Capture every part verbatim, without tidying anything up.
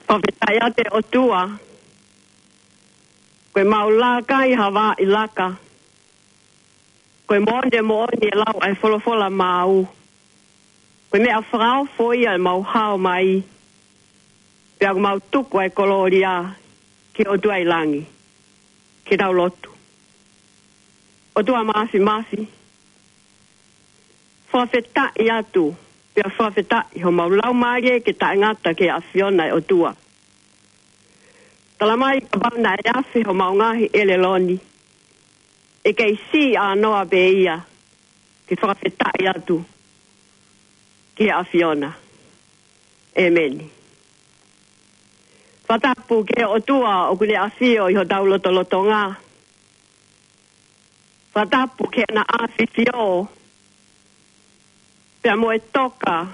Fakafetaʻi atu ʻOtua. Ko e mau laka ʻi ha vaʻa ʻi laka. Ko e moʻoni, moʻoni e lau ʻa e folofola maʻau. Ko e meʻa fakaofo ia ʻemau hao mai. Pea ʻoku mau tuku ʻa e kolōlia ki he ʻOtua ʻi langi. Ke tau lotu. ʻOtua Mafimafi. Fakafetaʻi atu. Pea fakafetaʻi homau laumālie ke taʻengata ki he ʻAfiona ʻo e ʻOtua. Tala mai kapau naʻe afe homau ngaahi ʻelelo ni, ʻe kei siʻi ʻānoa pē ia ke fakafetaʻi atu ki he ʻAfiona. ʻEmeni. Fakatapu ki he ʻOtua ʻoku ne ʻafio ʻi hotau lotolotonga. Fakatapu ki heʻene ʻafifio pea mo e toka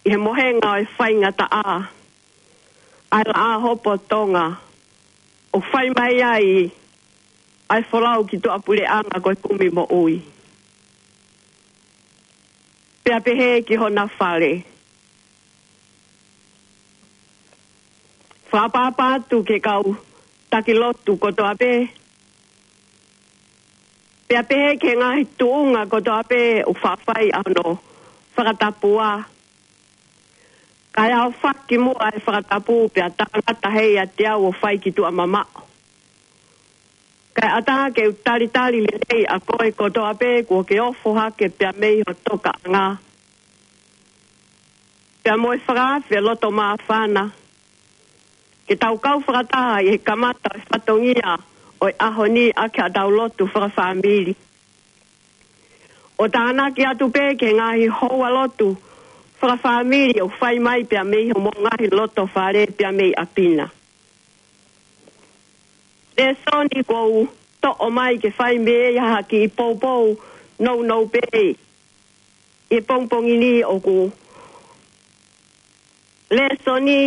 ʻi he mohenga ʻo e faingataʻa ʻa e Laʻā Hopo Tonga, ʻo fai mai ai ʻa e folau ki tuʻapuleʻanga ko e kumi moʻui. Pea pehē ki hona fale. Fakaʻapaʻapa atu ki he kau taki lotu kotoa pē. Pea pehē ki he ngaahi tuʻunga kotoa pē ʻoku faʻa fai ʻa hono fakatapua. Kae ʻaofaki muʻa e fakatapu pea tāngata hei ʻa te au ʻo fai ki tuʻa mamaʻo. Kae ʻatā ke u talitali lelei ʻa koe kotoa pē kuo ke ofo hake pea mei ho tokaʻanga. Pea mo e fakaafe loto māfana. Ke tau kau fakataha ʻi he kamata ʻo e fatongia ʻo e ʻaho ni ʻaki ʻetau lotu fakafāmili. ʻO tānaki atu pē ki he ngaahi houa lotu fakafāmili ʻoku fai mai pea mei homou ngaahi loto fale pea mei ʻapi na. Lēsoni kuo u toʻo mai ke fai mei ai ha kiʻi poupou nounou pē ʻi he pongipongi ni ʻoku lēsoni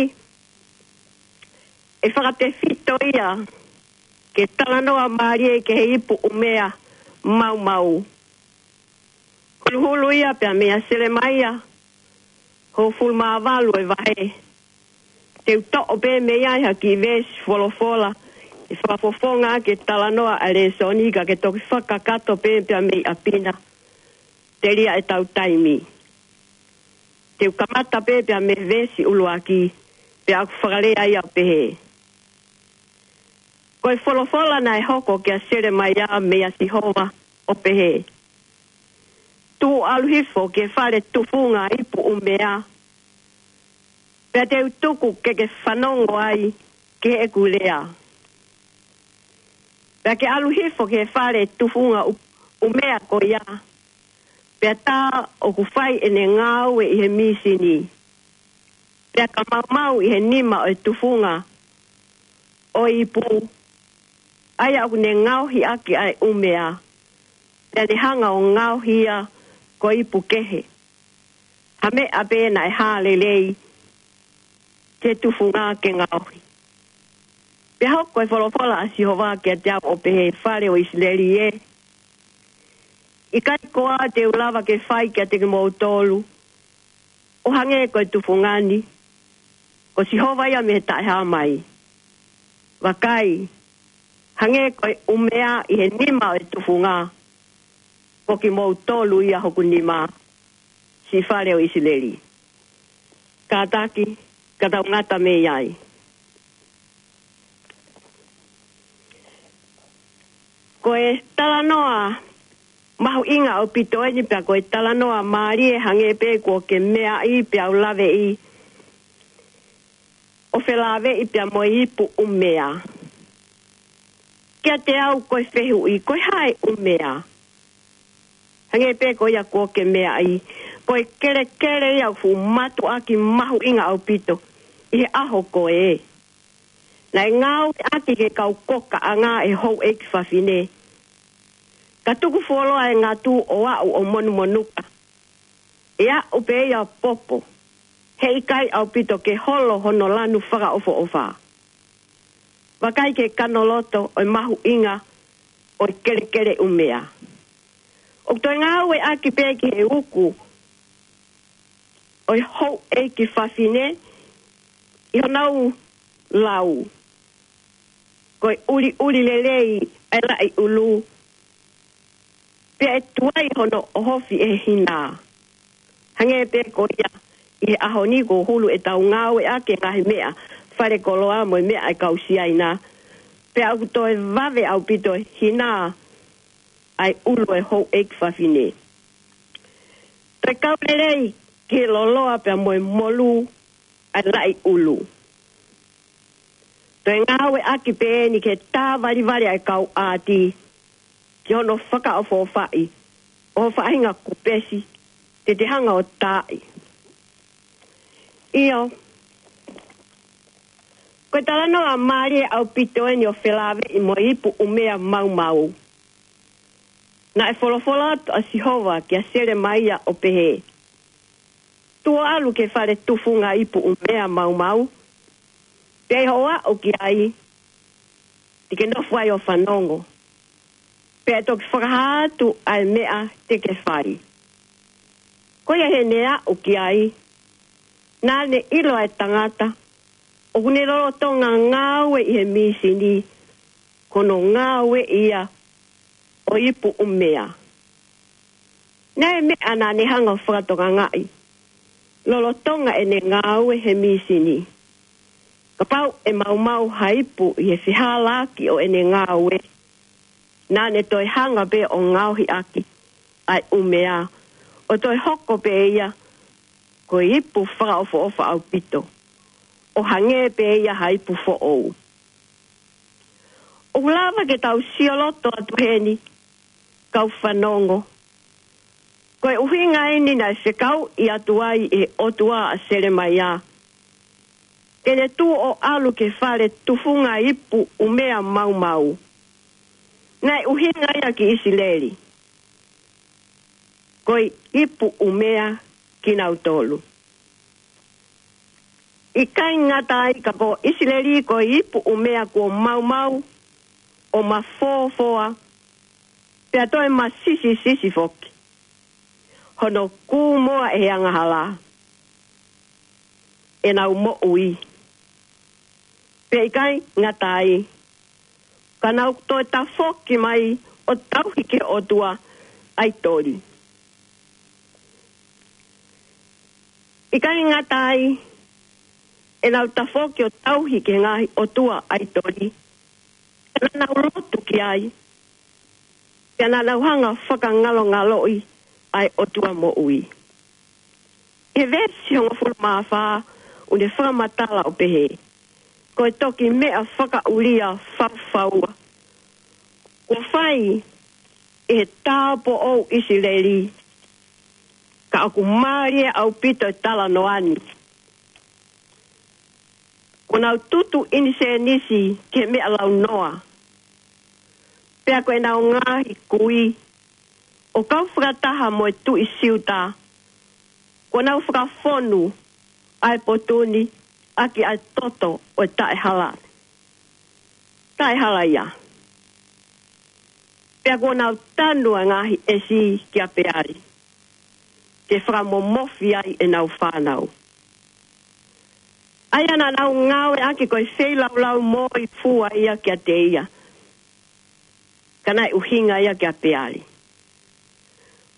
ʻe fakatefito ia ke talanoa mālie ki he ipu ʻumea maumau. Huluhulu ia pea mei a Selemaia, hongofulu mā valu e vahe. Te u toʻo pē mei ai ha kiʻi veesi folofola, ʻe fakafofonga ke talanoa ʻa e lēsoni ka ke toki fakakakato pē pea mei ʻapi na. Telia ʻetau taimi. Te u kamata pē pea mei he veesi ʻuluaki, pea ʻoku fakalea ia ʻo pehē. Ko e folofola naʻe hoko kia Selemaia mei a Sihova ʻo pehē. Tuʻu ʻalu hifo ki he fale tufunga ipu ʻumea. Pea te u tuku ke ke fanongo ai ki heʻeku lea. Pea ke ʻalu hifo ki he fale tufunga ʻu-, ʻumea ko ia. Pea tā ʻoku fai ʻene ngāue ʻi he mīsini. Pea ka maumau ʻi he nima ʻo e tufunga ʻo e ipu. ʻA ia ʻoku ne ngaohi ʻaki ʻa e ʻumea. Pea ne hanga ʻo ngaohi ia ko e ipu kehe. Ha meʻa pē naʻe hā lelei ke tufunga ke ngaohi. Pea hoko e folofola ʻa Sihova kiate au ʻo pehē fale ʻo ʻIsileli ē. ʻIkai koā te u lava ke fai kiate kimoutolu. ʻO hangē ko e tufunga ni. Ko Sihova ia mei he taʻehāmai. Vakai. Hangē ko e ʻumea ʻi he nima ʻo e tufunga. Ko kimoutolu ia hoku nima. Siʻi fale ʻo ʻIsileli. Kātaki, ka tau ngata mei ai. Ko e talanoa mahuʻinga ʻaupito eni pea ko e talanoa mālie hangē pē kuo ke meaʻi pea u laveʻi. ʻO felāveʻi pea mo e ipu ʻumea. Kiate au ko e fehuʻi, ko e hā e ʻumea. Hangē pē ko ia kuo ke meaʻi. Ko e kelekele ia ʻoku fuʻu mātuʻaki mahuʻinga ʻaupito. ʻI he ʻaho ko ē. Naʻe ngāueʻaki ki he kau kokaʻanga ʻe he houʻeiki fafine. Ka tuku fuoloa e ngatu ʻo aʻu ʻo monumonuka. ʻE aʻu pē ia ʻo popo. Heʻikai ʻaupito ke holo hono lanu fakaʻofoʻofa. Vakai ki he kanoloto ʻo e mahuʻinga ʻo e kelekele ʻumea. ʻOku toe ngāueʻaki pē ki he uku ʻo e houʻeiki fafine. ʻi honau lau, ko e ʻuliʻuli lelei ʻa e laʻi ʻulu, pea ʻe tuai hono ʻohofi ʻe he hinā. Hangē pē ko ia ʻi he ʻaho ni kuo hulu ʻetau ngāueʻaki e ngaahi meʻa falekoloa mo e meʻa ʻa e kau Siaina, pea ʻoku toe vave ʻaupito e hinā ʻa e ʻulu ʻo e houʻeiki fafine. Toe kau lelei ki he loloa pea mo e molū ʻa e laʻi ʻulu. Toe ngāueʻaki pē eni ke tāvalivali ʻa e kau ʻāti ki hono fakaʻofoʻofaʻi ʻo ho faʻahinga kupesi te te hanga ʻo taaʻi. ʻIo, ko e talanoa mālie ʻaupito eni ʻo felāveʻi mo e ipu ʻumea maumau. Naʻe folofola atu ʻa Sihova kia Selemaia ʻo pehē, Tuʻu ʻo ʻalu ki he fale tufunga ipu ʻumea maumau, pea ʻi hoʻo aʻu ki ai, te ke nofo ai ʻo fanongo, pea ʻe toki fakahā atu ʻa e meʻa te ke fai. Ko ia heʻene aʻu ki ai, naʻa ne ʻilo ʻa e tangata ʻoku ne lolotonga ngāue ʻi he mīsini, ko hono ngāue ia ʻo e ipu ʻumea. Naʻe meʻa naʻa ne hanga ʻo fakatokangaʻi, lolotonga ʻene ngāue he mīsini, kapau ʻe maumau ha ipu ʻi he fehālaaki ʻo ʻene ngāue, naʻa ne toe hanga pē ʻo ngaohi ʻaki ʻa e ʻumea, ʻo toe hoko pē ia ko e ipu fakaʻofoʻofa ʻaupito, ʻo hangē pē ia ha ipu foʻou. ʻOku lava ke tau sio loto atu heni, kau fanongo, ko e ʻuhinga eni naʻe fekauʻi atu ai ʻe he ʻOtua ʻa Selemaia ke ne tuʻu ʻo ʻalu ki he fale tufunga ipu ʻumea maumau. Naʻe ʻuhinga ia ki ʻIsileli, ko e ipu ʻumea kinautolu. ʻIkai ngata ai ka ko ʻIsileli ko e ipu ʻumea kuo maumau ʻo mafoafoa, pea toe masisisisi foki. Hono kūmoa ʻe he angahala ʻenau moʻui. Pea ʻikai ngata ai, ka nau toe tafoki mai ʻo tauhi ki he ʻotua ʻaitoli. ʻIkai ngata ai ʻenau tafoki ʻo tauhi ki he ngaahi ʻotua ʻaitoli, ka naʻa nau lotu ki ai, pea naʻa nau hanga ʻo fakangalongaloʻi ʻa e ʻOtua moʻui. ʻI he veesi hongofulu mā fā, ʻoku ne fakamatala ʻo pehē, ko e toki meʻa fakaʻulia faufaua kuo fai ʻe he tāupoʻou ʻIsileli, ka ʻoku mālie ʻaupito e talanoa ni. Kuo nau tutu ʻinisēnisi ki he meʻa launoa, pea ko ʻenau ngaahi kui ʻo kau fakataha mo e tuʻi Siuta, kuo nau fakafonu ʻa e potu ni ʻaki ʻa e toto ʻo e taʻehala, taʻehalaia. Pea kuo nau tanu ʻa e ngaahi ʻesi kia Peali, ke fakamomofi ai ʻenau fānau. ʻA ia naʻa nau ngāueʻaki ko e feilaulau moifua ia kiate ia, ka naʻe ʻuhinga ia kia Peali.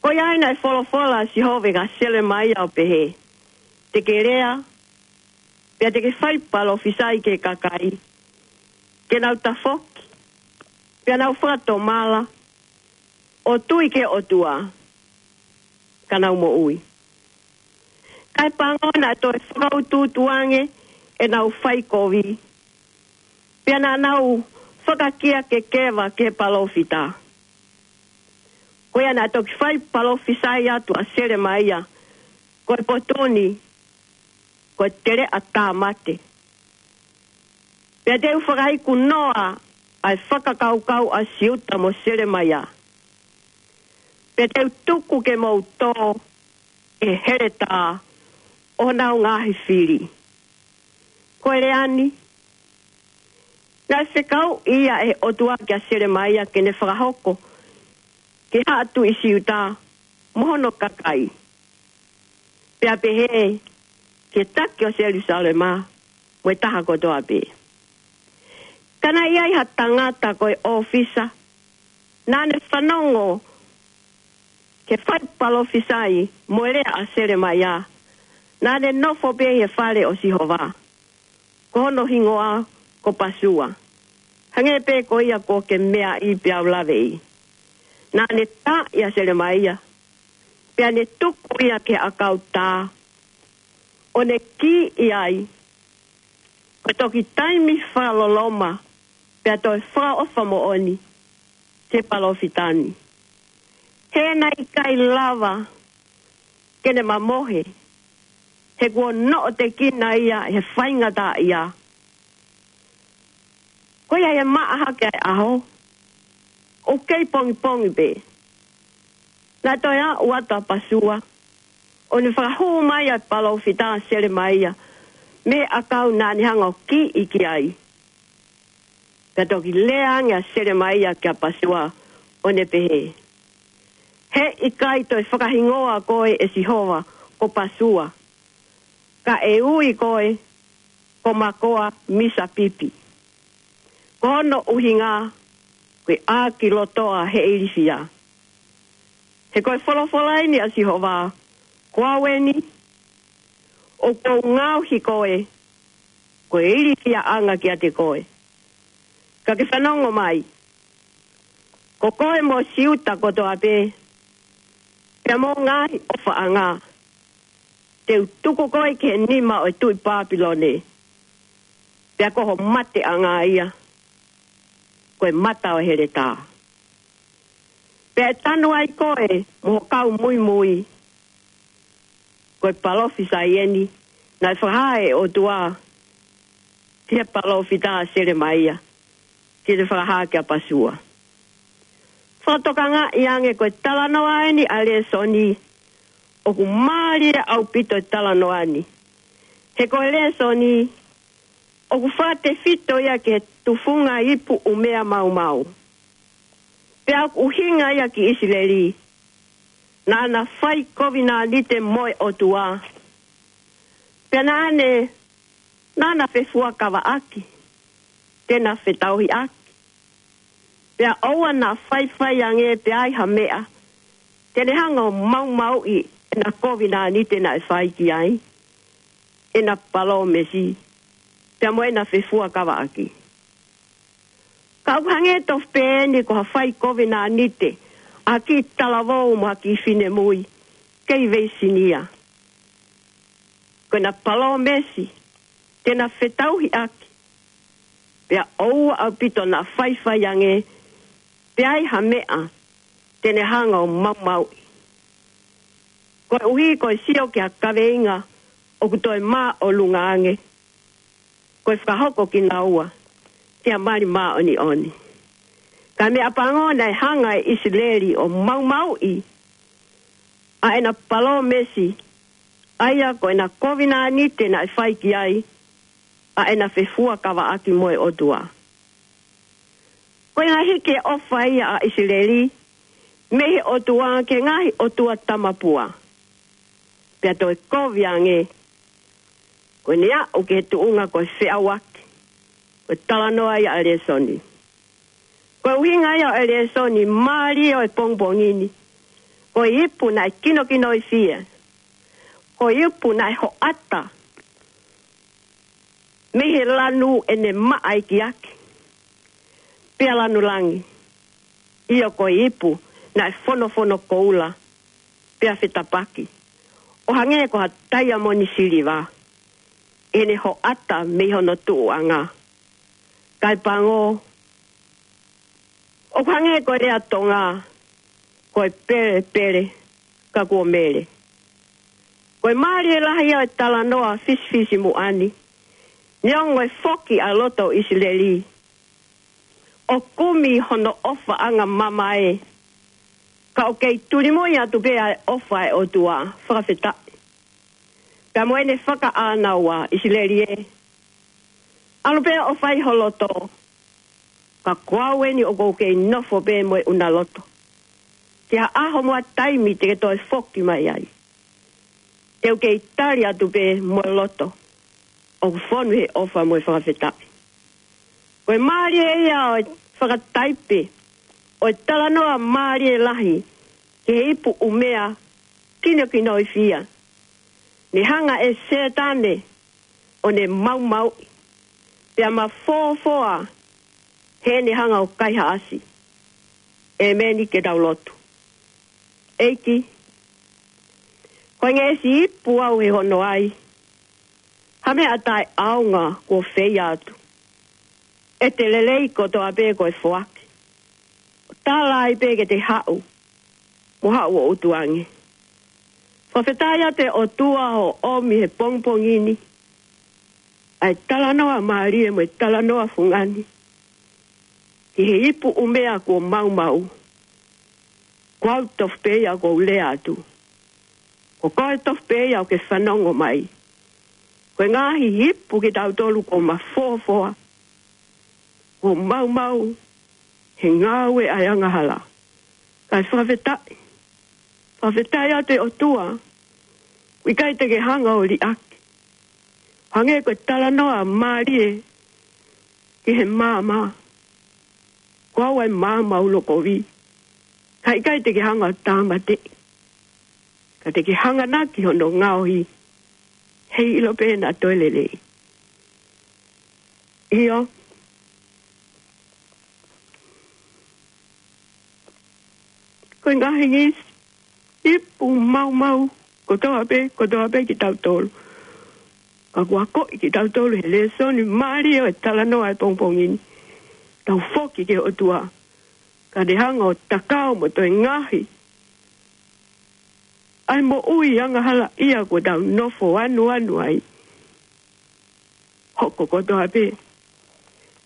Ko ia ai naʻe folofola ʻa Sihova kia Selemaia ʻo pehē, te ke lea, pea te ke fai palōfisai ki he kakai, ke nau tafoki, pea nau fakatomala, ʻo tui ki he ʻOtua, ka nau moʻui. Kae pango naʻe toe fakautuutu ange ʻenau faikovi, pea naʻa nau fakakia kekeva ki he palōfita. Ko ia naʻe toki fai palōfisai atu ʻa Selemaia, ko e potu ni, ko e teleʻa tāmate. Pea te u fakaiku noa ʻa e fakakaukau ʻa Siuta mo Selemaia. Pea te u tuku ke mou tō ʻi he heletā ʻo honau ngaahi fili. Ko e lea ni, naʻe fekauʻi ia ʻe he ʻOtua kia Selemaia ke ne fakahoko ki he haʻa tuʻi Siuta mo hono kakai. Pea pehē ki he taki ʻo Selusalema, mo e taha kotoa pē. Ka naʻe ʻi ai ha tangata ko e ʻōfisa, naʻa ne fanongo ki he fai palōfisai mo e lea ʻa Selemaia, naʻa ne nofo pē ʻi he fale ʻo Sihova, ko hono hingoa ko Pasua, hangē pē ko ia kuo ke meaʻi peau laveʻi. Naʻa ne tā ʻia Selemaia, pea ne tuku ia ki he ʻakau tā, ʻo ne kiʻi ai, ko e toki taimi fakaloloma, pea toe fakaʻofa moʻoni ki he palōfita ni. He naʻe ʻikai lava ke ne mamohe, he kuo noʻotekina ia he faingataʻaʻia. Ko ia he maʻa hake ʻa e ʻaho, ʻoku kei pongipongi pē, naʻe toe aʻu atu ʻa Pasua, ʻo ne fakahū mai ʻa e palōfita Selemaia mei he ʻakau naʻa ne hanga ʻo kiʻi ki ai. Ka toki lea ange ʻa Selemaia kia Pasua, ʻo ne pehē, He ʻikai toe fakahingoa koe ʻe Sihova ko Pasua, ka ʻe ui koe ko Makoa Misapipi. Ko hono ʻuhinga, ko e ʻākilotoa he ilifia. He ko e folofola eni ʻa Sihova, Ko au eni, ʻoku ou ngaohi koe ko e ilifiaʻanga kiate koe. Ka ke fanongo mai, ko koe mo Siuta kotoa pē, pea mo e ngaahi ʻofaʻanga, te u tuku koe ki he nima ʻo e tuʻi Papilone, pea ko ho mateʻanga ia ko e mata ʻo e heletā. Pea ʻe tanu ai koe mo ho kau muimui. Ko e palōfisai eni naʻe fakahā ʻe he ʻOtua ki he palōfita Selemaia, ke ne fakahā kia Pasua. Fakatokangaʻi ange ko e talanoa eni ʻa e lēsoni, ʻoku mālie ʻaupito e talanoa ni. He ko e lēsoni, ʻoku fakatefito ia ki he tufunga ipu ʻumea maumau. Pea ʻoku ʻuhinga ia ki ʻIsileli, naʻa na fai kovinānite mo e ʻOtua. Pea naʻa ne, naʻa na fefuakavaʻaki, te na fetauhiʻaki. Pea ʻoua naʻa faifai ange pea ʻi ai ha meʻa te ne hanga ʻo maumauʻi ʻena kovinānite naʻe fai ki ai, ʻena palōmesi, pea mo ʻena fefuakavaʻaki. Ka ʻoku hangē tofu pē eni ko ha fai kovinānite ʻa e kiʻi talavou mo ha kiʻi finemui kei veisinia. Ko ʻena palōmesi, te na fetauhiʻaki, pea ʻoua ʻaupito naʻa faifai ange pea ʻi ai ha meʻa te ne hanga ʻo maumauʻi. Koeʻuhi ko e sio ki ha kaveinga ʻoku toe māʻolunga ange, ko e fakahoko kinaua ki ha mali māʻoniʻoni. Ka meʻapango naʻe hanga ʻe ʻIsileli ʻo maumauʻi ʻa ʻena palōmesi, ʻa ia ko ʻena kovinānite naʻe fai ki ai, ʻa ʻena fefuakavaʻaki mo e ʻOtua. Ko e ngaahi ke ʻofa ia ʻa ʻIsileli mei he ʻOtua ki he ngaahi ʻotua tamapua, pea toe kovi ange, ko ʻene aʻu ki he tuʻunga ko e feʻauaki, ko e talanoa ia ʻa e lēsoni. Ko e ʻuhinga ia ʻo e lēsoni mālie ʻo e pongipongi ni, ko e ipu naʻe kinokinoifie, ko e ipu naʻe hoʻata mei he lanu ʻene maʻa ikiaki, pea lanu langi. ʻIo, ko e ipu naʻe fonofono koula, pea fetapaki, ʻo hangē ko ha taiamoni siliva, ʻene hoʻata mei hono tuʻuʻanga. Kae pango, ʻoku hangē ko e lea Tonga, ko e pelepele ka kuo mele. Ko e mālie lahi ia ʻo e talanoa fisifisimuʻa ni, neongo e foki ʻa e loto ʻo ʻIsileli ʻo kumi hono ʻofaʻanga mamae, ka ʻoku kei tulimui atu pē ʻa e ʻofa ʻa e ʻOtua, fakafetaʻi. Pea mo ʻene fakaʻānaua, ʻIsileli ē, ʻalu pē ʻo fai ho loto, ka ko au eni ʻoku ou kei nofo pē mo e ʻuna loto. Ki ha ʻaho mo ha taimi te ke toe foki mai ai, te u kei tali atu pē mo e loto ʻoku fonu he ʻofa mo e fakafetaʻi. Ko e mālie ia ʻo e fakataipe ʻo e talanoa mālie lahi ki he ipu ʻumea kinokinoifia. Ne hanga ʻe Sētane ʻo ne maumauʻi pea mafōfoa heʻene hanga ʻo kaihaʻasi. ʻEmeni, ke tau lotu. ʻEiki, ko e ngeʻesi ipu au he hono ai ha meʻa taʻeʻaonga kuo feia atu ʻe te lelei kotoa pē ko e foaki. Tala ai pē ke te haʻu mo haʻu ʻo ʻutuange. Fakafetaʻi atu ʻe ʻOtua hoʻo ʻomi he pongipongi ni ʻa e talanoa mālie mo e talanoa fungani ki he ipu ʻumea kuo maumau. Ko au tofu pē ia ʻoku ou lea atu. Ko koe tofu pē ia ʻoku ke fanongo mai. Ko e ngaahi ipu kitautolu kuo mafōfoa, kuo maumau he ngāue ʻa e angahala. Kae fakafetaʻi, fakafetaʻi atu ʻe ʻOtua, ʻoku ʻikai te ke hanga ʻo liʻaki. Hangē ko e talanoa mālie ki he maama, ko au ʻa e maama ulokovi. Kae ʻikai te ke hanga ʻo tāmateʻi, ka te ke hanganaki hono ngaohi, heiʻilo pē naʻa toe lelei. ʻIo, ko e ngaahi ngeʻesi ipu maumau kotoa pē, kotoa pē kitautolu. Ka kuo akoʻi kitautolu he lēsoni mālie ʻo e talanoa he pongipongi ni, tau foki ki he ʻOtua, ka te hanga ʻo takao mo toe ngaohi ʻa e moʻui angahalaʻia kuo tau nofo anuanu ai. Hoko kotoa pē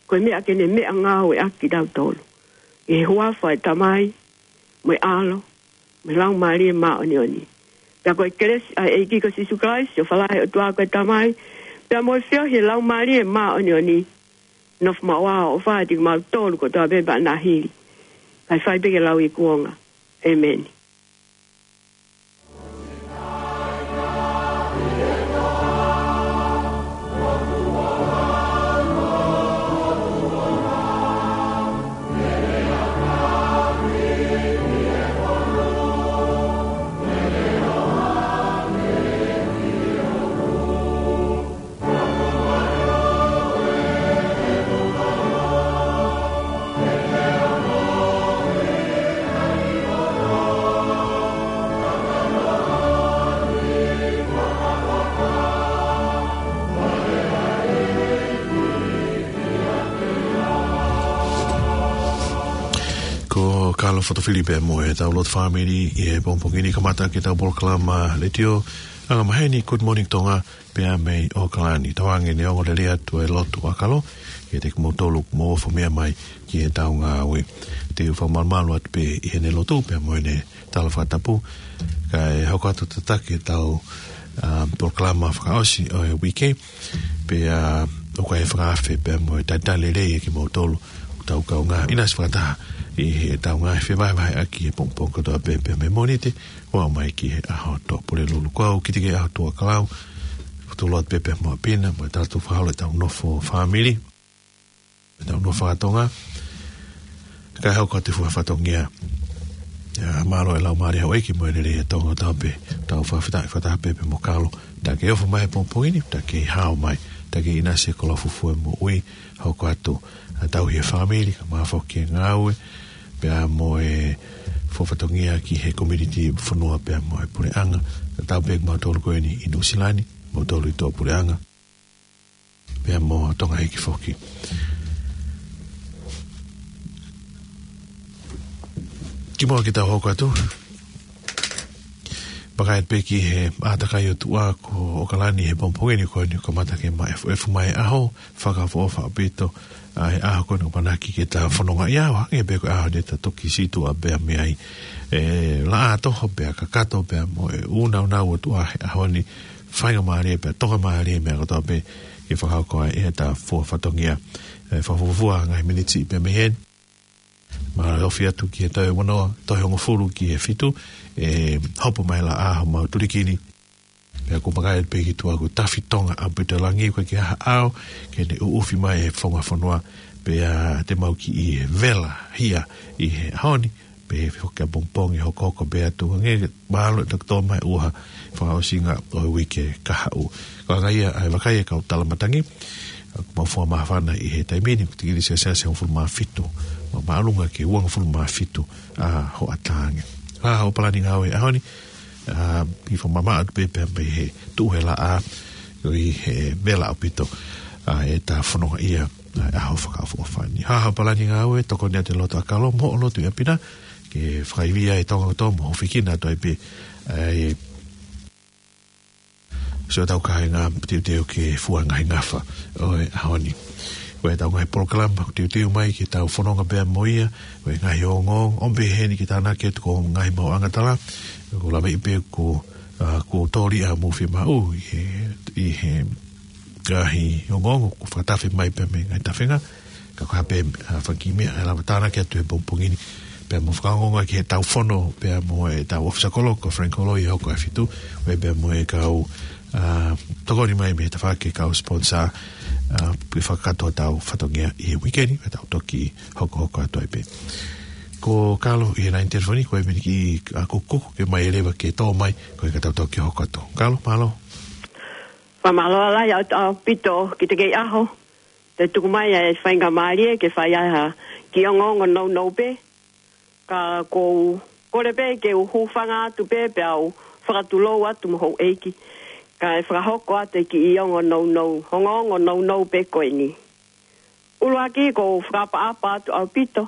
ko e meʻa ke ne meʻangāueʻaki kitautolu. ʻI he huafa ʻo e Tamai, mo e ʻAlo, mo e Laumālie Māʻoniʻoni. Pea ko e kelesi ʻa e ʻEiki ko Sīsū Kalaisi, ʻofa lahi ʻa e ʻOtua ko e Tamai, pea mo e feohi ʻa e Laumālie Māʻoniʻoni, nofo maʻu ʻo ʻofa ʻiate kimautolu kotoa pē pea nahili, kae fai pē ke lauikuonga. ʻEmeni. Ko Kalo Fotofili pē mo e tau lotu fāmili ʻi he pongipongi ni, kamata ki he tau polokalama letiō anga maheni Good Morning Tonga, pea mei ʻAokalani. Tauange ne ongo lelei atu e lotu ʻa Kalo kiate kimoutolu ʻoku mou ofi mai ki he tau ngāue. Te u fakamalumalu atu pē ʻi heʻene lotu pea mo ʻene tala fakatapu, kae hoko atu tataki e tau, um, polokalama fakaʻosi ʻo e uike, pea ʻoku ʻi ai e fakaafe pea mo e talitali lelei ʻa kimoutolu ʻoku tau kaungā ʻinasi fakataha ʻi he tau ngāue fevahevaheʻaki he pongipongi kotoa pē, pea mei Mōnite ʻo aʻu mai ki he ʻaho Tuʻapulelulu. Ko au Kitike ʻAhotuʻakalau, fakatulou atu pē pea mo ʻApina, mo e talateu fakaholo ʻetau nofo fāmili, ʻetau nofo faka-Tonga, kae hoko atu e fua fatongia. ʻIo, mālō e laumālie houʻeiki mo e lelei ʻa Tonga, tau pē, tau fakafetaʻi fakataha pē pea mo Kalo, tā ke ofi mai he pongipongi ni, tā ke hao mai, tā ke ʻinasi e koloa fufū e moʻui, hoko atu ʻa e tauhi e fāmili, kae ʻumaʻā foki e ngāue, pea mo e fua fatongia ki he community fonua pea mo e puleʻanga, kae tau pē kimautolu ko eni ʻi Nuʻusila ni, moutolu ʻi tuʻapuleʻanga, pea mo Tonga hiki foki. Kimuʻa ke tau hoko atu, vakai pē ki he ʻātakai ʻo tuʻa ko ʻAokalani he pongipongi ni, ko eni kamata ke maʻefuʻefu mai e ʻaho, fakaʻofoʻofa ʻaupito ʻa e ʻaho ko eni, ʻoku ʻamanaki ke ta fononga ʻi ai, ʻo hangē pē ko e ʻaho ne ta toki sītuʻa pea mei ai. ʻE laʻā toho pea kakato pea mo e ʻunauna ʻo tuʻa he ʻaho ni, faingamālie pea tokamālie meʻa kotoa pē ke fakahoko ai ʻeta fua fatongia. ʻE fakafuofua ngaahi miniti pē mei heni, mālō e ofi atu ki he toe ono, toe hongofulu ki he fitu, ʻe hopo mai e laʻā homau tulikini. Pea ko e makai pē ki tuʻa ko e tafi tonga ʻaupito e langi, ko e ke aha au ke ne ʻuʻufi mai e fonga fonua. Pea te mau kiʻi vela hia ʻi he ʻaho ni, pea foki ʻapongipongi hokohoko pē atu, hangē mālō e tokotō mai ʻuha fakaʻosinga ʻo e uike kahaʻu. Ko e anga ia ʻa e vakai e kau tala matangi, ʻoku mau fua māfana ʻi he taimi ni, ko e tikilisi ʻa e Siasi hongofulu mā fitu, ma māʻolunga ki he uangofulu mā fitu ʻa hoʻatā ange. Ko e hā hoʻo palani ngāue ʻaho ni? ʻA, ʻi he fakamamaʻo atu pē pea mei he tuʻu he laʻā, ʻo ʻi he vela ʻaupito ʻa e ta fononga ia ʻa e ʻaho fakaʻofoʻofa ni. Ko e hā hoʻo palani ngāue? Tokoni atu e loto ʻakau mo hoʻo lotu ʻi ʻapi na, ke fakaivia e Tonga kotoa mo hūfekina atu ai pē ʻa e sio tau kāinga, teuteu ke fua e ngaahi ngafa ʻo e ʻaho ni. Ko e tau ngaahi polokalama ʻoku teuteu mai ke tau fononga pea mo ia, ko e ngaahi ongoongo, ʻomi pē heni ke tānaki atu ko e ngaahi maʻuʻanga tala, ko e lave pē ko, ʻa, ko Toli ʻa Mufi Maʻu ʻi he, ʻi he ngaahi ongoongo ʻoku fakatafe mai pea mei he ngaahi tafenga, ka ko e hā pē, ʻa, fanga kiʻi meʻa ʻe lava tānaki atu he pongipongi ni. Pea mo fakaongoongo ki he tau fono, pea mo e tau ʻōfisa kolo, ko Frank Holoi ʻe hoko ʻaho fitu, ʻo e pea mo e kau, ʻa, tokoni mai mei he tafaʻaki e kau sponsor, ʻa, ke fakakakato ʻetau fatongia ʻi he uike ni, pea tau toki hokohoko atu ai pē. Ko Kalo ʻi he laine telefoni, ko e miniki ʻa kukuku ke mai leva ke tō mai, ko e ka tau toki hoko atu. Kalo, mālō. Fakamālō lahi ʻaupito ki he kei ʻaho. Te tuku mai ʻa e faingamālie ke fai ai ha kiʻi ongoongo nounou pē. Ka ʻoku ou kole pē ke u hūfanga atu pē pea u fakatulou atu mo houʻeiki. Kae fakahoko atu e kiʻi ongo nounou, ongoongo nounou pē ko eni. ʻUluaki ʻoku ou fakaʻapaʻapa atu ʻaupito.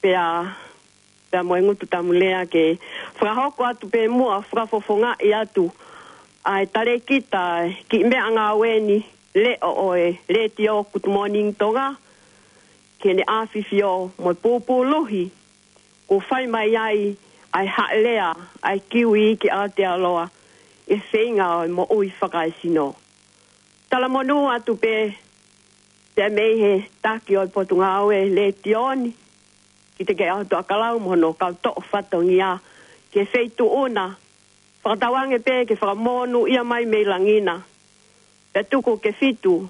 Pea pea mo e ngutu tamu lea ke fakahoko atu pē muʻa fakafofongaʻi atu ʻa e talēkita kiʻi meʻangāue ni, leʻo ʻo e Letiō Good Morning Tonga, ke ne ʻafifio mo e pūpūluhi ʻoku fai mai ai ʻa e haʻelea ʻa e kiwi ki Aotearoa ʻi he feinga ʻo e moʻui fakaesino. Talamonū atu pē pea mei he taki ʻo e Potungāue Letiō ni, ki he kei ʻaho Tuʻakalau mo hono kau toʻo fatongia ki he feituʻu na, fakatauange pē ke fakamonūʻia mai mei langi na. Pea tuku ke fitu,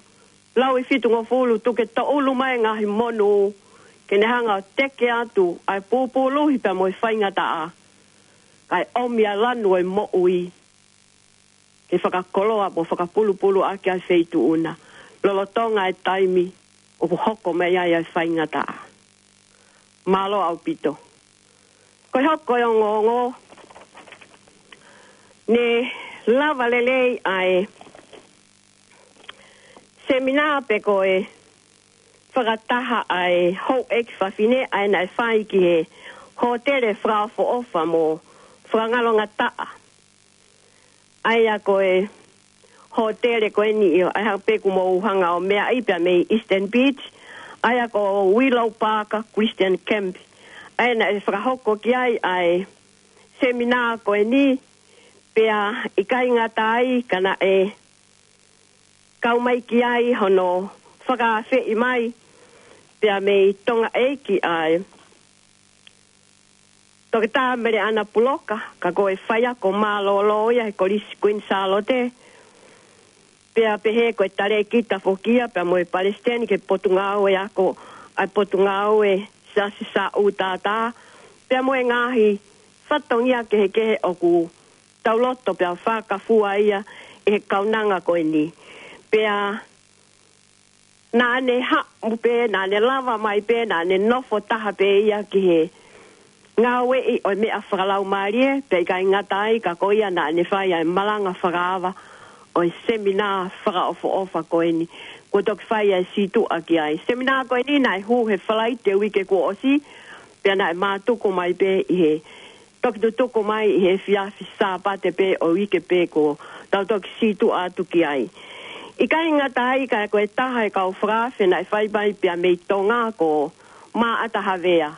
lau ʻi fitungofulu tuku ke toʻulu mai e ngaahi monū, ke ne hanga ʻo teke atu ʻa e pūpūluhi pea mo e faingataʻa, kae ʻomi ʻa e lanu ʻo e moʻui ke fakakoloa mo fakapulupulu ʻaki ʻa e feituʻu na, lolotonga e taimi ʻoku hoko mai ai ʻa e faingataʻa. Mālō ʻaupito. Ko e hoko e ongoongo, ne lava lelei ʻa e seminā pe ko e fakataha ʻa e houʻeiki fafine ʻa ia naʻe fai ki he hōtele fakaʻofoʻofa mo fakangalongataʻa. ʻA ia ko e hōtele ko eni ʻi ʻa e hā pē ʻoku mou hanga ʻo meaʻi pea mei Eastern Beach, ʻa ia ko Willow Park Christian Camp. ʻA ia naʻe fakahoko ki ai ʻa e seminā ko eni, pea ʻikai ngata ai ka naʻe kau mai ki ai hono fakaafeʻi mai pea mei Tonga ʻEiki ʻa e Toketā Meleʻana Puloka, ka ko e faiako mālōlō ia he Kolisi Kuini Sālote, pea pehē ko e talēkita foki ia, pea mo e palesiteni ki he Potungāue Ako ʻa e Potungāue Siasi Sāʻūtātā, pea mo e ngaahi fatongia kehekehe ʻoku tau loto pea fakafua ia ʻi he kaunanga ko eni. Pea naʻa ne haʻu pē, naʻa ne lava mai pē, naʻa ne nofo taha pē ia ki he ngāueʻi ʻo e meʻa fakalaumālie, pea ʻikai ngata ai ka ko ia naʻa ne fai ʻa e malanga fakaava ʻo e seminā fakaʻofoʻofa ko eni, kuo toki fai ʻa e sītuʻa ki ai. Seminā ko eni naʻe hū he Falaite uike kuo ʻosi, pea naʻe mātuku mai pē ʻi he toki tutuku mai ʻi he efiafi Sāpate pē ʻo e uike pē kuo tau toki sītuʻa atu ki ai. ʻIkai ngata ai ka ko e taha e kau fakaafe naʻe fai mai pea mei Tonga ko Maʻata Havea.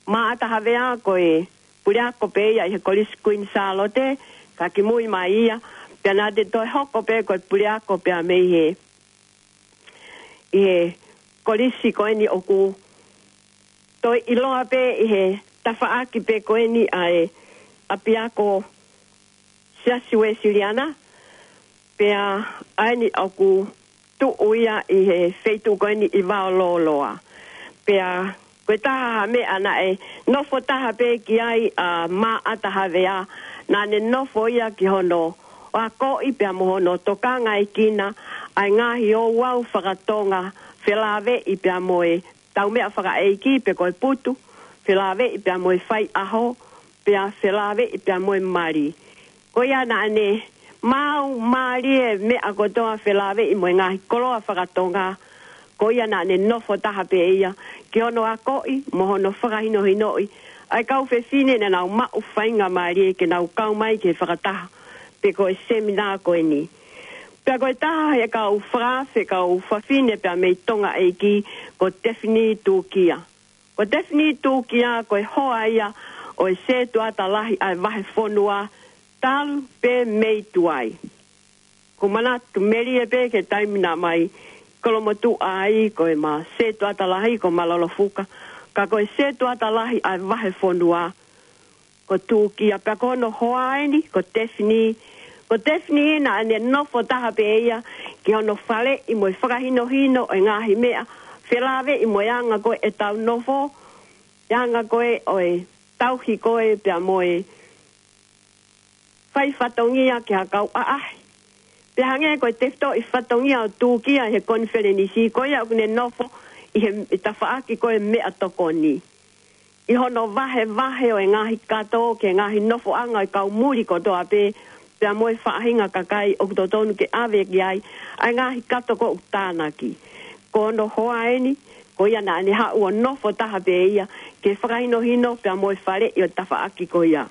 Maʻata Havea ko e puleako pē ia ʻi he Kolisi Kuini Sālote, ka kimui mai ia, pea naʻa ne toe hoko pē ko e puleako pea mei he, ʻi he kolisi ko eni ʻoku toe ʻiloa pē ʻi he tafaʻaki pē ko eni ʻa e ʻapiako Siasi Uēsiliana, Pea ʻa eni ʻoku tuʻu ia ʻi he feituʻu ko eni ʻi Vaolōloa. Pea ko e taha ha meʻa naʻe nofo taha pē ki ai ʻa Maʻata Havea, naʻa ne nofo ia ki hono akoʻi pea mo hono tokangaekina ʻa e ngaahi ouau fakatonga felāveʻi pea mo e tau meʻa fakaʻeiki pe ko e putu, felāveʻi pea mo e faiʻaho, pea felāveʻi pea mo e mali. Ko ia naʻa ne maʻu mālie e meʻa kotoa felāveʻi mo e ngaahi koloa fakatonga, ko ia naʻa ne nofo taha pē ia ki hono akoʻi mo hono fakahinohinoʻi ʻa e kau fefine naʻa nau maʻu faingamālie ke nau kau mai ki he fakataha pe ko e seminā ko eni. Pea ko e taha he kau fakaafe kau fafine pea mei Tonga ʻEiki ko Tefini Tūkia. Ko Tefini Tūkia ko e hoa ia ʻo e setuata lahi ʻa e vahefonua talu pē mei tuai. Ko manatu melie pē ki he taimi naʻa mai kolomotuʻa ai ko e ma setuata lahi ko Malolofuka, ka ko e setuata lahi ʻa e vahefonua ko Tūkia. Pea ko hono hoa eni ko Tefini. Ko Tefini naʻa ne nofo taha pē ia ki hono faleʻi mo e fakahinohino e ngaahi meʻa felāveʻi mo e anga ko ē ʻetau nofo, e anga ko ē ʻo e tauhi ko ē pea mo e fai fatongia ki ha kau ʻaʻahi. Pea hangē ko e tefitoʻi fatongia ʻo Tūkia he konifelenisi, ko ia ʻoku ne nofo ʻi he, ʻi tafaʻaki ko e meʻatokoni. ʻI hono vahevahe ʻo e ngaahi kato ki he ngaahi nofoʻanga ʻo e kau muli kotoa pē, pea mo e faʻahinga kakai ʻoku totonu ke ʻave ki ai ʻa e ngaahi kato ko ē ʻoku tānaki. Ko hono hoa eni, ko ia naʻa ne haʻu ʻo nofo taha pē ia ke fakahinohino pea mo e faleʻi ʻo e tafaʻaki ko ia.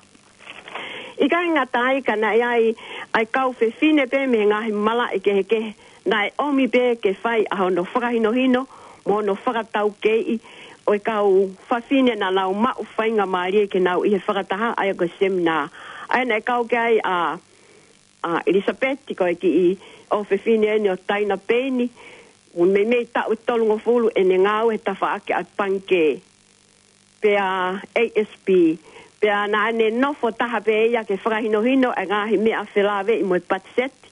ʻIkai ngata ai ka naʻe ʻi ai ʻa e kau fefine pē mei he ngaahi malaʻe kehekehe naʻe ʻomi pē ke fai ʻa hono fakahinohino mo hono fakataukeiʻi ʻo e kau fafine naʻa nau maʻu faingamālie ke nau ʻi he fakataha ʻa ia ko e seminā. ʻA ia naʻe kau ki ai ʻa, ʻa ʻIlisapeti ko e kiʻi ʻofefine eni ʻo Taina Peini, ʻoku meimei taʻu ʻe tolungofulu ʻene ngāue he tafaʻaki ʻa e pangikē pea A S P. Pea naʻa ne nofo taha pē ia ke fakahinohino e ngaahi meʻa felāveʻi mo e patiseti.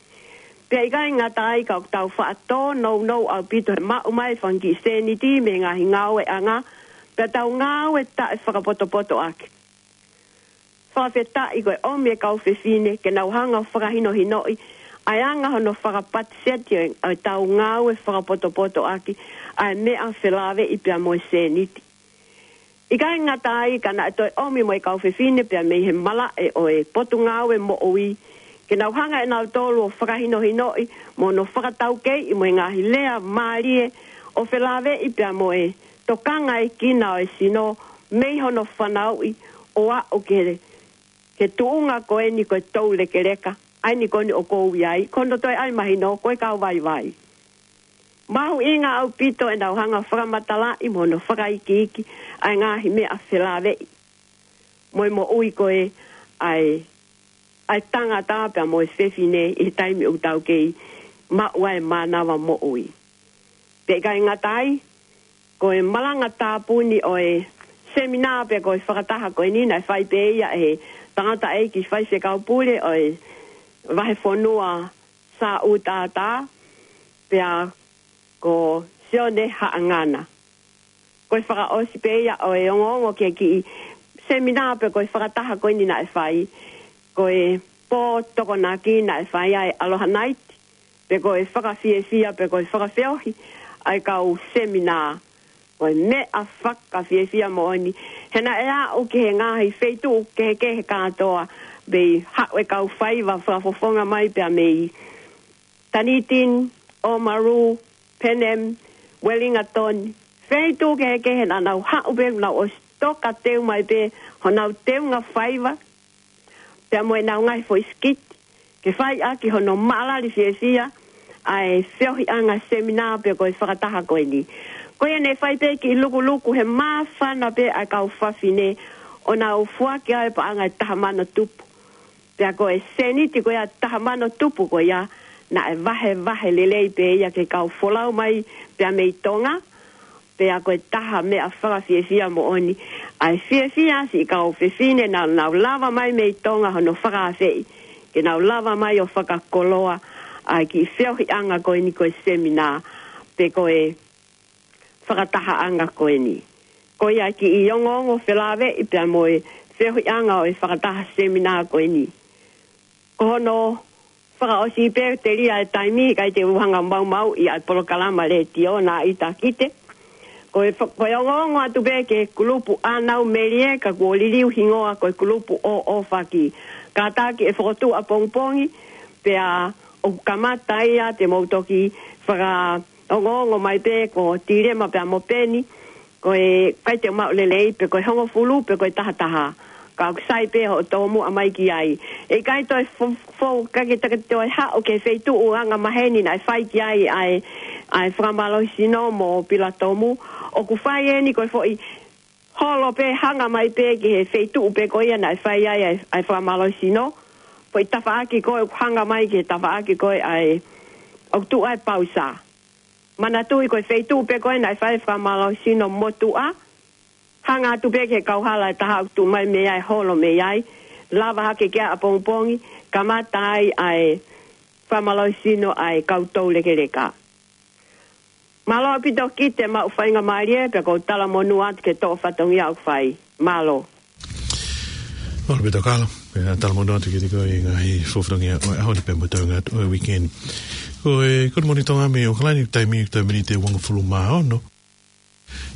Pea ʻikai ngata ai ka ʻoku tau faʻa tōnounou ʻaupito he maʻu mai e fanga kiʻi sēniti mei he ngaahi ngāueʻanga, pea tau ngāue taʻefakapotopotoʻaki. Fakafetaʻi ko e ʻomi e kau fefine ke nau hanga ʻo fakahinohinoʻi ʻa e anga hono fakapatiseti ʻo e, ʻo ʻetau ngāue fakapotopotoʻaki ʻa e meʻa felāveʻi pea mo e sēniti. ʻIkai ngata ai ka naʻe toe ʻomi mo e kau fefine pea mei he malaʻe ʻo e Potungāue Moʻui ke nau hanga ʻe nautolu ʻo fakahinohinoʻi mo hono fakataukeiʻi mo e ngaahi lea mālie ʻo felāveʻi pea mo e tokangaekina ʻo e sino mei hono fanauʻi ʻo aʻu ki he, ki he tuʻunga ko eni ko e toulekeleka, ʻa eni ko eni ʻoku ou ʻi ai, ko hono toe ʻai mahino ko e kau vaivai. Mahuʻinga ʻaupito ʻenau hanga fakamatalaʻi mo hono fakaikiiki ʻa e ngaahi meʻa felāveʻi mo e moʻui ko ē ʻa e, ʻa e tangata pea mo e fefine ʻi he taimi ʻoku tau kei maʻu ai e mānava moʻui. Pea ʻikai ngata ai, ko e malanga tāpuni ʻo e seminā pe ko e fakataha ko eni naʻe fai pē ia ʻe he tangataʻeiki faifekau pule ʻo e vahefonua Sāʻūtātā, pea ko Sione Haʻangana. Ko e fakaʻosi pē ia ʻo e ongoongo ki he kiʻi seminā pe ko e fakataha ko eni naʻe fai, ko e pō Tokonaki naʻe fai ai e Aloha Night, pe ko e fakafiefia, pe ko e fakafeohi ʻa e kau seminā. Ko e meʻa fakafiefia moʻoni, he naʻe aʻu ki he ngaahi feituʻu kehekehe kātoa, mei haʻu e kau faiva fakafofonga mai pea mei Dunedin, Oamaru, Panem, Wellington, feituʻu kehekehe naʻa nau haʻu pē, nau ʻosi toka teu mai pē honau teunga faiva, pea mo ʻenau ngaahi foʻi sikiti, ke fai ʻaki hono maʻalali fiefia ʻa e feohiʻanga seminā pe ko e fakataha ko eni. Ko ia naʻe fai pē kiʻi lukuluku he māfana pē ʻa e kau fafine ʻo nau foaki ai e paʻanga ʻe taha mano tupu. Pea ko e sēniti ko ia ʻe taha mano tupu ko ia, naʻe vahevahe lelei pē ia ki he kau folau mai pea mei Tonga, pea ko e taha meʻa fakafiefia moʻoni, ʻa e fiefia siʻi kau fefine naʻa nau lava mai mei Tonga hono fakaafeʻi, ke nau lava mai ʻo fakakoloa ʻa e kiʻi feohiʻanga ko eni ko e seminā, pe ko e fakatahaʻanga ko eni. Ko ia kiʻi ongoongo felāveʻi pea mo e feohiʻanga ʻo e fakataha seminā ko eni. Ko hono fakaʻosi pē telia e taimi, ʻikai te u hanga maumauʻi ʻa e polokalama letiō naʻe ʻita kite. Ko e fa-, ko e ongoongo atu pē ki he kulupu ʻānau melie ka kuo liliu hingoa ko e kulupu ʻōʻōfaki. Kātaki ʻe fokotuʻu ʻapongipongi, pea ʻoku kamata ia te mou toki fakaongoongo mai pē ko Tilema pea mo Peni, ko e ʻikai te u maʻu lelei pe ko e hongofulu pe ko e tahataha. Ka ʻoku sai pē hoʻo tomuʻa mai ki ai. ʻE ʻikai toe fo-, fo-, ʻikai ke take toe haʻu ki he feituʻu angamaheni naʻe fai ki ai ʻa e, ʻa e fakamālohisino mo Pilatomu. ʻOku fai eni ko e foʻi holo pē hanga mai pē ki he feituʻu pē ko ia naʻe fai ai ʻa e, ʻa e fakamālohisino. Foʻi tafaʻaki ko ē ʻoku hanga mai ki he tafaʻaki ko ē ʻa e, ʻoku tuʻu ai pausa. Manatuʻi ko e feituʻu pē ko ē naʻe fai e fakamālohisino motuʻa. Hanga atu pē ki he kauhala ʻe taha ʻoku tuʻu mai mei ai, holo mei ai. Lava hake ki ai ʻapongipongi, kamata ai ʻa e fakamālohisino ʻa e kau toulekeleka. Mālō ʻaupito kite maʻu faingamālie, pea ʻoku ou talamonū atu ki he toʻo fatongia ʻoku fai. Mālō. Mālō ʻaupito Kalo, pea talamonū atu kiate koe ʻi he ngaahi fatongia ʻo e ʻaho ni pea mo e toenga atu ʻo e weekend. Ko e, ko e Monitonga mei ʻAokalani, taimi, taimi ni ʻe uangofulu mā ono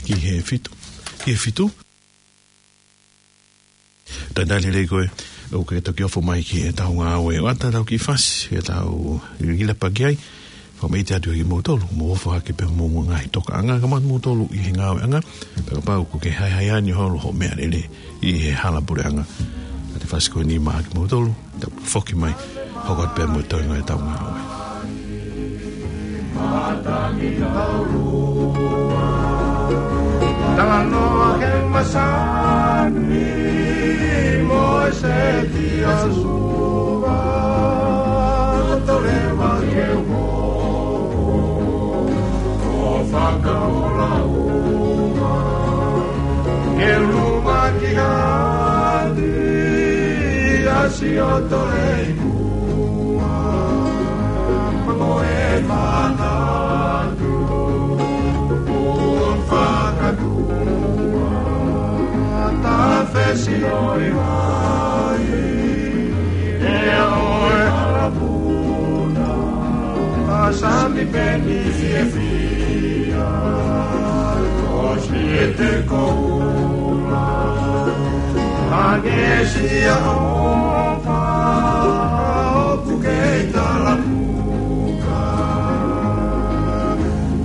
ki he fitu. Ki he fitu. Talitali lelei koe, ʻoku ke toki ofo mai ki heʻetau ngāue. ʻOatu ʻetau kiʻi fasi, ʻetau ʻiloʻi pē ki ai. Fakaʻapaʻapa atu kiate kimoutolu, mou ofo hake pē mo e ngaahi tokaʻanga, ka moutolu ʻi he ngāueʻanga, pea kapau ʻoku ke haehae ʻa e holo hoʻo meʻalele ʻi he hala puleʻanga. Ka te fasi ko eni maʻa kimoutolu, tau foki mai, hoko atu pē mo e toenga ʻetau ngāue. Talanoa ki he masani mo e seti ʻa Sihova, ʻo toleva ke u hoko ʻo fakaola uma, ke luma ki ha ʻapi ʻa Siotoleiku. Mo e manatu ʻoku fakatua, ta fesi ʻo e vai, ʻe ʻo e hala puna, ʻa Sami Peni fiefia, ko Siete Koula, ʻa Nesia ʻo ʻoku kei talapuka.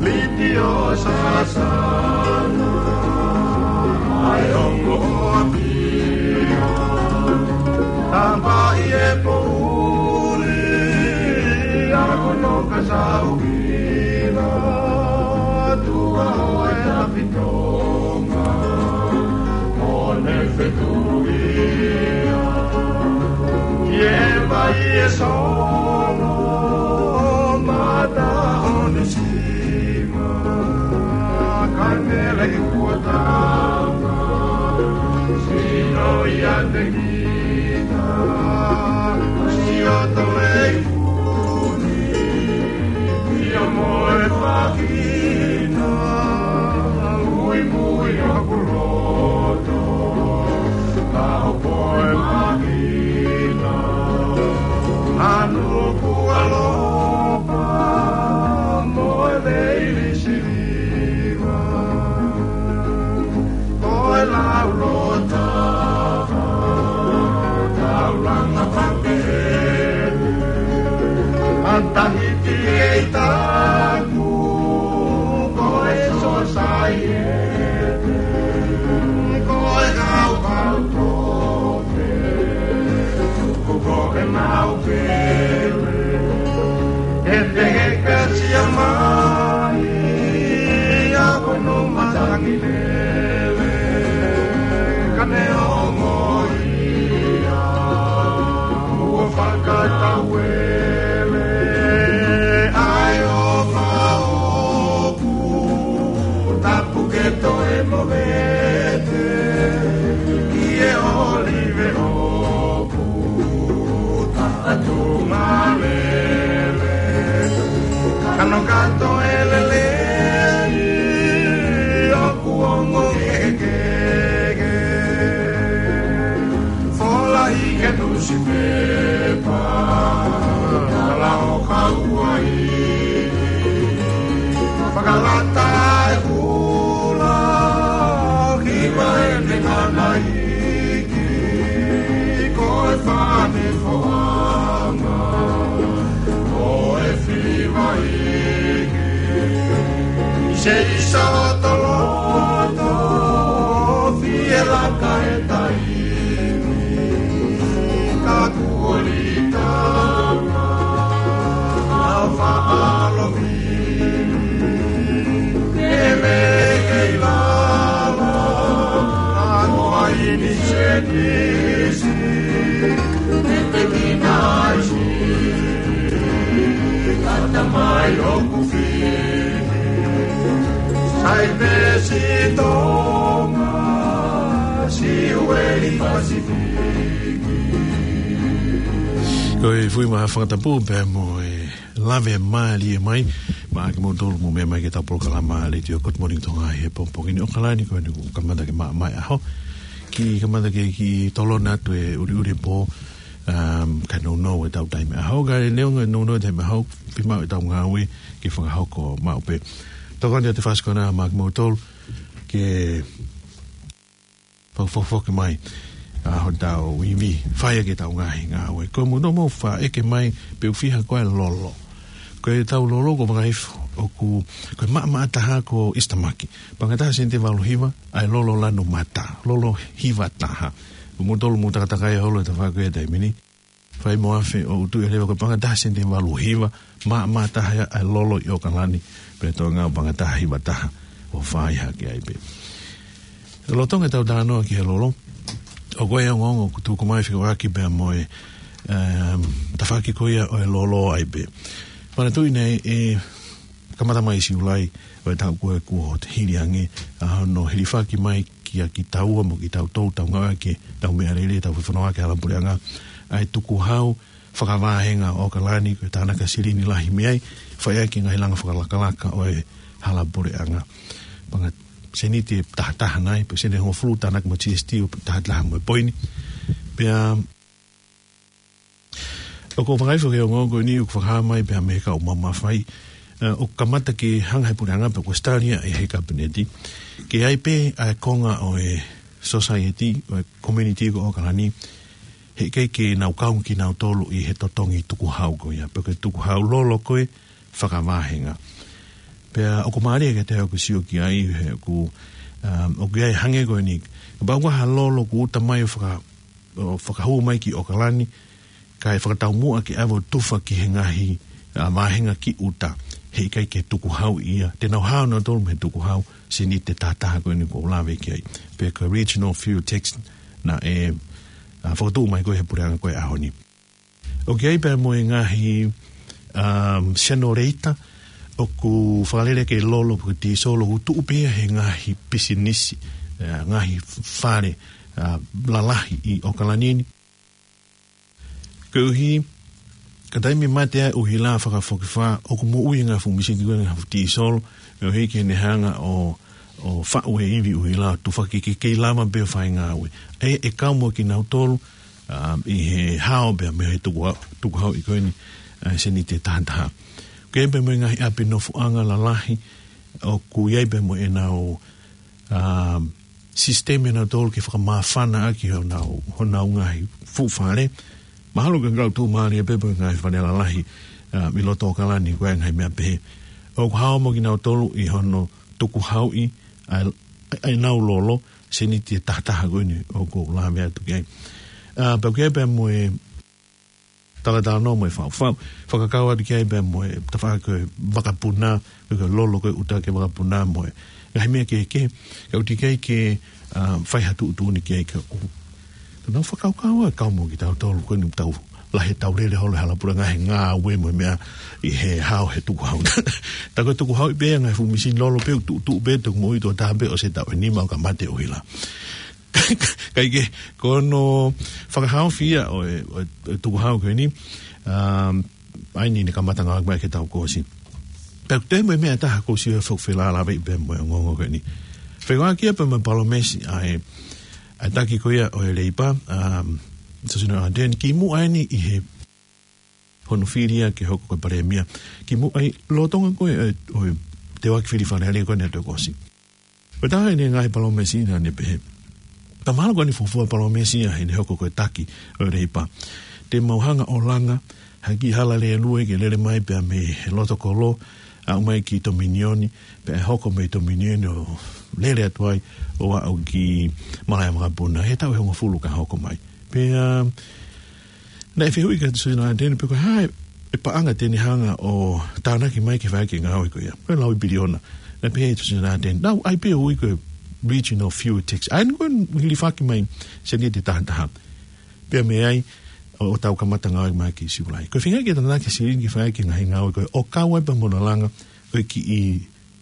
Liti ʻo Sasana, ʻa e ongo ʻo ʻApia. Tapa ʻi he poʻuli, ʻa Konoka Sauvila, tuʻa ʻo e Tapi Tonga, ʻo ne fetulia ki he vai ʻe Solo, mata ʻo Nisima, kae mele ʻi Kuatama, sino ia te kita, Siotoleiku ni, ia mo e fakina, muimui ʻoku loto, ka hopo e makina, ʻa Nuku ʻAlopa, mo e Leili Siliva. Ko e lau lota, taulanga pape, ʻa Tahiti ʻi he ʻita, ko e sosaiete, ko e kaukau tope, ko e mau pele, ʻe te heka sia mai, ʻa ko no matangi lele, ka ne ongo ia, ʻo fakatauele, ʻa e ʻofa ʻoku tapu ke toe movete, ʻi he ʻōlive ʻoku taʻatu malele. Hono kato e lelei ʻoku ongo kehekehe. Fola ʻi he nusipepa, tala ʻo kauaʻi. Fakalata e kula, hiva e te ngana iiki, ko e fane foanga, ko e fili vaiki. Se isa toloto, fie laka e taimi, ka kuo lī tama, a faʻa lomi. Ke me kei lava, a noa ini se kisi, ke te kinaisi, kata mai ʻoku fili. Sai pē si Tonga, si ueli Pasifiki. Ko e fui ma fakatapu pē mo e lave mālie mai, maʻa kimoutolu mou meʻa mai ki heʻetau polokalama Letiō Good Morning Tonga he pongipongi ni ʻo ʻAokalani, ko eni kuo kamata ke maʻamaʻa e ʻaho. Kiʻi kamata ke kiʻi tolona atu e ʻuliʻuli pō, um, kae nounou ʻetau taimi ʻaho. Kae neongo e nounou e taimi ʻaho, fiemaʻu ʻetau ngāue ke fakahoko maʻu pē. Tokoni atu e Fasikona maʻa kimoutolu ke fakafokifoki mai ʻa hotau ivi, fai ʻaki ʻetau ngaahi ngāue. Ko e mou no mou faʻa ʻeke mai pe ʻoku fiha ko e lolo. Ko ʻetau lolo ko Vakaifo, ʻoku, ko e maʻamaʻa taha ko e Eastern Market. Paʻanga taha sēniti ʻe valu hiva, ʻa e lolo lanu mata, lolo hiva taha. Ko moutolu mou takatakai holo he tafaʻaki ko ia he taimi ni, fai mo afe ʻo utu e leva, ko e paʻanga taha sēniti ʻe valu hiva, maʻamaʻa taha ia ʻa e lolo ʻi ʻAokalani, pea Tonga paʻanga taha hiva taha ʻo fai hake ai pē. Lolotonga ʻetau talanoa ki he lolo, ʻoku ʻi ai e ongoongo kuo tuku mai fekauʻaki pea mo e, um, tafaʻaki ko ia ʻo e lolo ai pē. Manatuʻi naʻe kamata mai ʻi Siulai ʻo e taʻu ko ē kuo hili ange, ʻa hono hilifaki mai kia kitaua mo kitautolu, tau ngāueʻaki ʻetau meʻalele, tau fefonua ki he hala puleʻanga, ʻa e tukuhau fakavāhenga ʻo ʻAokalani, ko e tānaki silini lahi mei ai, fai ʻaki e ngaahi langa fakalakalaka ʻo e hala puleʻanga. Paʻanga sēniti ʻe tahataha nai, pe sēniti ʻe hongofulu tānaki mo e G S T ʻo tahataha mo e poini. Pea ʻoku ou fakaʻiloʻi e ongoongo ko eni ʻoku fakahā mai pē mei he kau mamafa, ē, ʻoku kamata ke hanga ʻe he puleʻanga pe ko e study ia ʻe he Kapineti, ke ʻi ai pē ʻa e konga ʻo e society, ʻo e community ko ʻAokalani, heʻikai ke nau kau kinautolu ʻi he totongi tukuhau ko ia, pe ko e tukuhau lolo ko ē fakavāhenga. Pea ʻoku mālie ke te ʻoku sio ki ai, he ʻoku, um, ʻoku ʻi ai e hangē ko eni, kapau ko ha lolo kuo ʻuta mai ʻo faka-, ʻo fakahū mai ki ʻAokalani, kae fakataumuʻa ke ʻave ʻo tufa ki he ngaahi, ā, vāhenga ki ʻuta, heʻikai ke tukuhau ia. Te nau hao nautolu mei he tukuhau sēniti ʻe tahataha ko eni ʻoku ou lave ki ai. Pe ko e regional fuel tax naʻe, ā, fakatuʻu mai ko ē ʻe he puleʻanga ko ē he ʻaho ni. ʻOku ʻi ai pē mo e ngaahi, um, senoleta ʻoku fakalele ki he lolo pe ko e tīsolo ʻoku tuʻu pē ia he ngaahi pisinisi, ā, ngaahi fale, ā, lalahi ʻi ʻAokalani ni. Koeʻuhi, ka taimi mate ai ʻuhila fakafokifā, ʻoku moʻui e ngaahi fuʻu misini ko ē ngaahi fuʻu tīsolo, koeʻuhi ke ne hanga ʻo, ʻo faʻu e ivi ʻuhila, tufaki ke kei lava pē ʻo fai ngāue. ʻE, ʻe kau mo kinautolu, um, ʻi he hao pē mei he tukuha-, tukuhau ʻi ko eni, ā, sēniti ʻe tahataha. Ke pē mo e ngaahi ʻapi nofoʻanga lalahi, ʻoku ʻi ai pē mo ʻenau, um, sisitemi ʻanautolu ke fakamāfana ʻaki honau, honau ngaahi fuʻu fale. Mahalo ke ngau tuʻumālie pē mo e ngaahi fale lalahi, um, ʻi loto ʻAokalani ko e ngaahi meʻa pehē. ʻOku hao mo kinautolu ʻi hono tukuhauʻi ʻa e, ʻa ʻenau lolo, sēniti ʻe tahataha ko eni ʻoku ou lave atu ki ai. Ā, pea ʻoku ʻi ai pē mo e talatalanoa mo e faufau. Fakakau atu ki ai pē mo e tafaʻaki ko e vakapuna, ko e lolo ko ē ʻuta ki he vakapuna mo e ngaahi meʻa kehekehe. Ka ʻoku teʻeki ai ke, ā, fai ha tuʻutuʻuni ki ai ka ʻoku. Tau nau fakakaukau ā kau mo kitautolu ko eni tau lahi ʻetau lele holo he hala puleʻanga he ngāue mo e meʻa ʻi he hao he tukuhau. Tā ko e tukuhau ʻi pē ngaahi fuʻu misini lolo pē ʻoku tuʻutuʻu pē, tuku moʻui tuʻo taha pē ʻosi e taʻu ʻe nima ʻo ka mate ʻuhila. Kae kehe, ko hono fakahaofi ia ʻo e, ʻo e, ʻo e tukuhau ko eni, um, ʻa eni ne kamata ngāueʻaki mai ki he taʻu kuo ʻosi. Pea ʻoku toe mo e meʻa ʻe taha ʻoku ou sio ʻoku felāveʻi pea mo e ongoongo ko eni. Fekauʻaki ia pea mo e palōmesi ʻa e, ʻa e taki ko ia ʻo e Leipa, um, Jacinda Ardern, kimuʻa eni ʻi he hono fili ia ke hoko ko e palēmia. Kimuʻa ʻi he lolotonga ko ē ʻo e, ʻo e teuaki fili Fale Alea ko eni ʻo e taʻu kuo ʻosi. Ko e taha eni e ngaahi palōmesi naʻa ne pehē. Ka mahalo ko eni fuofua palōmesi ia heʻene hoko ko e taki ʻo e Leipa. Te mau hanga ʻo langa ha kiʻi hala lēlue ke lele mai pea mei he loto kolo, aʻu mai ki Tominioni, pea hoko mei Tominioni ʻo lele atu ai ʻo aʻu ki Malaʻe Vakapuna. He taʻu ʻe hongofulu ka hoko mai. Pea, naʻe fehuʻi kia Jacinda Ardern pe ko e hā e paʻanga te ne hanga ʻo tānaki mai ke fai ʻaki e ngāue ko ia. Ko e lau ʻe piliona. Naʻe pehē ʻe Jacinda Ardern, naʻe ʻai pē ʻo ui ko e regional fuel tax. ʻA eni ko e hilifaki mai sēniti ʻe taha taha. Pea mei ai ʻo, ʻo tau kamata ngāue mai ki Siulai. Ko e feinga ke tānaki e silini ke fai ʻaki e ngaahi ngāue ko ē ʻo kau ai pea mo hono langa ʻo e kiʻi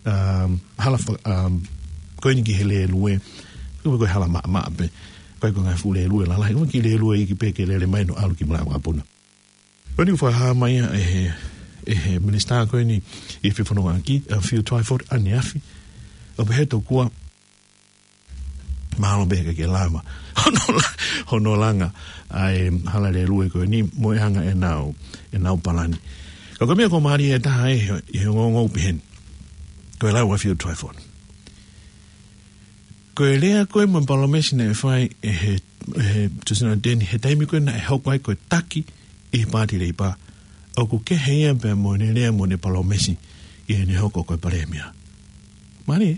um, hala fa-, um, ko eni ki he lēlue, ko e hala maʻamaʻa pē, ko e ko e ngaahi fuʻu lēlue lalahi, ko e kiʻi lēlue iiki pē ke lele mai ʻo ʻalu ki Malaʻe Vakapuna. Ko eni ʻoku fakahā mai ia ʻe he, ʻe he minisitā ko eni ʻi he fefonongaʻaki, ʻa Phil Twyford ʻaneafi, ʻo pehē tokua, mahalo pē ʻikai ke lava hono la-, hono langa ʻa e hala lēlue ko eni mo e anga ʻenau, ʻenau palani. Ka ko e meʻa ʻoku mālie ʻe taha ʻi he, ʻi he ongoongo ʻoku pehē ni. Ko e lau ʻa Phil Twyford. Ko e lea ko ē mo e palōmesi naʻe fai ʻe he, ʻe he Jacinda Ardern he taimi ko ē naʻe hoko ai ko e taki ʻi he Paati Leipa, ʻoku kehe ia pea mo ʻene lea mo ʻene palōmesi ʻi heʻene hoko ko e palēmia. Mālie.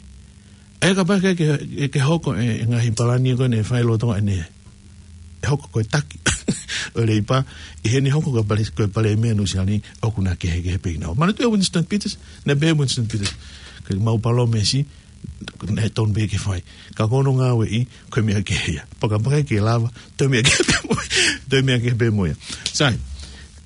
ʻE kapau ke, ke, ke hoko e, e ngaahi palani ko ē naʻe fai lolotonga ʻene hoko ko e taki ʻo e Leipa, ʻi heʻene hoko ko e pale-, ko e palēmia ʻo Nuʻusila ni, ʻoku na kehekehe pē kinaua. Manatuʻi ʻa Winston Peters, naʻe pehē ʻe Winston Peters, ko ʻemau palōmesi, naʻe tonu pē ke fai. Ka ko hono ngāueʻi, ko e meʻa kehe ia. Pea kapau ʻe ʻikai ke lava, toe meʻa kehe pē mo ia. Toe meʻa kehe pē mo ia. Sai,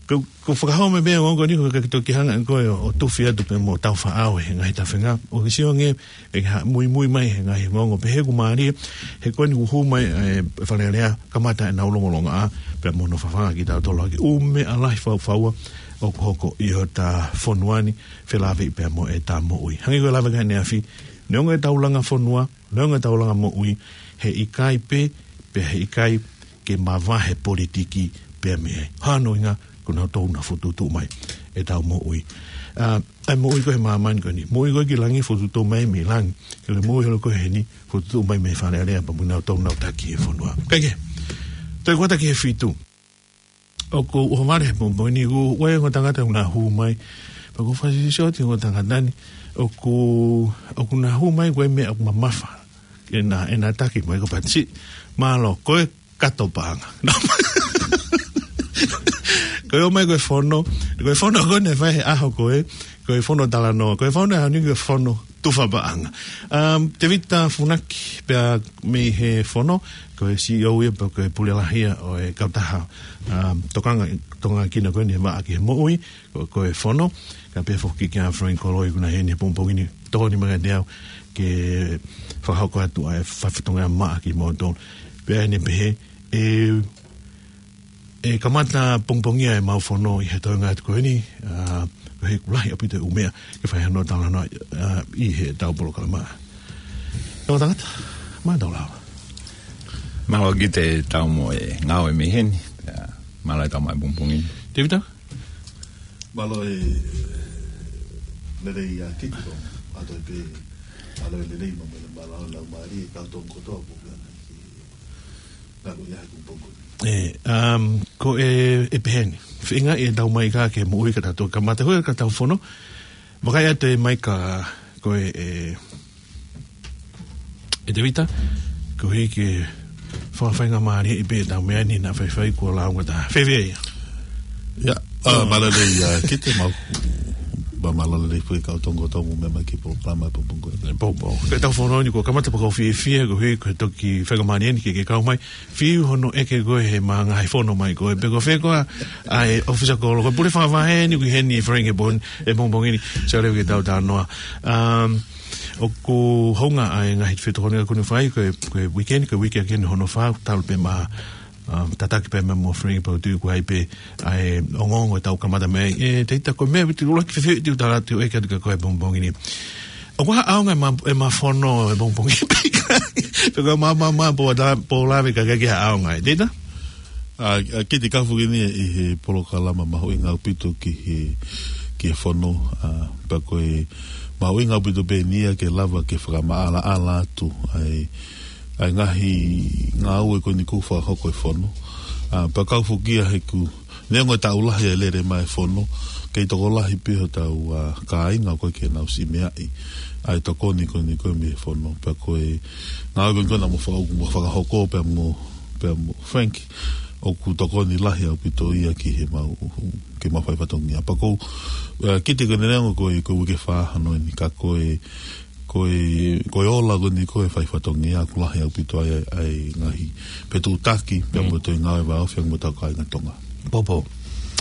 ko, ko e fakahoko mai pē ʻa e ongoongo ni, ko e ke toki hanga ko ē ʻo tufi atu pē mo tau faʻao he ngaahi tafenga. ʻOku ke sio ange, ʻe ha-, muimui mai he ngaahi ongoongo pehē ʻoku mālie, he ko eni ʻoku hū mai, ē, Fale Alea, kamata ʻenau longolongoaʻa, pea mo hono fafanga kitautolu ʻaki ʻū meʻa lahi faufaua ʻoku hoko ʻi hota fonua ni, felāveʻi pea mo ʻeta moʻui. Hangē ko e lave ko ē ʻaneafi, neongo ʻetau langa fonua, neongo ʻetau langa moʻui, he ʻikai pē, pea he ʻikai ke mavahe politiki pea mei ai. Hano inga, ko nautolu naʻa fokotuʻutuʻu mai ʻetau moʻui. ʻA, ʻa e moʻui ko ē he māmani ko eni. Moʻui ko ē ki langi fokotuʻutuʻu mai mei langi. Ke le moʻui holo ko ē heni fokotuʻutuʻu mai mei Fale Alea pea mo nautolu naʻa taki he fonua. Kae kehe, toe kuata ki he fitu. ʻOku ou ʻohovale he pongipongi ni, ʻoku ʻi ai e ongo tangata ʻoku na hū mai. Pea ʻoku ou fakasiosioti ongo tangata ni. ʻOku, ʻoku na hū mai ko e meʻa ʻoku mamafa. ʻEna, ʻena taki mai ko Patsi. Mālō, ko e kato paʻanga. Ko e ō mai ko e fono. Ko e fono ko ē naʻe fai he ʻaho ko ē. Ko e fono talanoa. Ko e fono ʻaho ni ko e fono tufa paʻanga. Um, Tevita Funaki pea mei he fono, ko e C E O ia pea ko e pule lahi ia ʻo e kautaha, um, tokanga, tokanga kina ko eni he vaʻa ki he moʻui, ko, ko e fono, ka pehē foki kia Frank Koloi ʻoku na ʻi heni he pongipongi ni, tokoni mai kiate au ke fakahoko atu ʻa e fatongia maʻa kimoutolu. Pea ʻene pehē, ʻe ʻe kamata pongipongia ʻemau fono ʻi he toenga atu ko eni, ʻa, he ʻoku lahi ʻaupito e ʻū meʻa ke fai hano talanoa, ʻa, ʻi heʻetau polokalama. Ongo tangata, mālō e tau lava. Mālō Kite e tau mo e ngāue mei heni, ʻa, mālō e tau mai pongipongi ni. Tevita? Mālō e lelei ʻa Kite, ʻa toe pē, mālō e lelei mo e mālō e laumālie, kau tō kotoa pō. Nā ko ia he pongipongi ni. ʻE, um, ko e, ʻe pehē ni. Feinga ʻe tau mai ka ke moʻui ka tau kamata hui ka tau fono. Vakai atu e mai ka ko e, ʻe, ʻe Tevita, ko e ke fakafaingamālieʻi pē tau meʻa ni naʻa faifai kuo launga ta. Fēfē ia? Ia, ʻa, mālō e lelei ʻa Kite mau. Mālō e lelei pē kau tō kotoa mo e meʻa mai ki he polokalama he pongipongi ni. Pō, pō. Ko e tau fono ni kuo kamata pea ʻoku ou fiefia, ko e, ko e toki faingamālie ni ke, ke kau mai. Fiu hono ʻeke ko ē he mānga he fono mai ko ē. Pe ko fē koā ʻa e ʻōfisa kolo. Ko e pule fakavahe ni ʻoku ʻi heni ʻi Frank he pongipongi ni. Sio leva ki he tau talanoa. Um, ʻoku hounga ʻa e ngaahi fetokoniʻaki ʻoku ne fai ko e, ko e weekend, ko e weekend hono fā, talu pē mo ʻa, tataki pē mo Frank pea u tui ʻoku ʻi ai pē ʻa e ongoongo ʻetau kamata mei ai. ʻE, Tēvita, ko e meʻa ʻoku ou ʻuluaki fefeʻi atu ki he ʻEiki atu kia koe he pongipongi ni. ʻOku ʻi ai ha ʻaonga ʻema, ʻema fono he pongipongi pe ʻikai. Pe ko e mā, mā, mā, pe ʻoku ta-, pe ʻoku lave ka ʻikai ke ʻi ai ha ʻaonga, ē, Tēvita? ʻA, ʻa, Kiti, ka foki eni ʻi he polokalama mahuʻinga ʻaupito ki he, ki he fono, ʻa, pea ko e mahuʻinga ʻaupito pē eni ia ke lava ke fakamaʻalaʻala atu ʻa e, ʻa e ngaahi ngāue ko eni ʻoku fakahoko ʻe he fono. ʻA, pea kau foki ia he ʻoku, neongo ʻetau lahi ʻa e lele mai e fono, kei tokolahi pē hotau, ʻa, kāinga ʻoku ʻikai ke nau siʻi meaʻi ʻa e tokoni ko eni ko ē mei he fono. Pea ko e ngāue ko eni ko ē naʻa mo fa-, mo fakahoko pea mo, pea mo Frank, ʻoku tokoni lahi ʻaupito ia ki he mau, ke mau fai fatongia. Pea ko, ʻa, Kiti, ko eni neongo ko e, ko e uike fā hono eni, ka ko e, ko e, ko e ola ko eni ko e fai fatongia ʻoku lahi ʻaupito ai ʻa e, ʻa e ngaahi fetuʻutaki pea mo e toe ngāue vāofi mo hotau kāinga Tonga. Popo.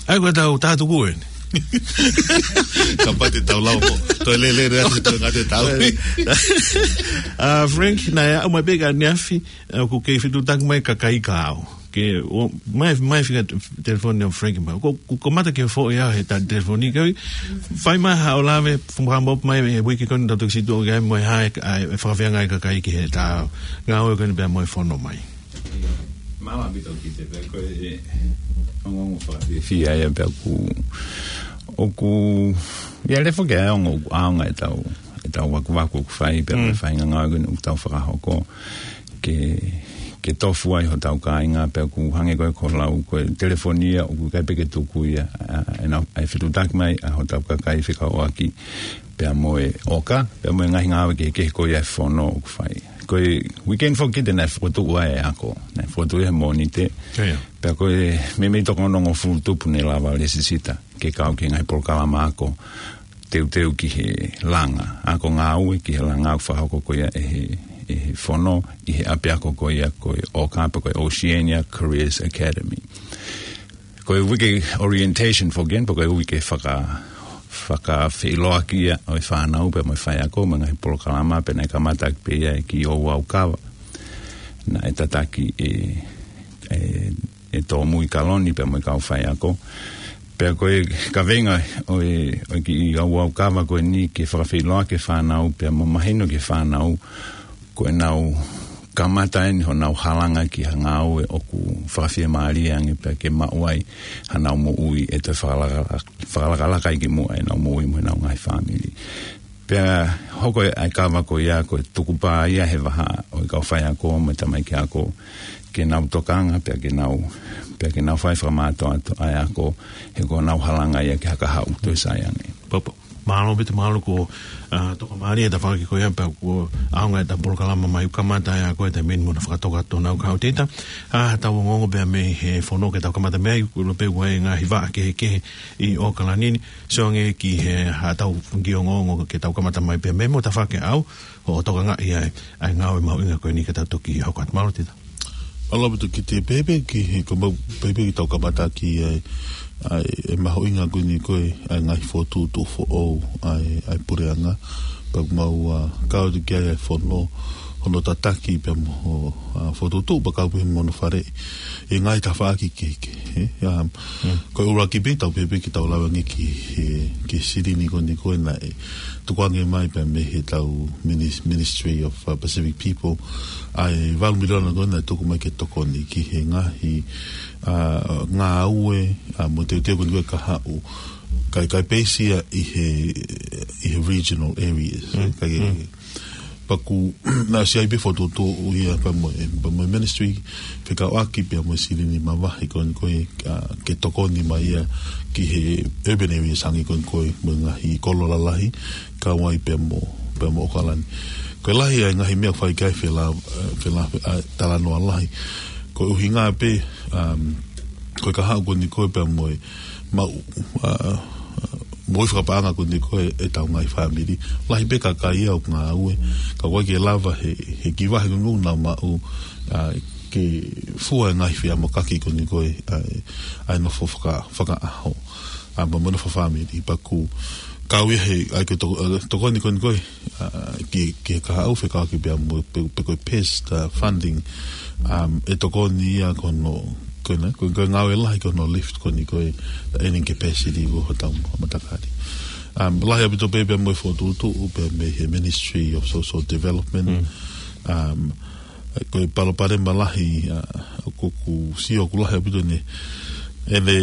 ʻAi, ko ʻetau tātuku eni. Kapau te tau lau mo toe lele atu, toe ngata ʻetau. ʻA, Frank, naʻe ʻomai pē ka neafi, ʻa, ʻoku kei fetuʻutaki mai kakai kiate au. Ke, ʻomai, ʻomai fika telefoni ʻo Frank mai. Ko, ko, ko mata ke foʻi au he ta-, telefoni kau. Fai mai haʻo lave, fuma mo mai he uike ko eni tau toki situʻa ki ai mo e hā e, ʻa e fakafeangai kakai ki he ta-, ngāue ko eni pea mo e fono mai. Mālō ʻaupito Kiti, pea ko e ongoongo fakafiefia ia pea ʻoku, ʻoku, ia lefo ke ongo ʻaonga ʻetau, ʻetau vakuvaku ʻoku fai, pea mo e faʻahinga ngāue ko eni ʻoku tau fakahoko. Ke, ke tofu ai hotau kāinga pea ʻoku hangē ko e ko e lau ko e telefoni ia ʻoku ʻikai pē ke tuku ia, ʻa, ʻenau, ʻa e fetuʻutaki mai ʻa hotau kakai fekauʻaki pea mo e ʻoka, pea mo e ngaahi ngāue kehekehe ko ia e fono ʻoku fai. Ko e weekend foki Kiti naʻe fokotuʻu ai e ako, naʻe fokotuʻu ia he Mōnite. Pea ko e meimei toko onongofulu tupu ne lava lesisita ke kau ki he ngaahi polokalama ako teuteu ki he langa, ako ngāue ki he langa ʻoku fakahoko ko ia ʻe he, ʻe he fono ʻi he ʻapiako ko ia ko e ʻoka pea ko e Oceania Careers Academy. Ko e uike orientation foki eni, pea ko e uike faka-, fakafeʻiloaki ia ʻo e fānau pea mo e faiako mo e ngaahi polokalama, pea naʻe kamata pē ia ʻe Kiʻi ʻOuaukava. Naʻe tataki ʻe, ʻe, ʻe Tōmui Kaloni pea mo e kau faiako. Pea ko e kaveinga ʻo e, ʻo e Kiʻi ʻOuaukava ko eni ke fakafeʻiloaki e fānau pea mo mahino ki he fānau ko ʻenau kamata eni honau halanga ki ha ngāue ʻoku fakafiemālie ange pea ke maʻu ai hanau moʻui ʻe toe fakalaka-, fakalakalaka ai ki muʻa ʻenau moʻui mo ʻenau ngaahi fāmili. Pea hoko ʻa e kava ko ia ko e tukupā ia he vahaʻa ʻo e kau faiako mo e tamaiki ako ke nau tokanga pea ke nau, pea ke nau fai fakamātoato ʻa e ako he ko honau halanga ia ke hakahaʻu toe sai ange. Popo. Mālō ʻaupito, mālō ko, ʻa, toka mālie e tafaʻaki ko ia pea ko e ʻaonga ʻetau polokalama mai ʻoku kamata ia ko e taimi ni mo na fakatoka atu honau kahaʻu Tēvita. ʻA, tau ongoongo pea mei he fono ke tau kamata mei ai, ko e ʻilo pē ʻoku ʻi ai e ngaahi vaʻa kehekehe ʻi ʻAokalani ni, sio ange ki he haʻatau kiʻi ongoongo ke tau kamata mai pea mei mo tafaʻaki au, ʻo tokangaʻi ai ʻa e ngāue mahuʻinga ko eni ka tau toki hoko atu. Mālō Tēvita. Mālō ʻaupito Kiti, pehē pē ki he, ko mau, pehē pē ki heʻetau kamataʻaki ʻa e, ʻa e, ʻa e mahuʻinga ko eni ko e, ʻa e ngaahi fokotuʻutuʻu foʻou ʻa e, ʻa e puleʻanga. Pea ʻoku mau, ʻa, kau atu ki ai ʻa e fono, hono tataki pea mo, ʻa, fokotuʻutuʻu pea kau pē mo hono faleʻi ʻi he ngaahi tafaʻaki kehekehe, ē? ʻA, ko e ʻuluaki pē tau pehē pē ke tau lave ange ki he, ki he silini ko eni ko ē naʻe tukuange mai pea mei heʻetau minis-, Ministry of, ʻa, Pacific People, ʻa e valu miliona ko ē naʻe tuku mai ke tokoni ki he ngaahi, ʻa, ngāue, ʻa, mo e teuteu ko eni ko ē kahaʻu. Kae, kae peisi ia ʻi he, ʻi he regional areas. Kae, pea ʻoku, naʻe ʻosi ʻi ai pē fokotuʻutuʻu ia pea mo e, pea mo e ministry, fekauʻaki pea mo e silini mavahe ko eni ko ē, ʻa, ke tokoni mai ia ki he urban areas hangē ko eni ko ē mo e ngaahi kolo lalahi, kau ai pea mo, pea mo ʻAokalani. Ko e lahi ʻa e ngaahi meʻa ʻoku fai ki ai fela-, ʻa, fela-, ʻa, talanoa lahi. Ko e ʻuhinga pē, um, ko e kahaʻu ko eni ko ē pea mo e maʻu, ʻa, moʻui fakapaʻanga ko eni ko ē ʻetau ngaahi fāmili. Lahi pē kakai ia ʻoku ngāue, ka ʻoku ʻikai ke lava he, he kiʻi vahe ko eni ʻoku nau maʻu, ʻa, ke fua e ngaahi feʻamokaki ko eni ko ē, ʻa, ʻa e nofo faka-, fakaʻaho, ʻa, mo e nofo fāmili. Pea ʻoku, Kau ia he, ʻa ia ko e toko-, ʻa e tokoni ko eni ko ē, ʻa, ki, ki he kahaʻu fekauʻaki pea mo, pe, pe ko e PEST, ʻa, funding, um, ʻe tokoni ia ko hono, ko ena, ko, ko e ngāue lahi ko hono lift ko eni ko e, ʻa e earning capacity ko hotau matakali. Um, lahi ʻaupito pē pea mo e fokotuʻutuʻu, pea mei he Ministry of Social Development, um, ko e palopalema lahi, ʻa, ʻoku, ʻoku sio ʻoku lahi ʻaupito ʻene, ʻene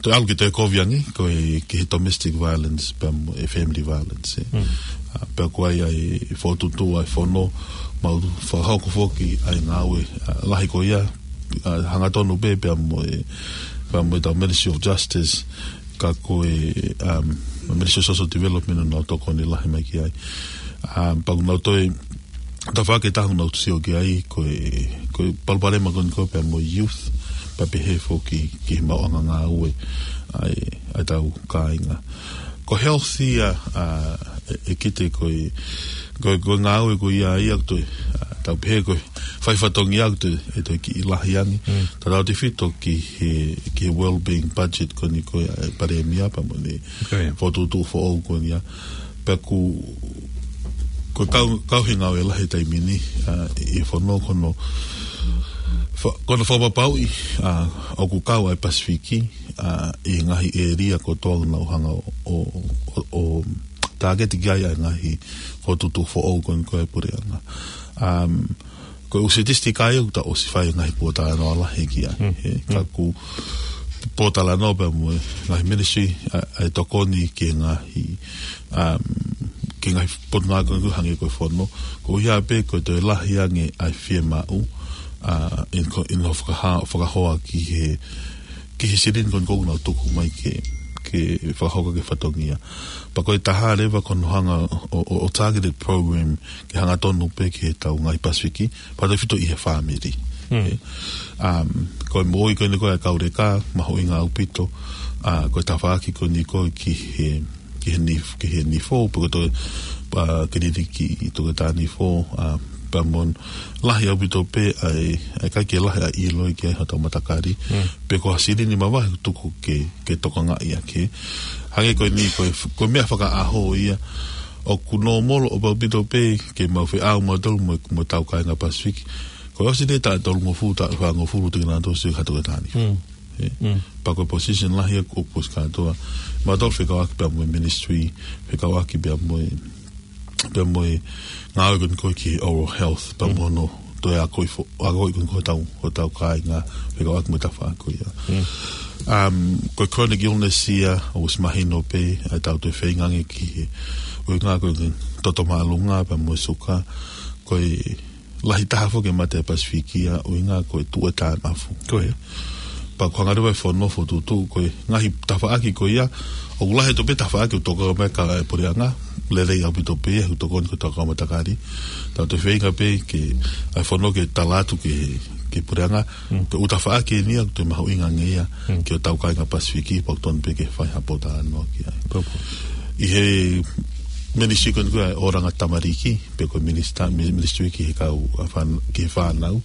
toe ʻalu ke toe kovi ange, ko e ki he domestic violence, pea mo e family violence, ē. ʻA, pea ko ia ʻa e fokotuʻutuʻu ʻa e fono, mau fakahoko foki ʻa e ngāue, ʻa, lahi ko ia, ʻa, hangatonu pē, pea mo e, pea mo e tau Ministry of Justice, ka ko e, um, Ministry of Social Development ʻoku nau tokoni lahi mai ki ai. Um, pea ʻoku nau toe, tafaʻaki ʻe taha ʻoku nau sio ki ai, ko e, ko e palopalema ko eni ko ē pea mo e youth, pea pehē foki ki he maʻuʻanga ngāue ʻa e, ʻa e tau kāinga. Ko e health ia, ʻa, ʻe, ʻe kite ko e, ko e, ko e ngāue ko ia ia ʻoku toe, ʻa, tau pehē ko e fai fatongia ʻoku toe, ʻe toe kiʻi lahi ange. Tau tefito ki he, ki he wellbeing budget ko eni ko ē ʻa e Palēmia pea mo ʻene fokotuʻutuʻu foʻou ko eni ia. Pea ʻoku, ko e kau, kau he ngāue lahi he taimi ni, ʻa, ʻi he fono ko hono, fa-, ko hono fakapapauʻi, ʻa, ʻoku kau ʻa e Pasifiki, ʻa, ʻi he ngaahi ʻēlia kotoa ʻoku nau hanga ʻo, ʻo, ʻo, ʻo tāketi ki ai ʻa e ngaahi fokotuʻutuʻu foʻou ko eni ko ē ʻa e puleʻanga. Um, ko e ʻū sitisitiki ia ʻoku tau ʻosi fai ngaahi pōtalanoa lahi ki ai. He, ka ʻoku pōtalanoa pea mo e ngaahi ministry, ʻa, ʻa e tokoni ki he ngaahi, um, ki he ngaahi potungāue ko eni hangē ko e fono. Ko ia pē ko e toe lahi ange ʻa e fiemaʻu, ʻa, ʻi he ko-, ʻi hono fakaha-, fakahoa ki he, ki he silini ko eni ʻoku nau tuku mai ke, ke fakahoko ki he fatongia. Pea ko e taha leva ko hono hanga ʻo, ʻo, ʻo targeted program ke hangatonu pē ki he tau ngaahi Pasifiki, pea tefito ʻi he fāmili. Ē, um, ko e moʻui ko eni ko ē ʻa e kau leka, mahuʻinga ʻaupito, ʻa, ko e tafaʻaki ko eni ko ē ki he, ki he nif-, ki he nifo, pe ko e toe, ʻa, kiliniki ʻi he toketā nifo, ʻa, pea mo e lahi ʻaupito pē ʻa e, ʻa e ʻikai ke lahi ʻa e ʻilo ki ai hotau matakali, pe ko ha silini mavahe ʻoku tuku ke, ke tokangaʻi ʻaki. Hangē ko eni ko e f-, ko e meʻa fakaʻaho ia, ʻoku nōmolo ʻaupito pē ke mau feʻao mautolu mo, mo e tau kāinga Pasifiki. Ko e ʻosi ʻeni taʻu tolungofulu, taʻu fāngofulu te nau toe sio ki ha toketā nifo. Ē. Pea ko e position lahi ʻoku ʻosi kātoa. Mautolu fekauʻaki pea mo e ministry, fekauʻaki pea mo e, pea mo e ngāue ko eni ko ē ki he oral health, pea mo hono toe akoʻi fo-, akoʻi ko eni ko ē hotau, hotau kāinga, fekauʻaki mo e tafaʻaki ko ia. Um, ko e chronic illness ia, ʻoku ʻosi mahino pē, ʻa e tau toe feinga ange ki he, ʻuhinga ko e toto māʻolunga, pea mo e suka, ko e lahi taha foki e mate ʻa e Pasifiki ia, ʻuhinga ko e tuʻu e taʻemafu. Ko ia. Pea ʻoku hanga leva ʻe he fono fokotuʻutuʻu, ko e ngaahi tafaʻaki ko ia, ʻoku lahi ʻaupito pē tafaʻaki ʻoku tokanga mai ki ai e puleʻanga, lelei ʻaupito pē ia, ʻoku tokoni ki hotau kau matakali. Tau toe feinga pē ke, ʻa e fono ke tala atu ki he, ki he puleʻanga, ko e ʻū tafaʻaki eni ia, ʻoku toe mahuʻinga ange ia, ki hotau kāinga Pasifiki, pea ʻoku totonu pē ke fai ha pōtalanoa ki ai. Pea ko ʻi he ministry ko eni ko ē ʻa e ʻOlanga Tamariki, pe ko e minista-, mi-, ministry ki he kau, ʻa, fān-, ki he fānau.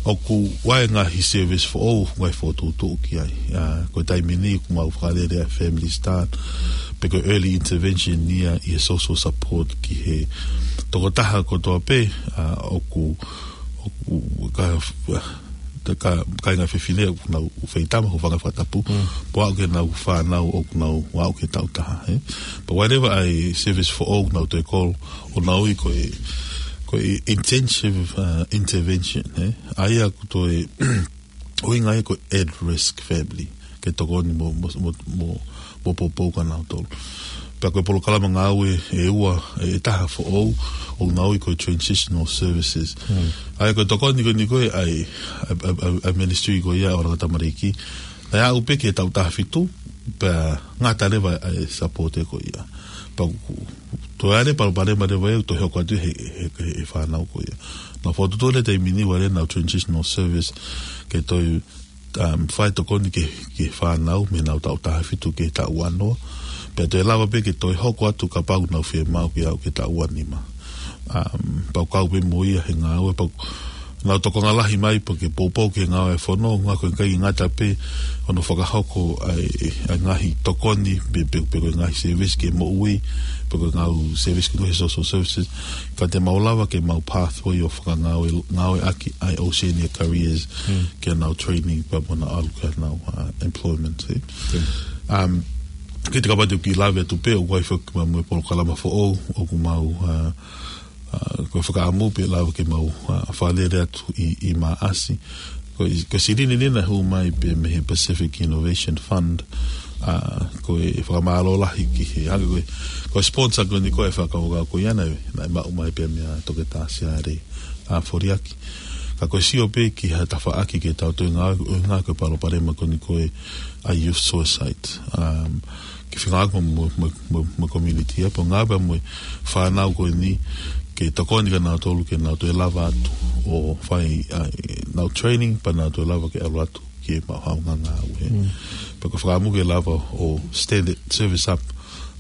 ʻOku ʻi ai e ngaahi service foʻou, ngaahi fokotuʻutuʻu ki ai. ʻA, ko e taimi ni ʻoku mau fakalele ʻa e Family Start, pe ko e early intervention ia ʻi he social support ki he tokotaha kotoa pē, ʻa, ʻoku, ʻoku ka, ka, kāinga fefine ʻoku nau feitama, hūfanga he fakatapu. Pea ʻoku ʻi ai e ngaahi fānau ʻoku nau aʻu ki he taʻu taha, ē. Pea ʻi ai leva ʻa e service foʻou ʻoku nau toe call ʻo nau ui ko e, ko e intensive, uh, intervention, ē. ʻA ia ʻoku toe ʻuhinga ia ko e at risk family, ke tokoni mo, mo, mo, mo, mo poupou kia nautolu. Pea ko e polokalama ngāue ʻe ua, ʻe, ʻe taha foʻou, ʻoku nau ui ko e transitional services. ʻA ia ko e tokoni ko eni ko ē ʻa e, ʻa e, ʻa e, ʻa e, ʻa e ministry ko ia ʻa e ʻOlanga Tamariki, naʻe aʻu pē ki he taʻu taha fitu, pea ngata leva ʻa e support ko ia. Pea ʻoku toe ʻi ai e palopalema leva ia ʻoku toe hoko atu he, he, he, he fānau ko ia. Naʻa fokotuʻutuʻu he taimi ni ʻa e ʻenau transitional service ke toe, um, fai tokoni ki he, ki he fānau mei heʻenau taʻu taha fitu ki he taʻu ua noa. Pea toe lava pē ke toe hoko atu kapau ʻoku nau fiemaʻu ke aʻu ki he taʻu ua nima. Um, pea ʻoku kau pē mo ia he ngāue, pea ʻoku Nau tokanga lahi mai pea ke poupou ki he ngāue ʻa e fono, ʻuhinga ko e ʻikai ngata pē hono fakahoko ʻa e, ʻa e ngaahi tokoni, pe, pe, pe ko e ngaahi service ki he moʻui, pe ko e ngaahi service ki he social services, ka te mau lava ke mau pathway ʻo fakangāue, ngāueʻaki ʻa e Oceania Careers, ki heʻenau training, pea mo ʻenau ʻalu ki heʻenau, uh, employment, ē. Um, ke te kapau te u kiʻi lave atu pē, ʻoku ʻi ai foki mo e polokalama foʻou, ʻoku mau, uh, uh, ko e fakaʻamu pē lava ke mau, uh, fakalele atu ʻi, ʻi Maʻasi. Ko e, ko e silini ni naʻe hū mai pē mei he Pacific Innovation Fund, uh, ko e fakamālō lahi ki he, hangē ko e, ko e sponsor ko eni ko e fakakaukau ko ia naʻe, naʻe maʻu mai pē meia Toketā Siale, uh, Foliaki. Ka ko e sio pē ki ha tafaʻaki ke tau toe ngāue, ʻuhinga ko e palopalema ko eni ko e ʻa e youth suicide. Um, ke fengāueʻaki mo, mo, mo, mo e community, ē, pea ngāue pē mo e fānau ko eni, ke tokoni kia nautolu, ke nau toe lava atu ʻo fai ʻenau training, pea nau toe lava ke ʻalu atu ki he maʻu haʻanau ngāue, ē. Pea ko e fakaʻamu ke lava ʻo stand that service up,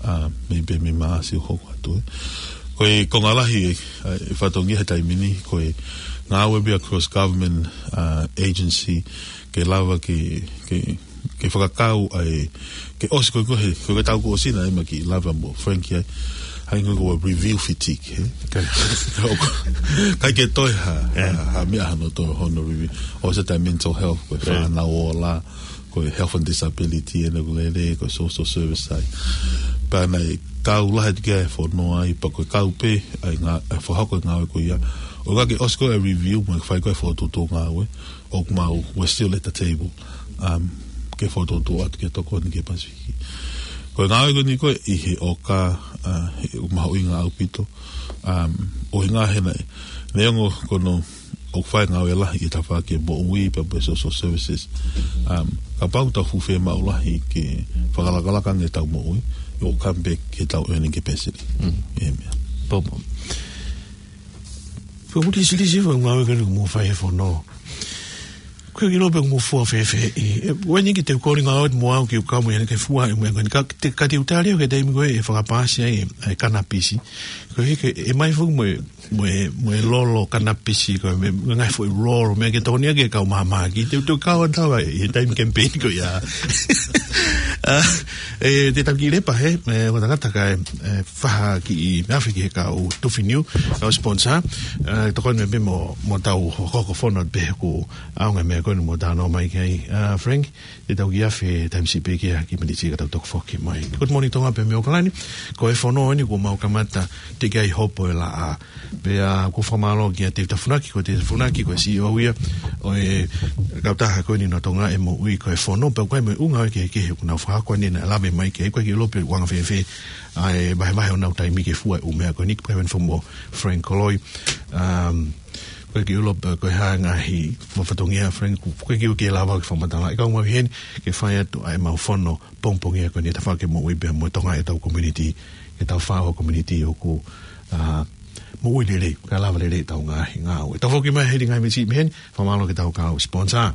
uh, mei pē mei Maʻasi ʻo hoko atu, ē. Ko e konga lahi ē, ʻa e fatongia he taimi ni, ko e ngāue pē ʻa e cross government, uh, agency, ke lava ke, ke, ke fakakau ai, ke ʻosi ko e, ko e, ko e taʻu kuo ʻosi naʻe ʻi ai mo e kiʻi lave mo Frank ai, hangē ko e review fatigue, ē? ʻIkai ke toe ha, ha, ha meʻa hano toe hono review. ʻOsi ʻa e mental health, ko e fānau ola, ko e health and disability, ʻenau lele, ko e social service side. Pea naʻe kau lahi atu ki ai e fono ai, pea ko e kau pē, ʻa e ngā-, ʻa e fakahoko e ngāue ko ia. ʻO ka ke ʻosi ko e review, mo e fai ko e fokotuʻutuʻu ngāue, ʻoku mau, we're still at the table. Um, ke fokotuʻutuʻu atu ke tokoni ki he Pasifiki. Ko e ngāue ko eni ko e ʻi he ʻoka, uh, he ʻoku mahuʻinga ʻaupito. Um, ʻuhinga he naʻe, neongo ko hono ʻoku fai e ngāue lahi ʻi he tafaʻaki moʻui pea mo e social services. Um, kapau ʻoku tau fuʻu fiemaʻu lahi ke fakalakalaka ange ʻetau moʻui, ʻoku come back ki heʻetau earning capacity. ʻE meʻa. Pea mo. Pea mo ʻeku siʻi, siʻi foʻi ngāue ko eni ʻoku mou fai he fono. Ko e kiʻi ʻilo pē ʻoku mou fua fēfē ʻi, ē, ʻoku ʻi ai e kiʻi teukalinga ʻo e moʻui ʻoku ou kau mo ia ke fua e meʻa ko eni ka te, ka te u tali au ki he taimi ko ē ʻe fakapaasi ai e, e kanapisi. Ko e hā ke, ʻe ʻomai foki mo e, mo e, mo e lolo kanapisi ko e meʻa, ngaahi foʻi lolo, meʻa ke tokoni ki he kau māmani. Te u toe kau atu ai he taimi campaign ko ia. Ah, ē, te tau kiʻi lepa hē, ē, ʻo takataka e, e, faha kiʻi afe ki he kau tufi niu, kau sponsor, ē, tokoni mai pē mo, mo ʻetau hokohoko fono pē ʻoku ʻaonga e meʻa ko eni mo talanoa mai ki ai, ā, Frank, te tau kiʻi afe taimi siʻi pē ki he kiʻi miniti ka tau toki foki mai. Good morning Tonga pē mei ʻAokalani, ko e fono eni kuo mau kamata teʻeki ai hopo e laʻā. Pea ʻoku ou fakamālō kia Tevita Funaki, ko Tevita Funaki, ko e C E O ia ʻo e kautaha ko eni ʻa Tonga e Moʻui, ko e fono, pea ʻoku ʻi ai mo e ʻū ngāue kehekehe ʻoku nau fakahoko ʻanenai, lave mai ki ai, ʻoku ʻikai ke u ʻilo pe ʻoku anga fēfē ʻa e vahevahe honau taimi ke fua e ʻū meʻa ko eni, pea mo Frank Koloi. Um, ʻoku ʻikai ke u ʻilo pe ko e hā e ngaahi fatongia, Frank, ʻoku ʻikai ke u lava ke fakamatala. ʻE kau mai heni ke fai atu ʻa e mau fono pongipongi ko eni he tafaʻaki moʻui pea mo Tonga, ʻetau community, ʻetau fāo community ʻoku, ā, moʻui lelei, kae lava lelei ʻetau ngaahi ngāue. Tau foki mai he ngaahi miniti mei heni, fakamālō ki heʻetau kau sponsor.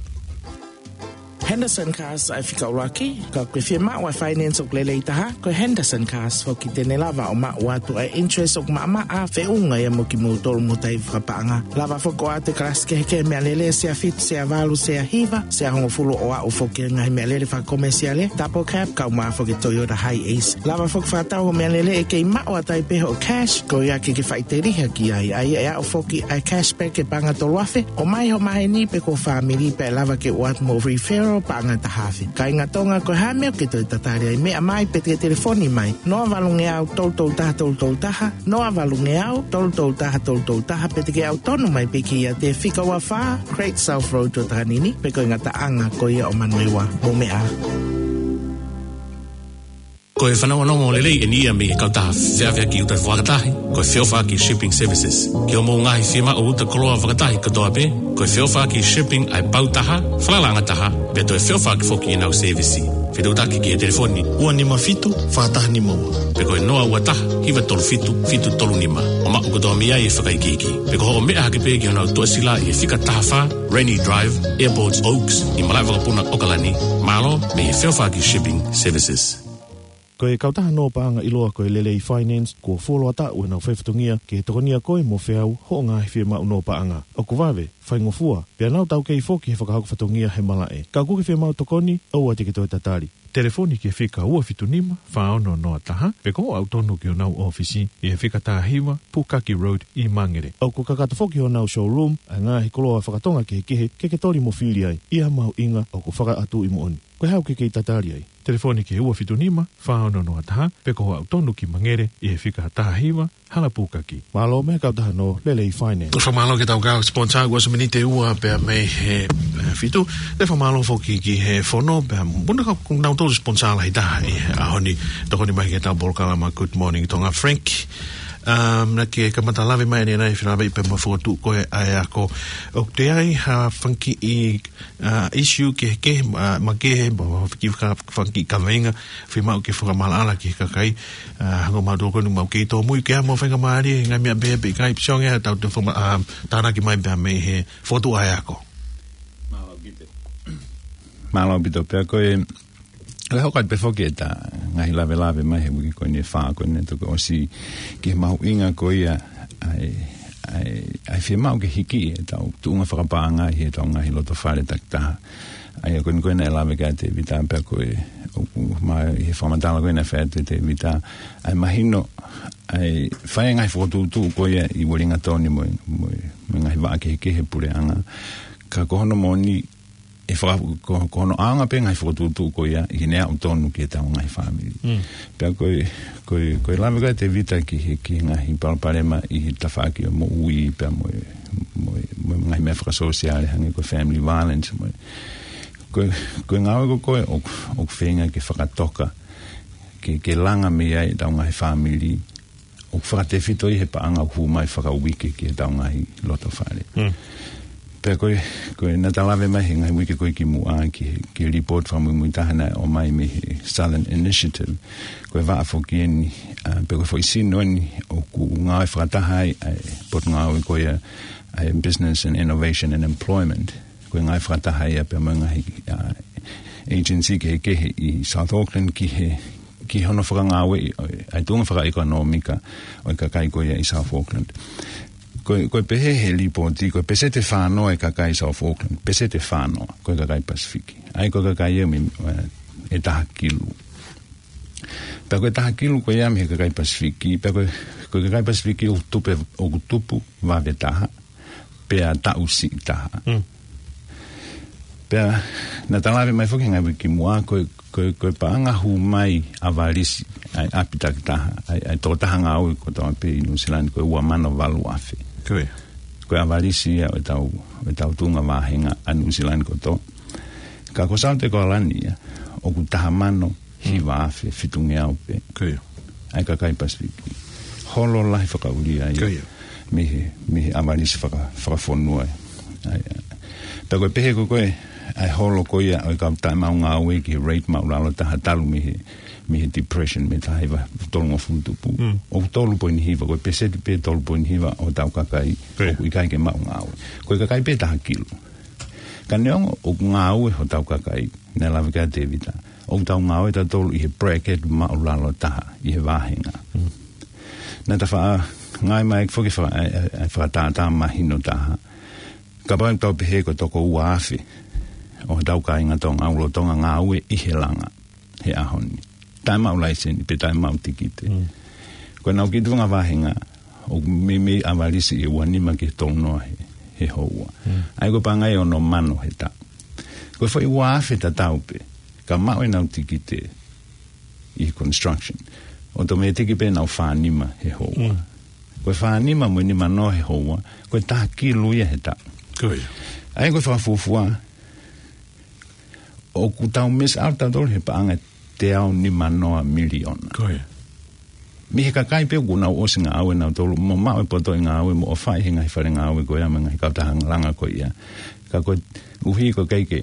Henderson Cars ʻa e fika ʻuluaki, ka ʻoku ke fiemaʻu ʻa e finance ʻoku lelei taha, ko e Henderson Cars foki te ne lava ʻo maʻu atu ʻa e interest ʻoku maʻamaʻa, feʻunga ia mo kimoutolu mo taifi fakapaʻanga. Lava foki ʻo ʻoatu e kalasi kehekehe meʻalele, sea fitu, sea valu, sea hiva, sea hongofulu, ʻo aʻu foki ki he ngaahi meʻalele fakakomesiale, double cab, kaeʻumaʻā foki e Toyota Hiace. Lava foki fakatau hoʻo meʻalele ʻe kei maʻu atu ai pē hoʻo cash, ko ia ke ke faʻiteliha ki ai, ʻa ia ʻe aʻu foki ʻa e cashback e paʻanga tolu afe, ʻomai hoʻo maheni pe ko ho fāmili pea ʻe lava ke ʻoatu mo referral paʻanga taha afe. Kāinga Tonga, ko e hā e meʻa ʻoku ke toe tatali ai, meʻa mai pe te ke telefoni mai, noa valungeau tolu tolu taha tolu tolu taha, noa valungeau tolu tolu taha tolu tolu taha, pe te ke ʻautonu mai pē ki he fika ua fā Great South Road ʻo Takanini, pe ko e ngataʻanga ko ia ʻo Manurewa. Mou meʻa. Ko e fanongonongo lelei eni ia mei he kautaha feʻaveʻaki uta fakatahi, ko e Feʻofaʻaki Shipping Services. Ki hoʻomou ngaahi fiemaʻu uta koloa fakatahi kotoa pē, ko e Feʻofaʻaki Shipping ʻa e pau taha, falalaʻanga taha, pea toe feʻofaʻaki foki ʻenau sēvisi. Fetuʻutaki ki he telefoni ua nima fitu, fā taha nima ua, pe ko e noa ua taha, hiva tolu fitu, fitu tolu nima, ʻo maʻu kotoa mei ai e fakaikiiki. Pe ko hoʻo meʻa hake pē ki honau tuʻasila ʻi he fika taha fā Rainy Drive, Airport Oaks, ʻi Malaʻevakapuna, ʻAokalani. Mālō mei he Feʻofaʻaki Shipping Services. Ko e kautaha nō paʻanga ʻiloa ko e Lelei Finance, kuo fuoloa taʻu ʻenau fai fatongia ke tokonia koe mo feau hoʻo ngaahi fiemaʻu nō paʻanga. ʻOku vave, faingofua, pea nau taukei foki he fakahoko fatongia he malaʻe. Ka ʻoku ke fiemaʻu tokoni, ʻoua te ke toe tatali. Telefoni ki he fika ua fitu nima, fā ono noa taha, pe ko e ʻalu tonu ki honau ʻōfisi, ʻi he fika taha hiva, Pukaki Road ʻi Mangere. ʻOku kakato foki honau showroom ʻa e ngaahi koloa fakatonga kehekehe ke ke toli mo fili ai, ʻi ha mahuʻinga ʻoku fakaʻatuʻi moʻoni. Ko e hā ʻoku ke kei tatali ai? Telefoni ki he ua fitu nima, fā ono noa taha, pe ko e ʻalu tonu ki Mangere, ʻi he fika taha hiva, Hala Pukaki. Mālō mei he kautaha nō Lelei Finance. Fakamālō ki heʻetau kau sponsor, ʻoku ʻosi miniti ʻe ua pea mei he, eh, fitu. Pea fakamālō foki ki he fono, pea mo kinautolu sponsor lahi taha ʻi he ʻaho ni, tokoni mai ki heʻetau polokalama Good Morning Tonga, Frank. Um, naʻa ke kamata lave mai ʻanenai, fēlāveʻi pea mo e fokotuʻu ko ē ʻa e ako. ʻOku toe ʻi ai ha fanga kiʻi, uh, issue kehekehe, uh, makehe, mo e kiʻi faka-, fanga kiʻi kaveinga, fiemaʻu ke fakamaʻalaʻala ki he kakai, uh, hangē ko mautolu ko eni ʻoku mau kei tōmui ke ʻai mo e faingamālie, ngaahi meʻa pehē pe ʻikai, pea ʻoku ʻi ai haʻatau toe fakama-, uh, tānaki mai pea mei he fokotuʻu ʻa e ako. Mālō ʻaupito. Mālō ʻaupito pea ko e, ʻe hoko atu pē foki ʻeta ngaahi lavelave mai he uike ko eni ʻe fā ko eni, toki ʻosi ki he mahuʻinga ko ia ʻa e, ʻa e, ʻa e fiemaʻu ke hiki ʻetau tuʻunga fakapaʻanga ʻi heʻetau ngaahi loto fale takitaha. ʻA ia ko eni ko ē naʻe lave ki ai ʻa Tēvita pea ko e, ʻoku ma-, ʻi he fakamatala ko ē naʻe fai atu ʻe Tēvita, ʻa e mahino, ʻa e fai ngaahi fokotuʻutuʻu ko ia ʻi Uelingatoni mo e, mo e, mo e ngaahi vaʻa kehekehe puleʻanga. Ka ko hono moʻoni, ʻe faka-, ko, ko hono ʻaonga pē ngaahi fokotuʻutuʻu ko ia ʻi heʻene aʻu tonu ki heʻetau ngaahi fāmili. Mm. Pea ko e, ko e, ko e lave ko ē ʻa Tēvita ki he, ki he ngaahi palopalema ʻi he tafaʻaki ʻo e moʻui pea mo e, mo e, mo e ngaahi meʻa fakasōsiale hangē ko e family violence mo e. Ko e, ko e ngāue ko ē ʻoku, ʻoku feinga ke fakatoka, ke, ke langa mei ai ʻetau ngaahi fāmili, ʻoku fakatefito ʻi he paʻanga ʻoku hū mai fakauike ki heʻetau ngaahi loto fale. Mm. Pea ko e, ko e naʻa ta lave mai he ngaahi uike ko ē kimuʻa ki he, ki he report fakamuimui taha naʻe ʻomai mei he Southern Initiative. Ko e vaʻa foki eni, ʻa, pea ko e foʻi sino eni ʻoku ngāue fakataha ai ʻa e potungāue ko ia ʻa e Business and Innovation and Employment. Ko e ngāue fakataha ia pea mo e ngaahi, ʻa, agency kehekehe ʻi South Auckland ki he, ki hono fakangāueʻi ʻo e, ʻa e tuʻunga fakaʻekonōmika ʻo e kakai ko ia ʻi South Auckland. Ko e, ko e pehē he lipooti, ko e peseti ʻe fā noa ʻo e kakai South Auckland, peseti ʻe fā noa, ko e kakai Pasifiki. ʻA ia ko e kakai ia mei, ʻe, ʻe taha kilu. Pea ko e taha kilu ko ia mei he kakai Pasifiki, pea ko e, ko e kakai Pasifiki ʻoku tupu, ʻoku tupu vave taha, pea taʻu siʻi taha. Mm. Pea naʻa ta lave mai foki he ngaahi uike kimuʻa, ko e, ko e, ko e paʻanga hū mai ʻavalisi ʻa e ʻapi takitaha, ʻa e, ʻa e tokotaha ngāue kotoa pē ʻi Nuʻusila ni ko e ua mano valu afe. Ko ia. Ko e ʻavalisi ia ʻo ʻetau, ʻo ʻetau tuʻunga vāhenga ʻa Nuʻusila ni kotoa. Ka ko South Auckland ia, ʻoku taha mano hiva afe fitungeau pē. Ko ia. ʻA e kakai Pasifiki. Holo lahi fakaʻulia ia. Ko ia. Mei he, mei he ʻavalisi faka-, fakafonua. ʻA ia. Pea ko e pehē ko ē ko e, ʻa e holo ko ia ʻo e kau taʻemaʻu ngāue ki he rate maʻulalo taha talu mei he, mei he depression, mei he taha hiva tolungofulu tupu. Mm. ʻOku tolu poini hiva, ko e peseti pē tolu poini hiva ʻo hotau kakai, ko ia, ʻoku ʻikai ke maʻu ngāue. Ko e kakai pē taha kilu. Ka neongo ʻoku ngāue hotau kakai, naʻe lave ki ai ʻa Tēvita, ʻoku tau ngāue tautolu ʻi he bracket maʻulalo taha ʻi he vāhenga. Mm. Naʻa ta faʻa ngāue mai foki faka-, ʻa e, ʻa e, ʻa e fakatātā mahino taha. Kapau ʻe tau pehē ko e toko ua afe ʻo hotau kāinga Tonga ʻoku lolotonga ngāue ʻi he langa he ʻaho ni. Taʻemaʻu laiseni, pe taʻemaʻu tikite. Mm. Ko ʻenau kiʻi tuʻunga vāhenga, ʻoku meimei ʻavalisi ʻe ua nima ki he tolu noa he, he houa. Mm. ʻA ia ko e paʻanga ʻe ono mano he taʻu. Ko e foʻi ua afe tatau pē, ka maʻu ʻenau tikite ʻi he construction, ʻotomētiki pē ʻenau fā nima he houa. Mm. Ko e fā nima mo e nima noa he houa, ko e taha kilu ia he taʻu. Ko ia. ʻA ia ko e fakafuofua, ʻoku tau miss out tautolu he paʻanga ʻe teau nima noa miliona. Ko ia. Mei he kakai pē ʻoku nau ʻosi ngāue nautolu, mo maʻu e poto ʻi he ngāue, mo ʻofaʻi he ngaahi fale ngāue ko ia mo e ngaahi kautaha langa ko ia. Ka koeʻuhi ko e ʻikai ke,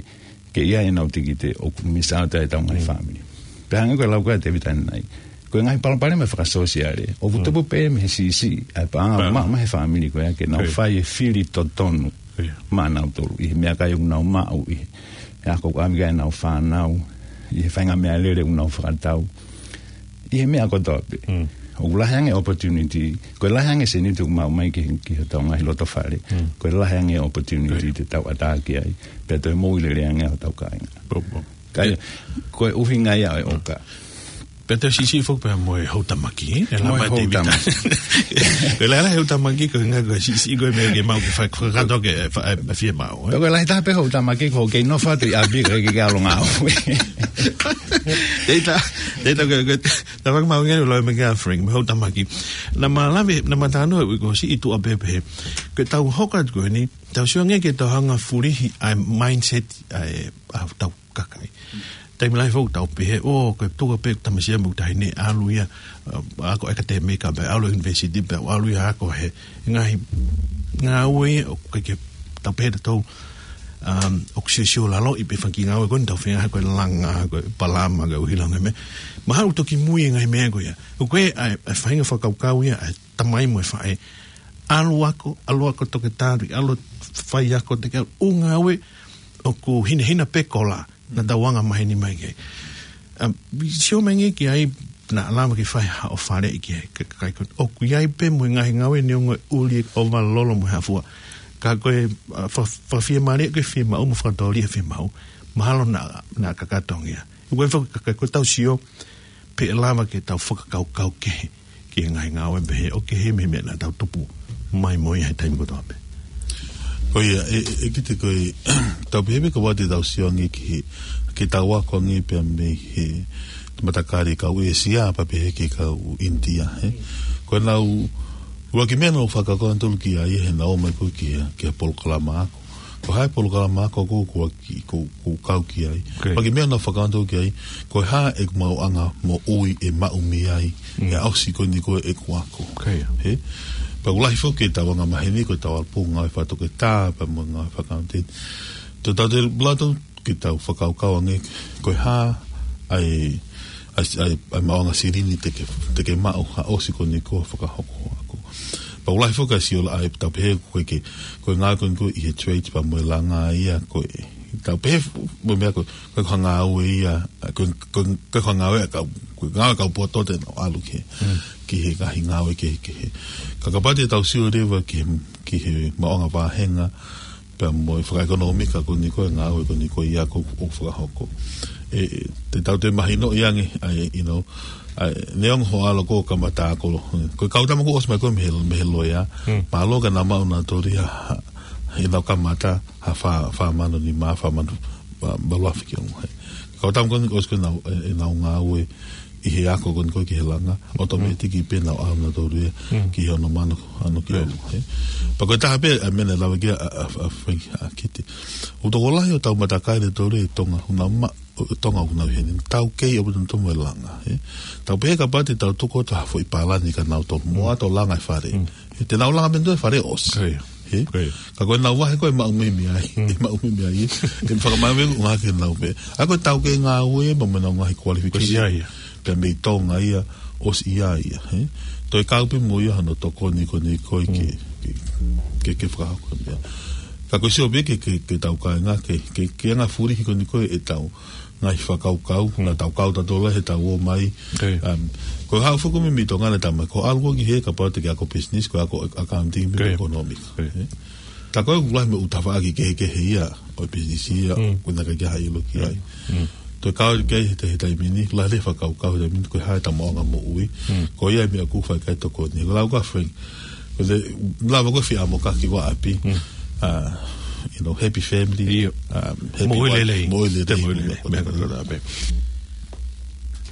ke ʻi ai ʻenau tikite, ʻoku miss out ai ʻetau ngaahi, mm, fāmili. Pea hangē ko e lau ko ē ʻa Tēvita ʻanenai, ko e ngaahi palopalema fakasōsiale ʻoku, mm, tupu pē mei he siʻisiʻi ʻa e paʻanga, pa, maʻu mei he fāmili ko ia ke nau, ko ia, fai e fili totonu, ko ia, maʻanautolu ʻi he meʻakai ʻoku nau maʻu, ʻi he ako ʻoku ʻave ki ai ʻenau fānau, ʻi he faʻahinga meʻalele ʻoku nau fakatau. ʻi he meʻa kotoa pē. ʻOku lahi ange opportunity, ko e lahi ange seniti ʻoku maʻu mai ki, ki hotau ngaahi loto fale. Ko e lahi ange opportunity te tau ʻatā ki ai. Pea toe moʻui lelei ange hotau kāinga. Kai, ko e ʻuhinga ia ʻo e ʻoka. Pea toe siʻisiʻi foki pea mo e houtamaki, ē? E Mo e lama e Tēvita. Houtamaki. Ko e lahi e houtamaki, ko e ngaahi ko e siʻisiʻi ko e meʻa ke maʻu ke fai, fakakātoa ke fa-, e, e fiemaʻu, ē? Ko e lahi taha pē houtamaki, ko e kei nofo atu ʻi ʻapi, ko e kei ke ʻalu ngāue. Teita, teita ko e, ko e, tā faka mau ngeni lo me ke a Frank, mo e houtamaki. Naʻá ma lave, naʻá ma talanoa ʻi ko siʻi tuʻa pē pē. Ko e tau hoko atu ko eni, tau sio ange ke tau hanga fulihi ʻa e mindset ʻa e, ʻa hotau kakai. Taimi lahi foki tau pehē, ʻo, ko e tuʻa pē tamasiʻi mo e taʻahine ʻalu ia, ʻa, ako ʻekatēmika pē, ʻalu university pē, ʻalu ia ako he ngaahi ngāue ia, ʻoku ʻikai ke tau pehē tautolu, um, ʻoku siosio lalo ʻi pē fanga kiʻi ngāue ko eni tau feinga ko e langa, ko e palama, ko e ʻuhila ngaahi meʻa. Mahalo toki mui e ngaahi meʻa ko ia. ʻOku ʻi ai e, e faʻahinga fakakaukau ia, e tamai mo e faʻē. ʻAlu ako, ʻalu ako toketā, ʻalu fai ako te ke ʻalu ʻū ngāue, ʻoku hinehina pē kola, naʻa tau anga maheni mai ki ai. ʻA, sio mai ange ki ai, naʻa lava ke fai haʻo faleʻi ki ai, ka, ka, ka, ʻoku ʻi ai pē mo e ngaahi ngāue neongo e ʻuli e ʻova lolo mo e hafua. Ka ko e, ʻa, fa-, fa-, fiemālie ko e fiemaʻu mo fakatōlia fiemaʻu. Mahalo naʻa, naʻa kakato ange ia. Ko e fa-, ka, ka, ko e tau sio, pe ʻe lava ke tau fakakaukau kehe, ki he ngaahi ngāue pehē ʻo kehe mei he meʻa naʻa tau tupu mai mo ia he taimi kotoa pē. Ko ia, e, e, ʻEkete ko e, tau pehē pē ka wati tau sio ange ki he, ke tau ako ange pea mei he matakali kau ʻĒsia, pea pehē ki he kau ʻInitia, ē. Ko e nau, ua ki meʻa nau fakakaukau atu ki ai, he nau ō mai ko ē ki he, ki he polokalama ako. Ko e hā e polokalama ako ko, ko ki, ko, ko kau ki ai. Ok. Pea ki meʻa nau fakakaukau ki ai, ko e hā e maʻuʻanga moʻui ʻe maʻu mei ai, Mm. ʻi he ʻosi ko eni ko e ʻeku ako. Ok. Hē? Pea ʻoku lahi foki e tau anga maheni ko e tau ʻalu pē ngāue fakatoketā, pea mo e ngāue fakaʻakauniteni. Tau te lata ke tau fakakaukau ange, ko e hā ʻa e, ʻa e, ʻa e, ʻa e maʻuʻanga silini te ke, te ke maʻu ha ʻosi ko eni ko e fakahoko ako. Pea ʻoku lahi foki ʻa e siolaʻa ʻa e tau pehē ko e ke, ko e ngāue ko eni ko ē ʻi he trade pea mo e langa ia ko e, tau pehē mo e meʻa ko e, ko e hangē ʻa e ia, ko e, ko e, ko e hangē ʻa e kau, ko e hangē ʻa e kau poto te nau ʻalu ki he, Mm. ki he ngaahi ngāue kehekehe. Ka kapau te tau sio leva ki he, ki he maʻuʻanga vāhenga, pea mo e fakaʻekonōmika ko eni ko e ngāue ko eni ko ia ko ē ʻoku fakahoko. ʻE, ʻe, te tau toe mahinoʻi ange, ʻa e, you know, ʻa e, neongo hoʻo ʻalu ko ē ʻo kamata ako, ko e kau tama kuo ʻosi mai ko ē mei he, mei he loea, Mm. mālō ka nau maʻu nautolu ia, ʻenau kamata, ha fā, fā mano nima, fā mano, ma-, malu afe ki ʻolunga. Kau tama ko eni ʻosi ko ē ʻenau, ʻe, ʻenau ngāue, ʻi he ako ko eni ko ē ki he langa, ʻotometiki pē nau ʻalu nautolu ia, Mm. ki he ono mano, ano ki Right. ʻolunga, ē. Pea ko e taha pē, ʻa e meʻa naʻe lave ki ai ʻa, ʻa, ʻa, ʻa, ʻa Kiti. ʻOku tokolahi ʻo tau matakali ʻe tolu ʻi Tonga, ʻoku nau ma-, ʻo Tonga ʻoku nau ʻi heni. Tau kei ʻaupito mo e langa, ē. Tau pehē kapau te tau tuku atu ha foʻi palani kia nautolu, mo Mm. ʻalu ʻo langa e fale. Mm. Ē, te nau langa mei ai e fale ʻosi. Right. Hē? Ko ia. Ka ko ʻenau vahe ko ē maʻu mei ai, Mm. e maʻu mei ai, ē. ʻE fakamāmani ʻoku ngāueʻaki ʻenau pē. ʻA ia ko e tau kei ngāue, pea mo ʻenau ngaahi qualification. Ko ia ia. Pea mei Tonga ia, ʻosi ia ia, hē. Toe kau pē mo ia hano tokoni ko eni ko ē ke, Mm. ke, ke, ke fakahoko ia. Ka ko e sio pē ke, ke, ke tau kāinga, ke, ke, ke anga fulihi ko eni ko ē ʻetau ngaahi fakakaukau, Mm. naʻa tau kau tautolu he tau ō mai. Ko ia. Um, ko e haʻu foki mei, mei Tonga naʻa tau mai, ko e ʻalu ko ē ki hē kapau te ke ako business, ko e ako accounting, Ko ia. economic. Ko ia. Ē? Tā ko ē ʻoku lahi mo e ʻū tafaʻaki kehekehe ia, ʻo e business ia, Mm. ʻoku ʻikai ke ʻi ai ha ʻilo ki ai. Mm. Toe kau ki ai he te-, he taimi ni, lahi e fakakaukau he taimi ni, ko e hā ʻeta maʻuʻanga moʻui. Mm. Ko ia e meʻa ʻoku fai ki ai e tokoni. Ko e lau ko ē ʻa Frank, ko e lava ko ē fie ʻamu ka ki ʻapi. Mm. Uh, you know, happy family. ʻIo. Um, happy Moʻui wife, lelei. moʻui lelei. Te moʻui lelei. Meʻa kotoa pē.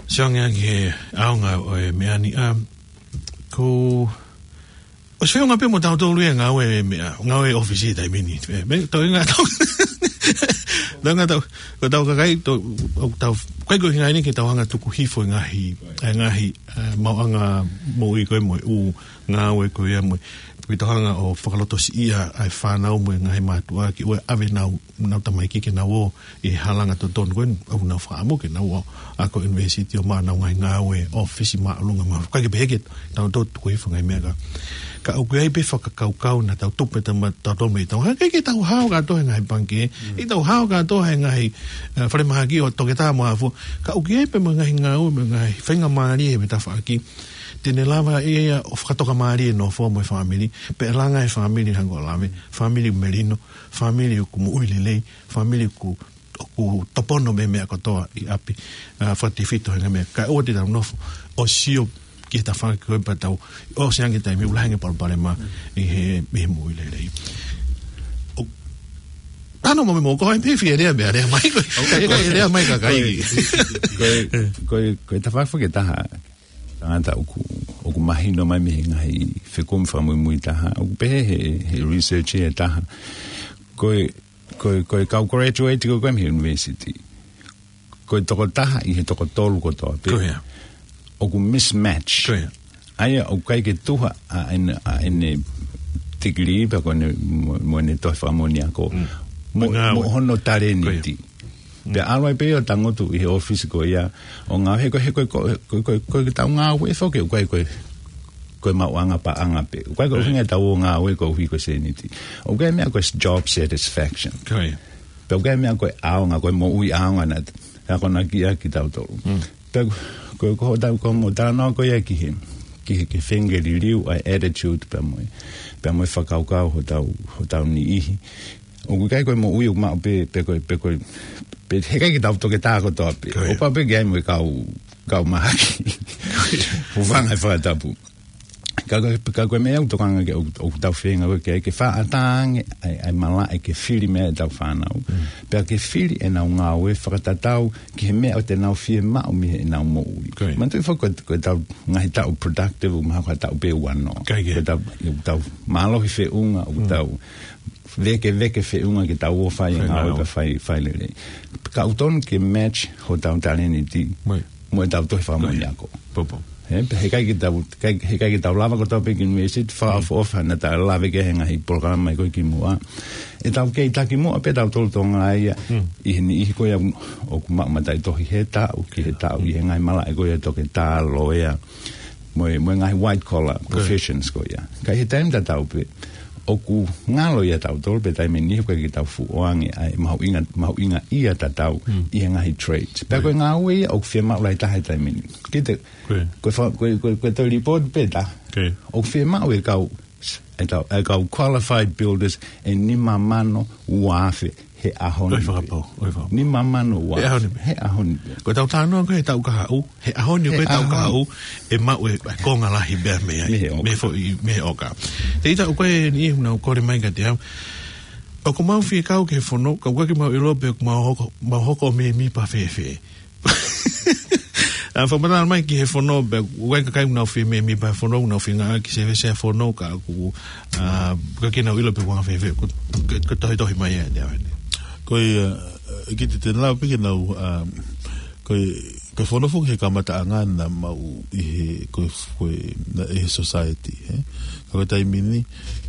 Sio ange ki he ʻaonga ʻo e meʻa ni, um, ko, ʻosi feʻunga pē mo tautolu ia ngāue meʻa, ngāue ʻōfisi he taimi ni. Ē, me, tau inga tau. Tau inga tau, ko ʻetau kakai, tau, ʻoku tau, ʻikai ko e ʻuhinga ia ke tau hanga tuku hifo e ngaahi, e ngaahi, e, maʻuʻanga moʻui ko ē mo e ʻū ngāue ko ia mo e ʻoku ʻi ai e hanga ʻo fakalotosiʻia ʻa e fānau mo e ngaahi mātuʻa ke ʻoua ʻe ʻave ʻenau, ʻenau tamaiki ke nau ō ʻi he halanga totonu ko eni, ʻoku nau fakaʻamu ke nau ō ʻo ako ʻunivēsiti ʻo maʻu ʻenau ngaahi ngāue ʻo ʻōfisi māʻolunga mo e hā fua. ʻIkai ke pehē ke tau tō tuku hifo e ngaahi meʻa ka, ka ʻoku ʻi ai pē fakakaukau naʻa tau tupu ʻetau ma-, tau tō mei tau. He ʻikai ke tau hao kātoa he ngaahi pangikē, ʻikai tau hao kātoa he ngaahi, eh, falemahaki ʻo toketā mo e hā fua. Ka ʻoku ʻi ai pē mo e ngaahi ngāue mo e ngaahi faingamālie he tafaʻaki te ne lava ʻe ia ʻo fakatokamālie e nofo mo e fāmili, pea langa e fāmili hangē ko e lave, fāmili melino, fāmili ʻoku moʻui lelei, fāmili ʻoku, ʻoku tōpono mei he meʻa kotoa ʻi ʻapi, ʻa, fakatefito he ngaahi meʻa. Kae ʻoua te tau nofo ʻo sio ki he tafaʻaki ko ē pea tau ʻosi ange taimi ʻoku lahi ange palopalema ʻi he, ʻi he moʻui lelei. ʻO, tano mo me mo ko e pē fie lea meʻa lea mai ko e, ko e lea mai ka kai. Ko e, ko e, ko e tafaʻaki ʻe taha. Tangata ʻoku, ʻoku mahino mai mei he ngaahi fekumi fakamuimui taha. ʻOku pehē he, he research ʻe taha. Ko e, ko e, ko e kau graduate ko ē mei he university. Ko e toko taha ʻi he toko tolu kotoa pē. Ko ia. ʻOku mismatch. Ko ia. ʻA ia ʻoku ʻikai ke tuha ʻa ʻene, ʻa ʻene tikilī pea ko ʻene mo, mo ʻene tohi fakamoʻoni ako. Mm. Mo, mo e ngāue. Mo hono talēniti. Ko ia. Pea ʻalu ai pē ʻo tangutu ʻi he ʻōfisi ko ia ʻo ngāue he ko e, he ko e, ko e, ko e, ko e, ko e tau ngāue foki ʻoku ʻikai ko e, ko e maʻuʻanga paʻanga pē. ʻOku ʻikai ko e ʻuhinga ʻetau ngāue koeʻuhi ko e sēniti. ʻOku ʻi ai e meʻa ko e job satisfaction. Ko ia. Pea ʻoku ʻi ai e meʻa ko e ʻaonga, ko e moʻui ʻaonga naʻe akonaki ʻaki kitautolu. Mm. Pea ko, ko hotau, ko hoʻomou talanoa ko ia ki he, ki he, ki he feinga ke liliu ʻa e attitude pea mo e, pea mo e fakakaukau hotau, hotau niʻihi. ʻOku ʻikai ko e moʻui ʻoku maʻu pē, pē ko e, pē ko e, pē he ʻikai ke tau toketā kotoa pē. Ko ia. ʻOku pau pē ke ʻi ai mo e kau, kau mahaki. Hūfanga he fakatapu. Ka ko e, ka ko e meʻa ʻoku tokanga ke ʻoku, ʻoku tau feinga ko ē ke, ke fakaʻatā ange ʻa e, ʻa e malaʻe ke fili mei ai ʻetau fānau. Mm. Pea ke fili ʻenau ngāue fakatatau ki he meʻa ʻoku nau fiemaʻu mei heʻenau moʻui. Ko ia. Manatuʻi foki ko e, ko ʻetau ngaahi taʻu productive, ʻoku mahalo ko ha taʻu pē ua noa. ʻIkai ke. Ko ʻetau, ʻoku tau mālohi feʻunga, ʻoku tau vekeveke feʻunga ke tau ō ʻo fai e ngāue. Fai ngāue. Pea fai, fai lelei. Ka ʻoku totonu ke match hotau talēniti. Mai. Mo ʻetau tohi fakamoʻoni ako. Ko ia. Popo. He, he ʻikai ke tau, ʻikai, he ʻikai ke tau lava kotoa pē ki university, fakaʻofoʻofa, naʻa tau lave ki he ngaahi polokalama ko ē kimuʻa. ʻEtau kei takimuʻa pē tautolu Tonga ia, Mm. ʻi he niʻihi ko ia ʻoku maʻu mataʻitohi he taʻu, ki he taʻu, ʻi he ngaahi malaʻe ko ia toketā, loea, mo e, mo e ngaahi white collar Ko ia. professions ko ia. Ka ʻi he taimi tatau pē, ʻoku ngalo ia tautolu pē taimi ni, ʻoku ʻikai ke tau fuʻu ʻoange ʻa e mahuʻinga, mahuʻinga ia tatau Mm. ʻi he ngaahi trades. Pea Ko ia. ko e ngāue ia ʻoku fiemaʻu lahi taha he taimi ni. Kita, Ko ia. ko e fa-, ko e, ko e, ko e toe report pē taha. Ko ia. ʻOku fiemaʻu e kau, e tau, e kau qualified builders ʻe nima mano ua afe he ʻaho ni ʻOi pē. fakapō, ʻoi fakapō. Nima mano ua afe. He ʻaho ni pē. He ʻaho ni pē. Ko ʻetau talanoa ko ē he taʻu kahaʻu, he ʻaho ni He ko e taʻu ʻaho ni. kahaʻu, ʻe maʻu e, e konga lahi pē mei ai. Mei he ʻoka. Mei he foʻi, mei he ʻoka. Te ita ʻoku ʻi ai e niʻihi ʻoku nau kole mai kiate au. ʻOku mau fie kau ki he fono, ka ʻoku ʻikai ke mau ʻilo pe ʻoku mau hoko, mau hoko ʻo mēmipa fēfē. ʻA, fakamatala mai ki he fono, pea ʻoku ʻi ai e kakai ʻoku nau fie mēmipa he fono, ʻoku nau feinga ki he sēvesi ʻa e fono, ka ʻoku, ʻa, ʻikai ke nau ʻilo pe ʻoku anga fēfē, ko, ko, ko e tohitohi mai ʻa e, ʻa e. Ko ia, ʻa, ʻe kiʻi te nau piki nau, ʻa, ko e, ko e fono foki he kamataʻanga naʻa mau ʻi he, ko e, ko e, naʻe ʻi he society, he? Ka ko e taimi ni,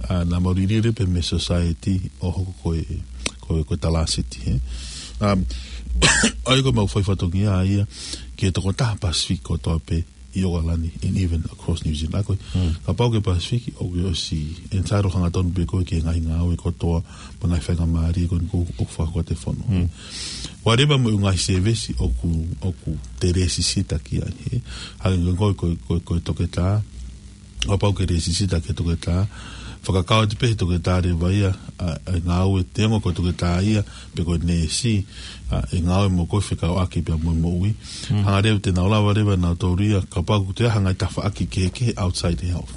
ʻa, naʻa mau liliu pē mei he society ʻo hoko ko e, ko e, ko e Talāsiti, he? Um, ʻa ia ko e mau fai fatongia ia ki he tokotaha Pasifiki kotoa pē ʻi ʻOkalani, and even across New Zealand. ʻA ko e, Hmm. kapau ko e Pasifiki, ʻoku ʻosi entitled hangatonu pē koe ki he ngaahi ngāue kotoa, mo e ngaahi faingamālie ko eni ʻoku, ʻoku fakahoko ʻe he fono. Hmm. Whatever mo e ngaahi sēvesi ʻoku, ʻoku te lēsisita ki ai, he? Hangē ko e, ko e, ko e, ko e toketā, ʻo kapau ke lēsisita ki he toketā, fakakau atu pē he toketā leva ia, ʻa, ʻa e ngāue, neongo ko e toketā ia, pe ko e neesi, ʻa, ʻe ngāue mo koe fekauʻaki pea mo e moʻui. Mm. Hanga leva te nau lava leva nautolu ia, kapau ʻoku toe ʻi ai ha ngaahi tafaʻaki kehekehe outside health.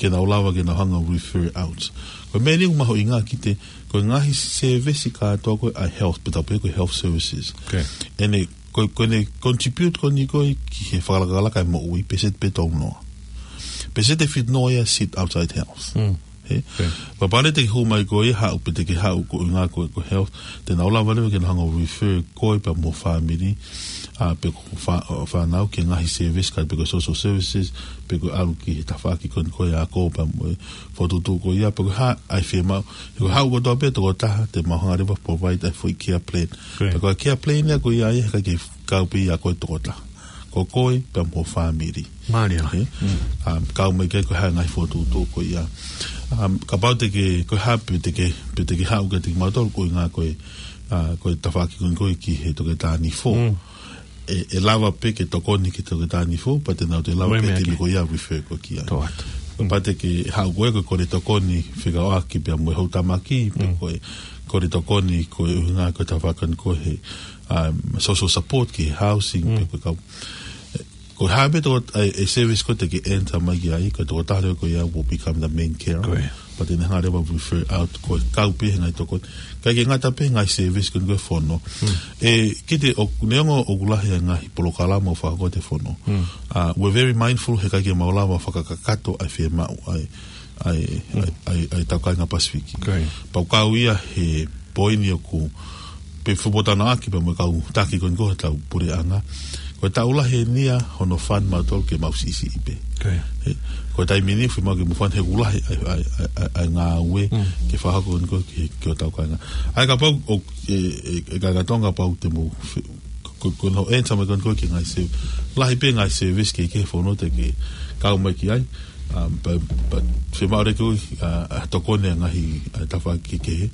Ke nau lava, ke nau hanga ʻo refer out. Ko e meʻa eni ʻoku mahuʻinga kiate, ko e ngaahi sēvesi kātoa ko ē ʻa e health, pe tau pehē ko e health services. Okay. ʻEne, ko, ko ʻene contribute ko eni ko ē ki he fakalakalaka e moʻui, pēseti pē tolu noa. Pēseti ʻe fitu noa ia sit outside health. Mm. He? Pea pale te ke hū mai koe ia, haʻu pē te ke haʻu ko e ʻuhinga ko e, ko e health, te nau lava leva ke nau hanga ʻo refer koe pea mo e family, ʻa, pe ko e fa-, ʻo fānau ki he ngaahi service, kae pe ko e social services, pe ko e ʻalu ki he tafaʻaki ko eni ko e ako pea mo e fokotuʻutuʻu ko ia, pe ko e hā ʻa e fiemaʻu. He ko e haʻu kotoa pē tokotaha, te mau hanga leva provide ʻa e foʻi care plan. Pea ko e care plan ia ko ia ia, he ʻikai ke kau pē ia ko e tokotaha. Ko koe pea mo e family. Mālie. He? Um, kau mai ki ai ko e hā e ngaahi fokotuʻutuʻu ko ia. Um, kapau te ke, ko e hā pē te ke, pē te ke haʻu kiate kimautolu ko e ʻuhinga ko e, uh, ko e tafaʻaki ko eni ko e ki he toketā nifo. ʻE, ʻe lava pē ke tokoni ki he toketā nifo, pea te nau toe lava pē te ke ko ia refer koe ki ai. Pea te ke haʻu koe ko e kole tokoni fekauʻaki pea mo e houtamaki, pe ko e kole tokoni ko e ʻuhinga ko e tafaʻaki ko e he, um, social support ki he housing, pe ko e kau. Ko e hā pē toko, ʻa e, ʻa e service ko ē te ke enter mai ki ai, ko e tokotaha leva ko ia will become the main carer. Pea te ne hanga leva refer out ko e kau pē he ngaahi tokoni. ʻIkai ke ngata pē he ngaahi service ko eni ko e fono. ʻE, kiate au neongo ʻoku lahi ʻa e ngaahi polokalama ʻoku fakahoko ʻe he fono. Uh, we're very mindful he ʻikai ke mau lava fakakakato ʻa e fiemaʻu ʻa e, ʻa e, ʻa e, ʻa e, ʻa e taukainga Pasifiki. Pea ʻoku kau ia he poini ʻoku pē fupotanaʻaki pea mo e kau taki ko eni ko e tau puleʻanga. Ko e taʻu lahi eni ia hono fund mautolu ke mau siʻisiʻi pē. He, ko e taimi ni fiemaʻu ke mau fund he ʻoku lahi ʻa e, ʻa e, ʻa e, ʻa e ngāue ke fakahoko ko eni ko e ki, ki hotau kāinga. ʻA ia kapau ʻoku, ʻe, ʻe, ʻe kāinga Tonga kapau te mau fe-, ko, ko hono ʻensa mai ko eni ko e ki he ngaahi se-, lahi pē ngaahi service kehekehe fono te ke kau mai ki ai. Um, but, but, fiemaʻu leva ke, uh, uh, tokoni ʻa e ngaahi, uh, tafaʻaki kehekehe,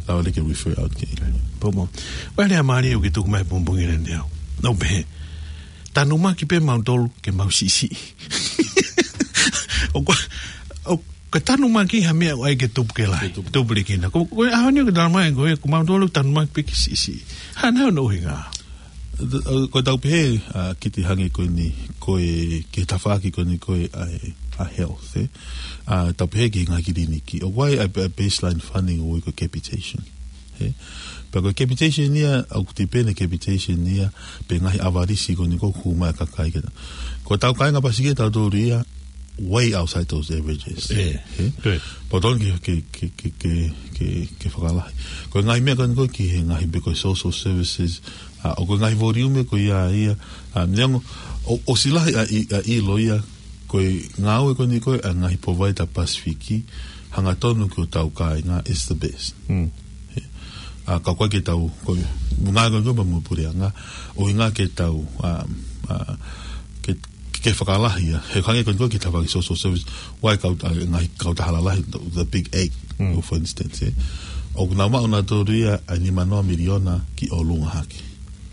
lava leva ke refer out ki ai. Poupou. Ko e lea mālie ʻoku ke tuku mai pongipongi ni ʻe au. Naʻá ku pehē, tanumaki pē mautolu ke mau siʻisiʻi. ʻOku, ʻoku tanumaki ha meʻa ʻoku ʻai ke tupu ke lahi. Ke tupu. Tupu lelei kina. Ko, ko e ʻaho ni ʻoku tala mai ko e, ko mautolu tanumaki pē ke siʻisiʻi. Hā nai hono ʻuhinga? Ko e tau pehē, uh, kiate au hangē ko eni, ko e, ki he tafaʻaki ko eni ko e ʻa e, ʻa e health, ē. Uh, tau pehē ki he ngaahi kiliniki. ʻOku ʻi ai ʻa e, ʻa e baseline funding ʻoku ui ko e capitation. Ē. Pea ko e capitation ia, ʻoku tipeni capitation ia, pe ngaahi ʻavalisi ko eni ʻoku hū mai ʻa e kakai ke. Ko hotau kāinga Pasifiki ʻatautolu ia, way outside those averages. Ē. Ē? Pea tonu ke, ke, ke fakalahi. Ko e ngaahi meʻa ko eni ko e ki he ngaahi pe ko e social services, ʻa, ʻoku ngaahi volume ko ia ia, ʻa, neongo, ʻo, ʻosi lahi ʻa e, ʻa e ʻilo ia, ko e ngāue ko eni ko e ʻa e ngaahi provider Pasifiki, hangatonu ki hotau kāinga is the best. Ē. ʻA, ka ʻoku ʻikai ke tau, ko e, ngāue ko eni ko e pea mo e puleʻanga, ʻuhinga ke tau, ʻa, ʻa, ke, ke fakalahi ia. He hangē ko eni ko e ki he tafaʻaki social service, ʻoku ʻi ai e kau, ʻa, ngaahi kautaha lalahi, the, the big eight, for instance, ē. ʻOku nau maʻu nautolu ia ʻa e nima noa miliona ki ʻolunga hake.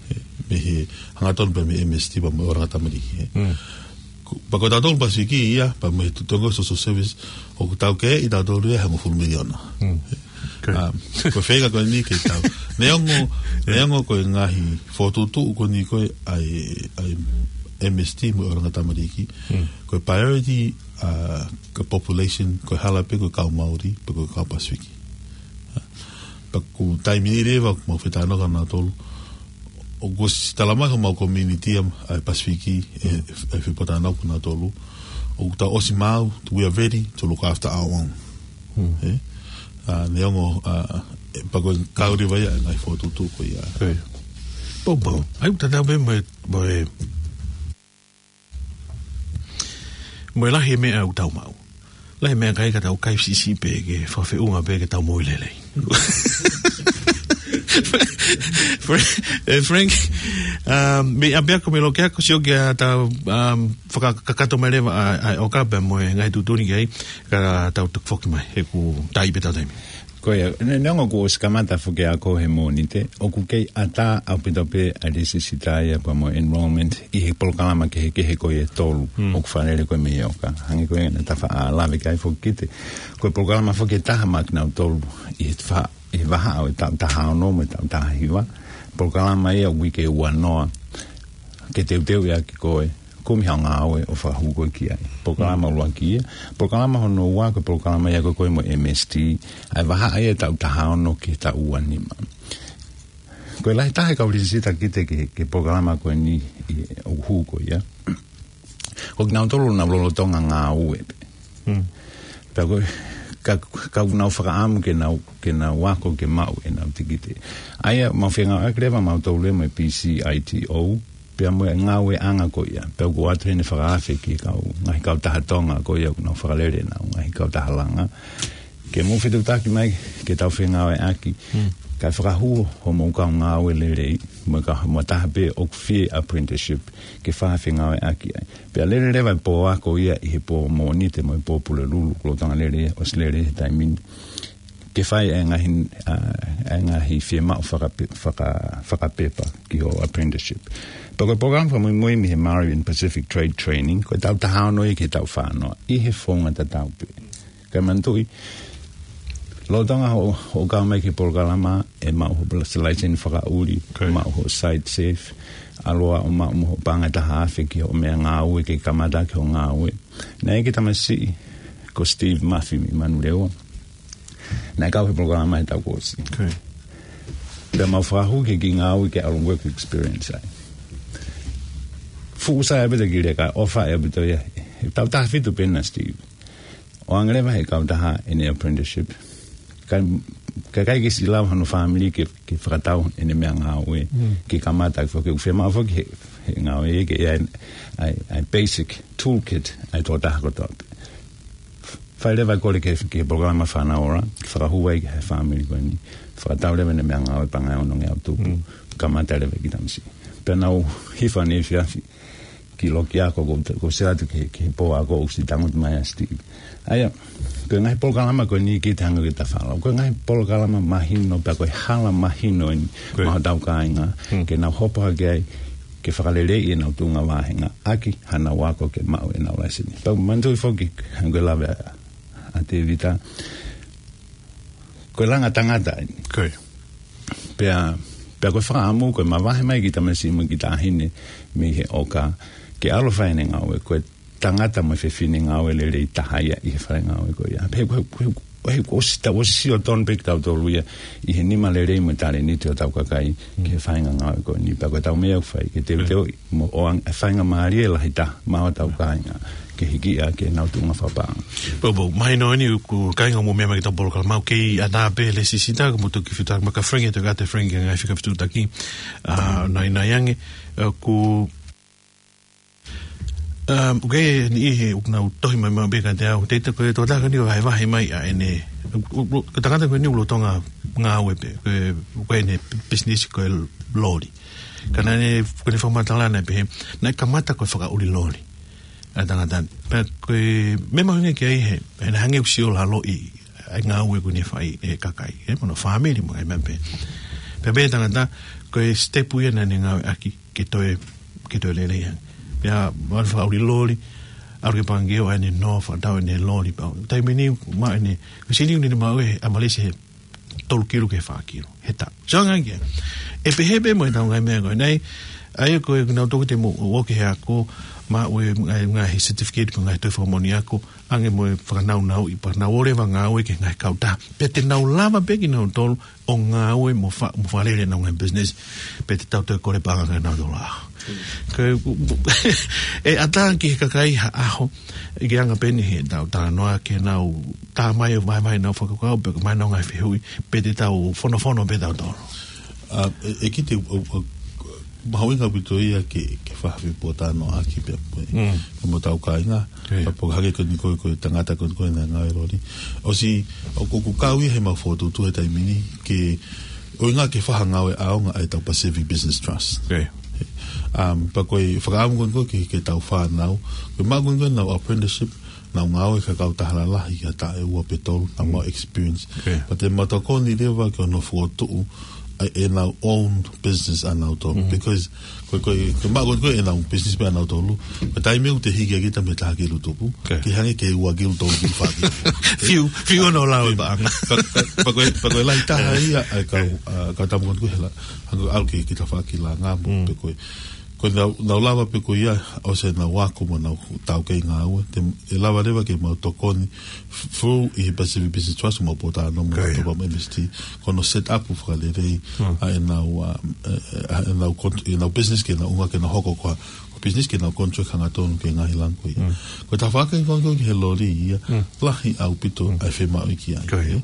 Ē, mei he hangatonu pē mei he M S T pea mo e ʻOrangi Tamariki, ē. Ko, pea ko tautolu Pasifiki ia, pea mei he tutongo social service, ʻoku tau kei ʻi tautolu ia he hongofulu miliona. ʻA, ko e feinga ko eni ke tau. Neongo, neongo ko e ngaahi fokotuʻutuʻu ko eni ko e ʻa e, ʻa e M S T mo e ʻOrangi Tamariki. Ko e priority, ʻa, ko e population, ko e hala pē ko e kau Māori, pe ko e kau Pasifiki. Pea ko e taimi ni leva, mau fetalanoaʻaki nautolu. ʻOku ʻosi tala mai homau community ʻa e Pasifiki, ʻe, ʻe fepōtalanoaʻaki nautolu. ʻOku tau ʻosi maʻu, we are ready to look after our own. Ē? ʻA, neongo, ʻa, ʻe, pea ko e kau leva ia, ngaahi fokotuʻutuʻu ko ia. Poupou. ʻAi, ʻoku tatau pē mo e, mo e Mo e lahi e meʻa ʻoku tau maʻu. Lahi e meʻakai ka tau kai siʻisiʻi pē ke fakafeʻunga pē ke tau moʻui lelei. Frank, ē, Frank, um, mei ʻapiako mei loki ako sio ki ha tau, um, fakakakato mai leva ʻa, ʻa e ʻoka pea mo e ngaahi tuʻutuʻuni ki ai, ka tau tuku foki mai, he ʻoku tai pē ʻetau taimi. Ko ia, ne-, neongo kuo ʻosi kamata foki ʻa e ako he Mōnite, ʻoku kei ʻatā ʻaupito pē ʻa e lēsisita ia pea mo e enrollment ʻi he polokalama kehekehe ko ia ʻe tolu ʻoku fakalele ko ē mei he ʻoka. Hangē ko ia naʻa ta faʻa lave ki ai foki kita. Ko e polokalama foki ʻe taha maʻa kinautolu ʻi he fa-, ʻi he vahaʻa ʻo e taʻu taha ono mo e taʻu taha hiva. Polokalama ia ʻoku ui ko e Ua Noa. Ke teuteu ia ki koe. Kumi haʻo ngāue ʻo fakahū koe ki ai. Polokalama ʻuluaki ia. Polokalama hono ua ko e polokalama ia ko ē ko ē mo e M S T. ʻA e vahaʻa ia ʻo e taʻu taha ono ki he taʻu ua nima. Ko e lahi taha e kau lēsisita kita ki he, ki he polokalama ko eni ʻi, ʻoku hū ko ia. Ko kinautolu naʻa nau lolotonga ngāue pē. Pea ko e, ka, ka ʻoku nau fakaʻamu ke nau, ke nau ako ke maʻu ʻenau tikite. ʻA ia, mau fengāueʻaki leva mautolu mo e P C I T O, pea mo e ngāueʻanga ko ia. Pea ʻoku ʻoatu heni e fakaafe ki he kau, ngaahi kautaha Tonga ko ia ʻoku nau fakalele ʻenau ngaahi kautaha langa. Ke mou fetuʻutaki mai, ke tau fengāueʻaki. Kae fakahū hoʻomou kau ngāue lelei, mo e kau, mo e taha pē ʻoku fie apprenticeship, ke fai ha fengāueʻaki ai. Pea lele leva e pō ako ia ʻi he pō Mōnite mo e pō Pulelulu, ʻoku lolotonga lele ia, ʻosi lele ia he taimi ni. Ke fai e ngaahi, ʻa, e ngaahi fiemaʻu fakape-, faka-, fakapepa ki hoʻo apprenticeship. Pea ko e polokalama fakamuimui mei he Māori and Pacific Trade Training, ko e taʻu taha ono ia ki he taʻu fā noa, ʻi he founga tatau pē. Kae manatuʻi, lolotonga hoʻo, hoʻo kau mai ki he polokalama, ʻe maʻu hoʻo laiseni fakaʻuli, maʻu hoʻo site safe, ʻalu ā ʻo maʻu mo hoʻo paʻanga ʻe taha afe ki hoʻo meʻangāue ke kamata ʻaki hoʻo ngāue. Naʻe ʻi ai e kiʻi tamasiʻi ko Steve Mafi mei Manurewa. Naʻe kau he polokalama he taʻu kuo ʻosi. Pea mau fakahū ki he kiʻi ngāue ke ʻalu work experience ai. Fuʻu sai ʻa Pita ki leka, ʻofa ʻa Pita ia. He taʻu taha fitu pē ʻa Steve. ʻO ʻange leva he kautaha ʻene apprenticeship. Ka, ka ʻikai ke siʻi lava hono fāmili ke, ke fakatau ʻene meʻangāue, ke kamata, ke foki, ʻoku fiemaʻu foki he, he ngāue ke ʻi ai, ʻa e, ʻa e basic toolkit, ʻa e tokotaha kotoa pē. Fai leva e kole ki he, ki he polokalama Fānau Ora, ke fakahū ai ki he fāmili ko eni. Fakatau leva ʻene meʻangāue paʻanga ʻe ono ngeau tupu, kamata leva e kiʻi tamasiʻi. Pea nau hifo ʻaneefiafi ki loki ako ko, ko se atu ki, ki he pō ako ʻoku siʻi tangutu mai ʻa Steve. ʻA ia, ko e ngaahi polokalama ko eni ke te hanga ke ta follow. Ko e ngaahi polokalama mahino, pea ko e hala mahino eni, maʻa hotau kāinga, ke nau hopo hake ai, ke fakaleleiʻi ʻenau tuʻunga vāhenga, ʻaki haʻanau ako ke maʻu ʻenau laiseni. Pea manatuʻi foki, hangē ko e lave ʻa, ʻa Tēvita, ko e langa tangata eni. Pea, pea ko e fakaʻamu, ko e mavahe mai e kiʻi tamasiʻi mo e kiʻi taʻahine mei he ʻoka, ke ʻalu ʻo fai ʻene ngāue, ko e tangata mo e fefine ngāue lelei taha ia ʻi he fale ngāue ko ia. Pea he, he, he, he, ʻosi ta, ʻosi sio tonu pē kitautolu ia ʻi he nima lelei mo e talēniti ʻo hotau kakai, ki he faʻahinga ngāue ko eni. Pea ko ʻetau meʻa ʻoku fai, ke teuteuʻi mo e ʻoange e faingamālie lahi taha maʻa hotau kāinga, ke hiki ia ki heʻenau tuʻunga fakapaʻanga. Pau, pau, mahino eni ʻoku kāinga mo meʻa mai ki heʻetau polokalama, ʻoku kei ʻatā pē lēsisita, ka mou toki fetuʻutaki mai kia Frank, ʻe toki ʻatā ʻe Frank e ngaahi fika fetuʻutaki, ʻa, nai, nai ange, ʻa, ʻoku, ʻa, ʻoku ʻi ai e niʻihi ʻoku nau tohi mai maʻu pē kiate au, te ita ko e tokotaha ko eni ʻoku vahevahe mai ʻa ʻene, ʻo, ʻo, ʻo, ko e tangata ko eni ʻoku lolotonga ngāue pē, ko e, ko ʻene business ko e loli. Ka naʻe, ko ʻene fakamatala naʻe pehē, naʻe kamata ko e fakaʻuli loli ʻa e tangata ni. Pea ko e meʻa mahuʻinga ki ai he, he naʻe hangē ʻoku sio lalo ʻi he ngāue ʻoku ne fai ʻe he kakai, ʻe, mo hono fāmili mo e meʻa pē. Pea pehē ʻe he tangata, ko e step ia naʻa ne ngāueʻaki ke toe, ke toe lelei ange. Pea ʻalu fakaʻuli loli, ʻalu ki he pangikē ʻo ʻai ʻene nō, fakatau ʻene loli, pea taimi ni, maʻu ʻene, ko e sēniti ʻoku ne maʻu ʻe he ʻamalesi he tolu kilu ki he fā kilu he taʻu. So, hangē ia. ʻE pehē pē mo ʻetau ngaahi meʻa ko eni. ʻA ia ko e nau toki te mo o ke he ako, maʻu e ngaahi, ngaahi certificate, ko e ngaahi tohi fakamoʻoni ako, ange mo e fakanaunauʻi, pea nau ō leva ʻo ngāue ki he ngaahi kautaha. Pea te nau lava pē kinautolu ʻo ngāue mo fa-, mo fakalele ʻenau ngaahi business. Pea te tau toe kole paʻanga kia nautolu ʻaho. Ko e, ʻe ʻatā ki he kakai ha ʻaho, ʻi he anga pē eni heʻetau talanoa ke nau tā mai ʻo vahevahe ʻenau fakakaukau, pe ko e mai ʻenau ngaahi fehuʻi, pe te tau fonofono pē tautolu. ʻA, ʻe, ʻe kite, ʻo, ʻo, mahuʻinga ʻaupito ia ke, ke fai ha fepuatanoaʻaki pea mo e, pea mo hotau kāinga, pea pea hangē ko eni ko e, ko e tangata ko eni ko e naʻe ngāue loli. ʻOsi, ʻo, ʻoku, ʻoku kau ia he mau fokotuʻutuʻu he taimi ni, ke, ʻuhinga ke fai ha ngāue ʻaonga ʻa ʻetau Pacific Business Trust. Um, pea ko e fakaʻamu ko eni ko e ke, ke tau fānau, ke maʻu ko eni ko e ʻenau apprenticeship, nau ngāue ki ha kautaha lalahi ki ha taʻu ʻe ua pe tolu, nau maʻu experience. Pea te mau tokoni leva ki hono fokotuʻu ʻa ʻenau own business ʻanautolu. Because ko e, ko e, ko e maʻu ko eni ko e ʻenau business pē ʻanautolu. Ko e taimi ʻoku te hiki ʻaki ʻeta mei he taha kilu tupu, ke hangē ke ua kilu, tolu kilu, fā kilu. Fiu, fiu ʻo lau e paʻanga. Pea, pea, pea ko e, pea ko e lahi taha ia ʻa e kau, ʻa, kau tama ko eni ko e hela, hangē ʻalu ki, ki he tafaʻaki langa mo, pe ko e, ko ʻenau, nau lava pē ko ia, ʻosi ʻenau ako mo ʻenau taukei ngāue, te, ʻe lava leva ke mau tokoni, f-, through ʻi he Pacific Business Trust, mau pōtalanoa mo, pea mo M S T, ko hono set up fakalelei ʻa ʻenau, um, ʻe, ʻe, ʻa ʻenau con-, ʻenau business ke nau ʻuhinga ke nau hoko ko ha, business ke nau contract hangatonu ki he ngaahi langa ko ia. Ko e tafaʻaki ko ē ki he loli ia, lahi ʻaupito ʻa e fiemaʻu ki ai.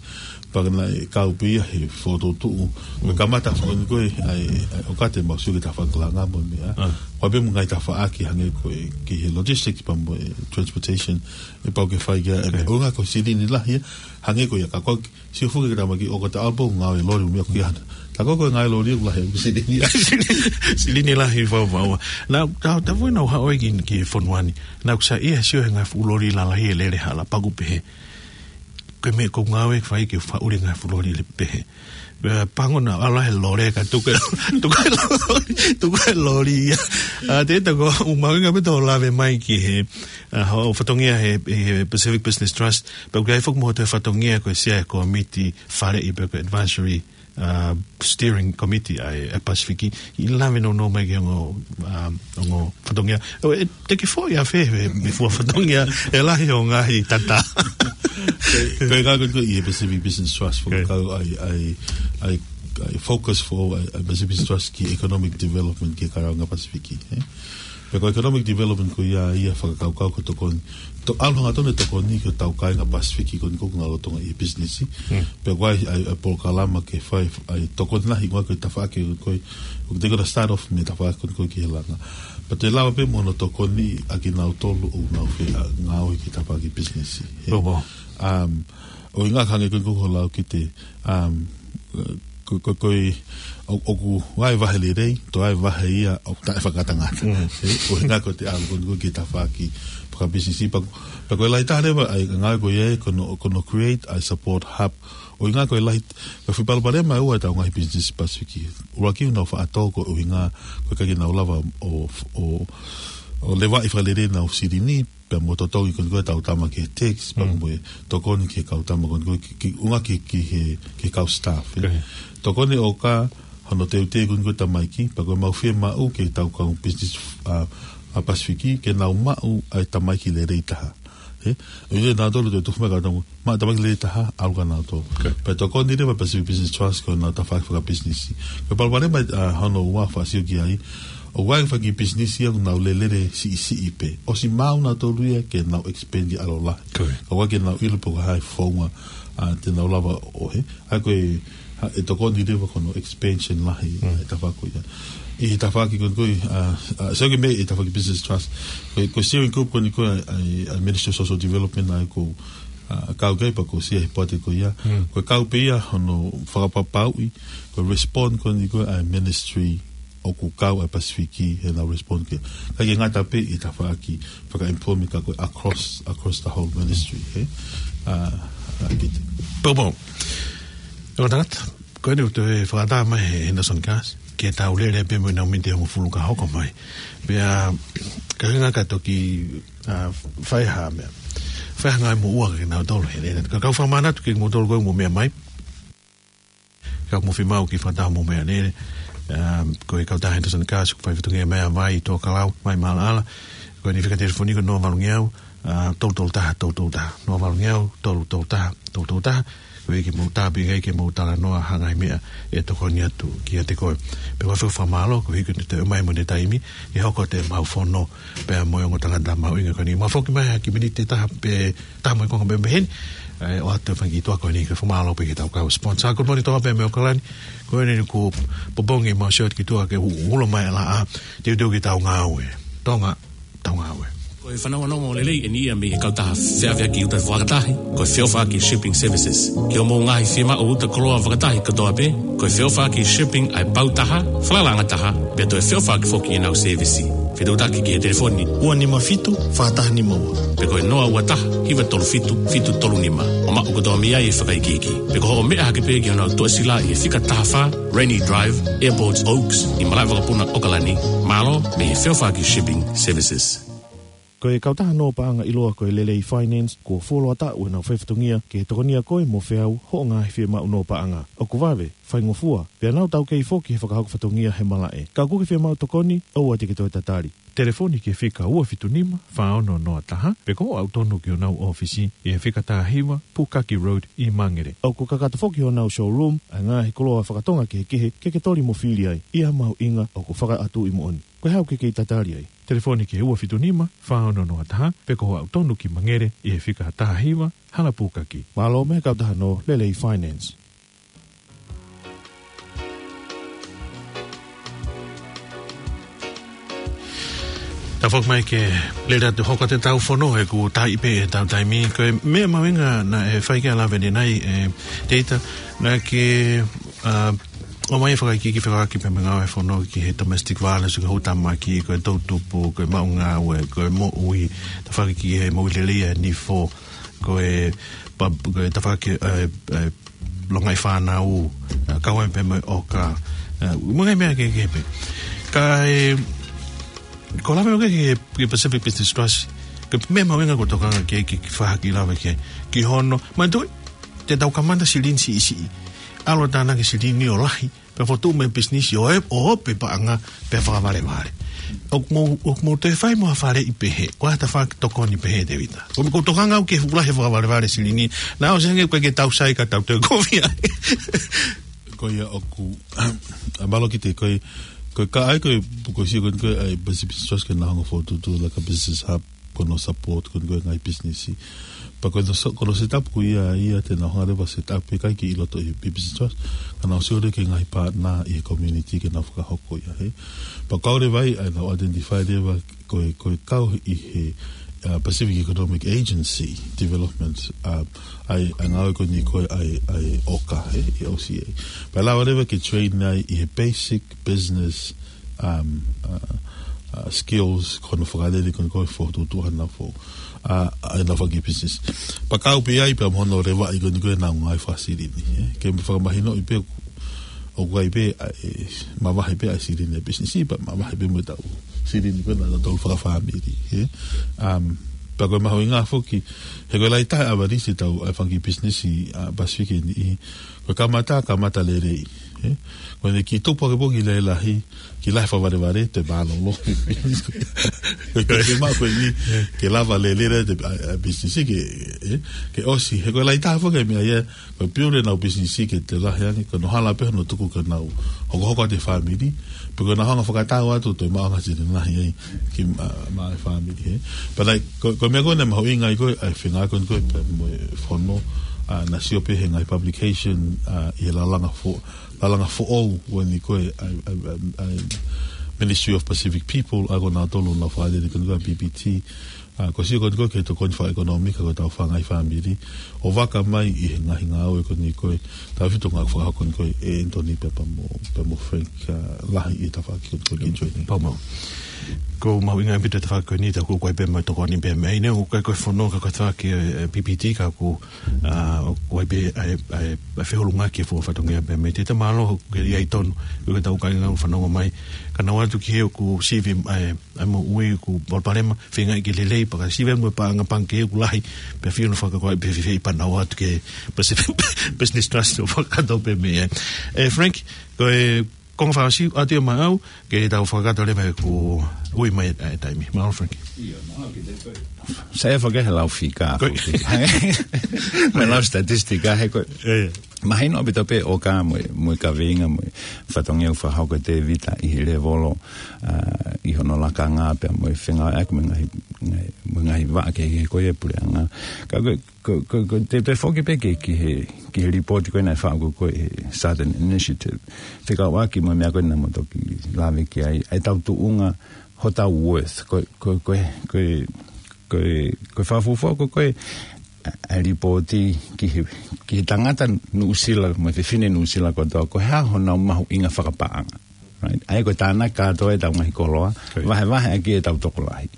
Pea naʻe kau pē ia he fokotuʻutuʻu. Ko e kamata foki ko ē ʻa e, ʻa e ʻoku ʻikai te mau sio ki he tafaʻaki langa mo e meʻa. Ko e pē mo e ngaahi tafaʻaki hangē ko e ki he logistics pea mo e transportation, ʻe pau ke fai ki ai, ʻe ʻuhinga ko e silini lahi ia, hangē ko ia ka ko e sio foki ki he tamaiki ʻoku ta ʻalu pē ʻo ngāue loli mo e meʻa ko ia. Ta ko e ngāue loli ʻoku lahi ʻa e silini. Silini lahi fau fau. Naʻa, ta, ta fui naʻa haʻu ai ki, ki he fonua ni. Naʻa ku saiʻia he sio he ngaahi fuʻu loli lalahi ʻe lele hala paku pehē. Ko e meʻa ko e ngāue fai ke faʻuli ngaahi fuʻu loli lele pehē. Pea pango naʻa ala he lole ka tuku e, tuku e loli, tuku e loli ia. ʻA, te ta ko, ʻoku mahuʻinga pē tau lave mai ki he, ʻa, hoʻo fatongia he, he Pacific Business Trust. Pea ʻoku ʻi ai foki mo hoʻo toe fatongia ko e sea he komiti faleʻi pe ko e advisory, ʻa, steering committee ʻa e, ʻa e Pasifiki. ʻI lave nounou mai ki he ongo, ʻa, ongo fatongia. ʻO, ʻe, te ke foʻi ʻafē, ʻe, ʻe fua fatongia, ʻe lahi ʻo ngaahi tata. Ko e, ko e ngaahi ko ē ʻi he Pacific Business Trust, fo kau ai, ai, ai, ai focus fo, ai, ai Pacific Business Trust ki economic development ki he kāinga Pasifiki, ē? Pea ko e economic development ko ia, ia fakakaukau ko e tokoni. To, ʻalu hangatonu e tokoni ki hotau kāinga Pasifiki ko eni ʻoku nau lolotonga ʻi he business. Pea ko e, ai, ai polokalama ke fai, ai tokoni lahi ko e tafaʻaki ko ē, ʻoku te kona start off mei he tafaʻaki ko ē ki he langa. Pea te lava pē mo hono tokoni ʻa kinautolu ʻoku nau fie, ʻa, ngāue ki he tafaʻaki business, ē? Um, ʻo ʻuhinga hangē ko ē ko hoʻo lau ki he, um, ko, ko, ko e, ʻo, ʻoku vahevahe lelei, toe vahe ia ʻoku taʻefakatangata. Ē, ʻo ʻuhinga ko ʻete ʻalu ko ē ki he tafaʻaki fakapisinisi pea, pea ko e lahi taha leva ʻa e ngāue ko ia ko hono, ko hono create ʻa e support hub. ʻO ʻuhinga ko e lahi, ko e fuʻu palopalema ʻe ua ʻetau ngaahi business Pasifiki. ʻUluaki ʻoku nau faʻa tō ko e ʻuhinga ko e ʻikai ke nau lava ʻo, ʻo, ʻo levaʻi fakalelei ʻenau silini, pea mo totongi ko eni ko ē ʻetau tama ki he tax, pea mo e tokoni ki he kau tama ko eni ko ē ki, ki, ʻuhinga ki, ki he, ki he kau staff, ē. Tokoni ʻoka hono teuteu ko eni ko ē tamaiki, pea ko e mau fiemaʻu ki heʻetau kau business, ʻa, ʻa Pasifiki, ke nau maʻu ʻa e tamaiki lelei taha. Ē, ʻo ʻilo nautolu te tuku mai ka tau, maʻu tamaiki lelei taha, ʻalu kia nautolu. Pea tokoni leva Pacific Business Trust ko ʻenau tafaʻaki fakapisinisi. Ko e palopalema, ʻa, hono ua fakaʻasi ki ai, ʻoku ʻi ai e fanga kiʻi pisinisi ia ʻoku nau lele siʻisiʻi pē. ʻOsi maʻu nautolu ia ke nau expand ki ʻalu lahi. Ka ʻoku ʻikai ke nau ʻilo pe ko e hā e founga, ʻa, te nau lava ʻo ʻohe. ʻA ia ko e, ha, ʻe tokoni leva ko hono expansion lahi, ʻa e tafaʻaki ko ia. ʻI he tafaʻaki ko eni ko ē, ʻa, ʻa, sio ki he meʻa ʻi he tafaʻaki Business Trust. Ko e, ko e steering group ko eni ko ē, ʻa, ʻa Ministry of Social Development ʻa ia ko, ʻa, kau ki ai pea ko e sea he poate ko ia. Ko e kau pē ia hono fakapapauʻi, ko e respond ko eni ko ē ʻa e ministry ʻoku kau ai Pasifiki heʻenau respond ki ai. ʻIkai ke ngata pē ʻi he tafaʻaki faka-employment ka ko e across, across the whole ministry, ē? ʻA, ʻa, Pita. Poupou. ʻE tangata, ko eni ʻoku toe fakatā mai he Henderson Gas, ke tau lele pē mo e miniti ʻe hongofulu ka hoko mai. Pea, ka hinga ka toki, ʻa, fai ha meʻa. Fai ha ngaahi moʻua kia nautolu he lele. Ka ʻoku ou fakamanatu kia moutolu ko ē ʻoku mou meʻa mai. Ka ʻoku mou fiemaʻu ke fakataha mo meʻa lele. Um, ko e kautaha Henderson Gas, ʻoku fai fatongia mai ʻa Vai, Tokelau, Vai mo Alaala. Ko ʻene fika telefoni ko e noa valu ngeau, ʻa, tolu tolu taha, tolu tolu taha. Noa valu ngeau, tolu tolu taha, tolu tolu taha. Ko e ke mou tāpuekina ai ke mou talanoa ha ngaahi meʻa ʻe tokoni atu kiate koe. Pea ʻoku ou fakamālō, koeʻuhi ko ʻene toe ʻomai mo ʻene taimi, ʻi he hoko atu ʻemau fono, pea mo e ongo tangata mahuʻinga ko eni. Mau foki mai ha kiʻi miniti ʻe taha pe taha mo e konga pē mei heni, ʻe, ʻoatu e fanga kiʻi toa ko eni ke fakamālō pē ki heʻetau kau sponsor. Good morning, Toa pē mei ʻAokalani. Ko eni kuo popongi ʻemau sio atu ki tuʻa ke u-, ulo mai ʻa e laʻā, teuteu ke tau ngāue. Tonga, tau ngāue. Ko e fanongonongo lelei eni ia mei he kautaha feʻaveʻaki uta fakatahi, ko e Feʻofaʻaki Shipping Services. Ki hoʻomou ngaahi fiemaʻu uta koloa fakatahi kotoa pē, ko e Feʻofaʻaki Shipping ʻa e pau taha, falalaʻanga taha, pea toe feʻofaʻaki foki ʻenau sēvisi. Fetuʻutaki ki he telefoni ua nima fitu, fā taha nima ua. Pe ko e noa ua taha, hiva tolu fitu, fitu tolu nima. ʻO maʻu kotoa mei ai e fakaikiiki. Pe ko hoʻo meʻa hake pē ki honau tuʻasila ʻi he fika taha fā, Rainy Drive, Airports Oaks, ʻi Malaʻevakapuna, ʻAokalani. Mālō, mei he Feʻofaʻaki Shipping Services. Ko e kautaha nō paʻanga ʻiloa ko e Lelei Finance, kuo fuoloa taʻu ʻenau fai fatongia ke tokonia koe mo feau hoʻo ngaahi fiemaʻu nō paʻanga. ʻOku vave, faingofua, pea nau taukei foki he fakahoko fatongia he malaʻe. Ka ʻoku ke fiemaʻu tokoni, ʻoua te ke toe tatali. Telefoni ki he fika ua fitu nima, fā ono noa taha, pe ko hoʻo aʻu tonu ki honau ʻōfisi ʻi he fika taha hiva, Pukaki Road ʻi Mangere. ʻOku kakato foki honau showroom ʻa e ngaahi koloa fakatonga kehekehe ke ke toli mo fili ai. ʻI ha mahuʻinga ʻoku fakaʻatuʻi moʻoni. Ko e hā ʻoku ke kei tatali ai? Telefoni ki he ua fitu nima, fā ono noa taha, pe ko hoʻo aʻu tonu ki Mangere ʻi he fika taha hiva, Halapūkaki. Mālō mei he kautaha no Lelei Finance. Tafoki mai ke lele atu hoko atu ʻetau fono he kuo taʻi pē ʻetau taimi. Ko e meʻa mahuʻinga naʻe fai ki ai ʻa Laveni nai, ē, Teita, naʻa ke, ā, ʻomai e fakaikiiki fekauʻaki pea mo e ngāue fono ki he domestic violence, ki he houtamaki, ko e toʻutupu, ko e maʻu ngāue, ko e moʻui, tafoki ki he moʻui lelei ʻa e nifo, ko e pa-, ko e tafoki, ē, ē, longaʻi fānau, ā, kau ai pē mo e ʻoka, ā, mo e ngaahi meʻa kehekehe pē. Ka ʻe, ko e lave ʻoku ke ki he, ki he Pacific Business Trust, ko e meʻa mahuʻinga ko e tokanga ki ai, ke, ke fakahā ki lava ki ai, ki hono, manatuʻi, te tau kamata silini siʻisiʻi. ʻAlu ʻo tānaki silini ʻo lahi, pea fotu mo e pisinisi ʻo e, ʻo ope paʻanga, pea fakavalevale. ʻOku mou, ʻoku mou toe fai mo ha faleʻi pehē, ko ha tafaʻaki tokoni pehē, Tēvita. Ko, ko e tokanga au ki he fuʻu lahi e fakavalevale silini, naʻa ʻosi ange ko e ke tau sai ka tau toe kovi ai. Ko ia ʻoku, ā, mālō Kite, ko e, ko e ka ai ko e, ko e sio ko e, ko e ʻai Pacific Business Trust ke nau hanga ʻo fokotuʻutuʻu like a business hub, ko hono support ko e, ko e ngaahi pisinisi. Pea ko hono so-, ko hono set up ko ia, ia te nau hanga leva ʻo set up ʻikai ke ʻi loto ʻi he Business Trust, ka nau sio leva ki he ngaahi partner ʻi he community ke nau fakahoko ia, hē. Pea kau leva ai, ʻa ʻenau identify leva ko e, ko e kau ʻi he, ā, Pacific Economic Agency Development, ā, ʻa e, ʻa e ngāue ko eni ko e ʻa e, ʻa e ʻoka, hē, ʻi ʻOsi ē. Pea lava leva ke train ai ʻi he basic business, um, ā, ā, skills, ko hono fakalele ko eni ko e fokotuʻutuʻu haʻanau foʻ-, ā, ʻa ʻenau fanga kiʻi business. Pea kau pē ai pea mo hono levaʻi ko eni ko e ʻenau ngāue fakasilini, ē. Ke fakamahinoʻi pē ʻoku ʻoku ʻi ai pē, ā, ē, mavahe pē ʻa e silini ʻa e pisinisi, pea mavahe pē mo ʻetau silini pē ʻanautolu fakafāmili, ē. Um, pea ko e mahuʻinga foki, he ko e lahi taha e ʻavalisi ʻetau, ʻa e fanga kiʻi pisinisi, ā, Pasifiki ni, ko e kamata, kamata lelei, ē. Ko ʻene kiʻi tupu hake pē ki he lahi, ki he lahi fakavalevale, te mālōlō. Ko e, ko e, ko e maʻu ko eni, ke lava lelei te, ā, ā, pisinisi ke, ē, ke ʻosi. He ko e lahi taha foki e meʻa ia, ko e piu ʻenau pisinisi ke toe lahi ange, ko hono hala pē hono tuku ke nau hokohoko atu e fāmili, pe ko ʻenau hanga ʻo fakatau atu toe maʻu ange ha silini lahi ai ki, ā, maʻa e fāmili, ē. Pea naʻe, ko, ko e meʻa ko ē naʻe mahuʻinga ai ko e, ʻa e feinga ko ē ko e pea mo e fono, ā, naʻa sio pē he ngaahi publication, ā, ʻi he lalanga fo-, lalanga foʻou ko eni ko e, ʻa e, ʻa e, ʻa e, ʻa e Ministry of Pacific People, ʻa ko nautolu naʻa nau fakalele ko eni ko e P P T, ā, ko e sio ko eni ko e ki he tokoni fakaʻekonōmika ko ʻetau fanga kiʻi fāmili, ʻo vaka mai ʻi he ngaahi ngāue ko eni ko e, tautefito ki he ngāue fakahoko ko eni ko e ʻe Anthony pea mo, pea mo Frank, ā, lahi ʻi he tafaʻaki ko eni ko e ki Joy. Pau mau. Ko e mahuʻinga ʻaupito e tafaʻaki ko eni, tā ʻoku ʻi ai pē mo e tokoni pē mei ai, neongo ʻoku ʻikai ko e fono ka ko e tafaʻaki, ē, ē, P P T ka ʻoku, ā, ʻoku ʻi ai pē, ē, ē, ē, feʻunga ki he fuofua fatongia pē mei ai. Te ta mālō, ʻoku ke ʻi ai tonu, ʻoku ke tau kai ngau fanongo mai. Ka naʻa atu ki he ʻoku sivi, ē, ʻa e moʻui ʻoku palopalema, feinga ke lelei, pea ka sivi mo e paʻanga pangikē ʻoku lahi, pea fio na fakakaukau pē fefei pea nau ō atu ki he Pacific Business Trust ʻo fakakakato pē mei ai. Ē, Frank, ko e konga fakaʻosi atu ia maʻau, ke tau fakakakato leva he kuo ui mai e taimi. Mālō, Frank. Sai e fakahe lau fika. Ko e. Mo e lau statistika he ko e. Ē. Mahino ʻaupito pē ʻoka mo e, mo e kaveinga mo e fatongia ʻoku fakahoko ʻe Tēvita ʻi he lēvolo, ā, ʻi hono lakanga pea mo e fengāueʻaki mo e ngaahi, ngaahi, mo e ngaahi vaʻa kehekehe ko ia e puleʻanga. Ka ko e, ko, ko, ko e toe, toe foki pē ki, ki he, ki he lipooti ko ē naʻe faʻu ko ē ʻe he Southern Initiative. Fekauʻaki mo e meʻa ko ē naʻa mo toki lave ki ai, ʻa ʻetau tuʻunga, hotau worth, ko, ko, ko, ko, ko, ko e fakafuofua ko, ko e, ā, ā, lipooti ki he, ki he tangata Nuʻusila, mo e fefine Nuʻusila kotoa, ko e hā honau mahuʻinga fakapaʻanga. Right? ʻA ia ko e tānaki kātoa ʻetau ngaahi koloa, Ko ia. vahevahe ʻaki ʻetau tokolahi.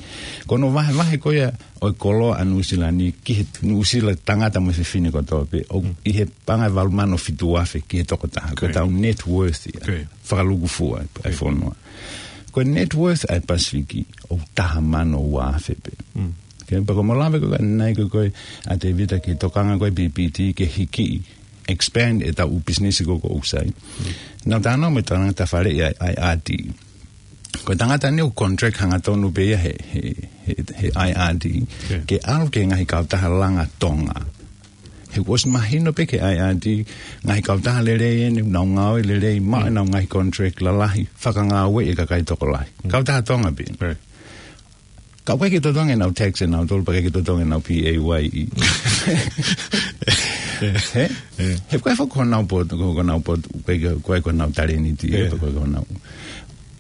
Ko hono vahevahe ko ia ʻo e koloa ʻa Nuʻusila ni ki he Nuʻusila tangata mo e fefine kotoa pē, ʻoku Mm. ʻi he paʻanga ʻe valu mano fitu afe ki he tokotaha. Ko Ko ia. ʻetau net worth ia. Ko ia. Fakalūkufua ʻa e Ko ia. fonua. Ko e net worth ʻa e Pasifiki ʻoku taha mano ua afe pē. Mm. Ke pea ko hoʻomo lave ko ē ʻanenai ko ē ʻa Tēvita ki he tokanga ko ē P P T ke hiki, expand ʻetau ʻū pisinisi ko ē ʻoku sai. Mm. Naʻa ku talanoa mo e tangata faleʻi ʻa e I R D. Ko e tangata ni ʻoku contract hangatonu pē ia he, he, he, he I R D. Ko ia. Ke ʻalu ki he ngaahi kautaha langa Tonga. He kuo ʻosi mahino pē ki he I R D, ngaahi kautaha lelei eni, nau ngāue lelei, maʻu Mm. ʻenau ngaahi contract lalahi, fakangāueʻi e kakai tokolahi. Mm. Kautaha Tonga pē. Right. Ka ʻoku ʻikai ke totongi ʻenau tax ʻenau tolu, pea ʻikai ke totongi ʻenau P A Y E. He? He ʻoku ʻikai foki ko honau poto, ko, ko honau poto, ʻoku ʻikai ke, ʻoku ʻikai ko honau talēniti, pe ko, ko honau.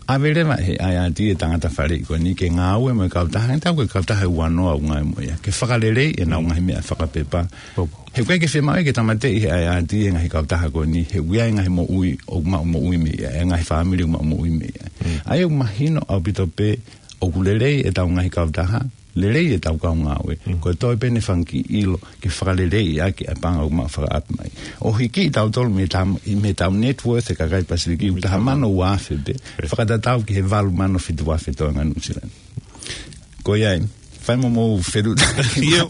ʻAve leva he I R D e tangata faleʻi ko eni ke ngāue mo e kautaha, ʻe tau ko e kautaha ʻe ua noa ʻoku ngāue mo ia. Ke fakaleleiʻi ʻenau ngaahi meʻa fakapepa. He ʻoku ʻikai ke fiemaʻu ia ke tāmateʻi he I R D e ngaahi kautaha ko eni, he ʻoku ʻi ai e ngaahi moʻui, ʻoku maʻu moʻui mei ai, e ngaahi fāmili ʻoku maʻu moʻui mei ai. ʻA ia ʻoku mahino ʻaupito pē, ʻoku lelei ʻetau ngaahi kautaha, lelei ʻetau kau ngāue. Ko e toe pē ʻene fanga kiʻi ʻilo, ke fakaleleiʻi ʻaki ʻa e paʻanga ʻoku maʻu fakaʻapi mai. ʻO hiki ʻi tautolu mei tau, mei tau net worth e kakai Pasifiki, ʻoku taha mano ua afe pē, fakatatau ki he valu mano fitu afe toenga Nuʻusila ni. Ko ia ai, fai mo mou fetuʻutaki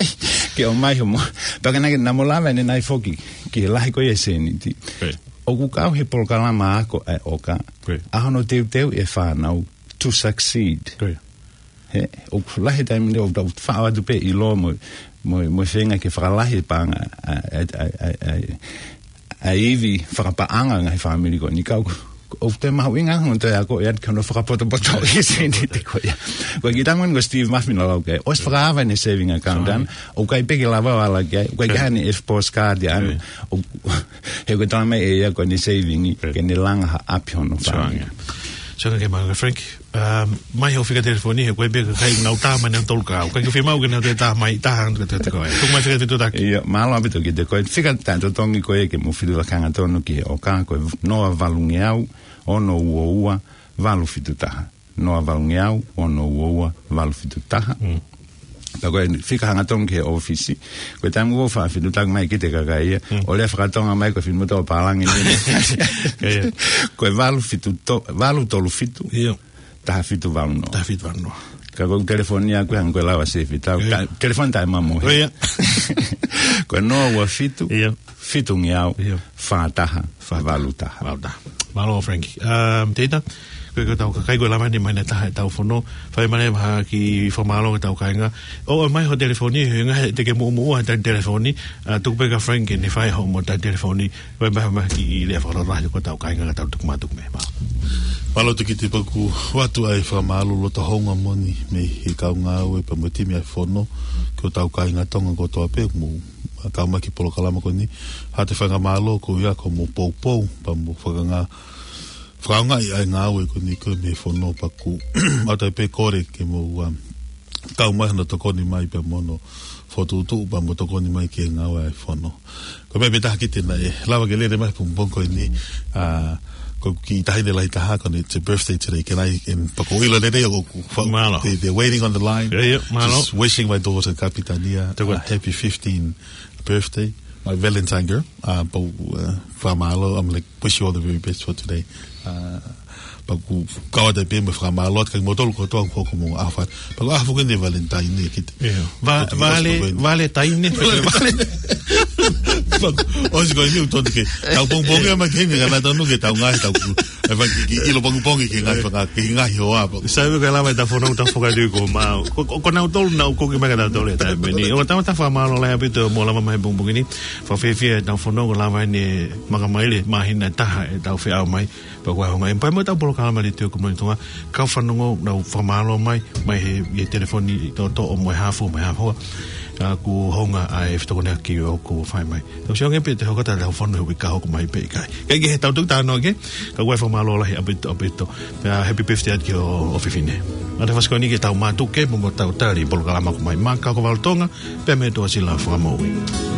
ke ʻomai hoʻomou. Pea ka naʻe, naʻa mou lave ʻanenai foki, ki he lahi ko ia e sēniti. ʻOku kau he polokalama ako ʻa e ʻOka, ʻa hono teuteuʻi e fānau to succeed. He, ʻoku lahi e taimi ʻoku tau faʻo atu pē ʻilo mo, mo, mo e feinga ke fakalahi e paʻanga, ʻa, ʻa, ʻa, ʻa, ʻa e ivi fakapaʻanga ngaahi fāmili ko eni ka ʻoku, ʻoku toe mahuʻinga hono toe ako ʻe atu ki hono fakapotopoto ʻi he sēniti ko ia. Ko e kiʻi tangoni ko Steve Murphy naʻa lau ki ai. ʻOsi fakaava ʻene saving account ʻana, ʻoku ʻikai pē ke lava ʻo ala ki ai, ʻoku ʻikai ke ʻi ai haʻane F postcard ia ʻana. ʻO, he ko e tala mai ʻe ia ko ʻene saving, ke ne langa ha ʻapi hono fāmili. Sio ange ke mālō Frank. Um, mai hoʻo fika telefoni, he ko e pē kakai ʻoku nau tā mai ʻenau tolu kau. ʻIkai ke fiemaʻu ke nau toe tā mai, tā hanga te te koe. Tuku mai fika fetuʻutaki. ʻIo, mālō ʻaupito kiate koe. Fika taʻetotongi ko ia ke mou fetuʻutaki hangatonu ki he ʻOka, ko e noa valu ngeau, ono ua ua, valu fitu taha. Noa valu ngeau, ono ua ua, valu fitu taha. Pea ko e fika hangatonu ki he ʻōfisi. Ko e taimi ʻoku ou faʻa fetuʻutaki mai kiate kitautolu ia. ʻO lea fakatonga mai ko e finemotuʻa ʻo pālangi ni. Ko e valu fitu to-, valu tolu fitu. ʻIo. Taha fitu valu noa. Taha fitu valu noa. Ka ko e telefoni ʻaʻaku hangē ko e lau ʻa Sefi Tau. Ka, telefoni taʻemamohe. Ko e noa ua fitu, fitu ngeau, fā taha, valu taha. Valu taha. Mālō, Frank. Um, Teita, ko e, ko ʻetau kakai ko e lava ni mai ʻanenai ʻetau fono. Fai mai ha kiʻi fakamālō ki heʻetau kāinga. ʻOmai hoʻo telefoni, he ngaahi ʻe te ke muʻomuʻa he telefoni, ʻa, tuku pē kia Frank ke ne fai hoʻomo telefoni, ʻomai ha kiʻi lea fakalotolahi ko ʻetau kāinga ka tau tuku mai atu mei ai. Mālō. Mālō Tokita, pea ʻoku ou ʻoatu ʻa e fakamālō loto houngaʻia moʻoni mei he kau ngāue pea mo e timi ʻa e fono, ki hotau kāinga Tonga kotoa pē ʻoku mou kau mai ki he polokalama ko eni. Haʻate faingamālō ko ia ko hoʻomou poupou, pea mo e fakanga-, fakaʻaongaʻi ʻa e ngāue ko eni ko ē mei he fono pea ʻoku ou ʻoatu pē kole ke mou, um, kau mai hono tokoni mai pea mo hono fokotuʻutuʻu pea mo tokoni mai ki he ngāue ʻa e fono. Ko e meʻa pē taha Tokita naʻe lava ke lele mai he pongipongi ko eni, ʻa, ko e kiʻi taʻahine lahi taha ko eni, it's a birthday today, can I, and pea ʻoku ou ʻilo lelei ʻoku, ʻoku fa-, they, they're waiting on the line. Just wishing my daughter Kapitania a happy fifteenth birthday, my Valentine girl. Uh, pea, uh, fakamālō, I'm like, wish you all the very best for today. Uh, pea ʻoku ou kau atu pē mo e fakamālō atu kiate kimoutolu kotoa ʻoku hoko homou ʻaho. Pea ko e ʻaho foki eni Valentine ni Tokita. Vale, Valentine. Pea ʻosi ko eni ʻoku tonu ke tau pongipongi mai ki heni, ka naʻa tonu ke tau ngaahi, tau ku-, ʻai fai kiʻi ʻilo pongipongi ki he ngaahi faka-, ki he ngaahi hoa pea. Sai, ʻoku lava ʻetau fono, tau foka tui ko mau. Ko, ko, ko nautolu naʻa nau koki mai kia tautolu he taimi ni. ʻOku tau, tau fakamālō lahi ʻaupito hoʻomou lava mai he pongipongi ni. Fakafiefia ʻetau fono, ʻoku lava eni makamaile, māhina ʻe taha ʻetau feʻao mai. Pea ko e ʻaho ngā, ʻe pea mo ʻetau polokalama letiō ko Moʻoni Tonga, kau fanongo, nau fakamālō mai, mai he, he telefoni toʻotoʻo mo e hā fua, mo e hā fua. ʻA, ʻoku hounga ʻa e fetokoniʻaki ʻoku fai mai. Tau sio ange pē te hoko atu ʻetau fono he uike ka hoko mai pe ʻikai. Kae kehe, tau tuku talanoa ki ai, ka ʻoku ou fakamālō lahi ʻaupito, ʻaupito. Pea happy birthday atu ki hoʻo fefine. Mata fasi ko eni ke tau mātuku mo, mo tau tali polokalama ko Mai Maka ko Valu Tonga, pea mei he Tuʻasila Fakamoʻui.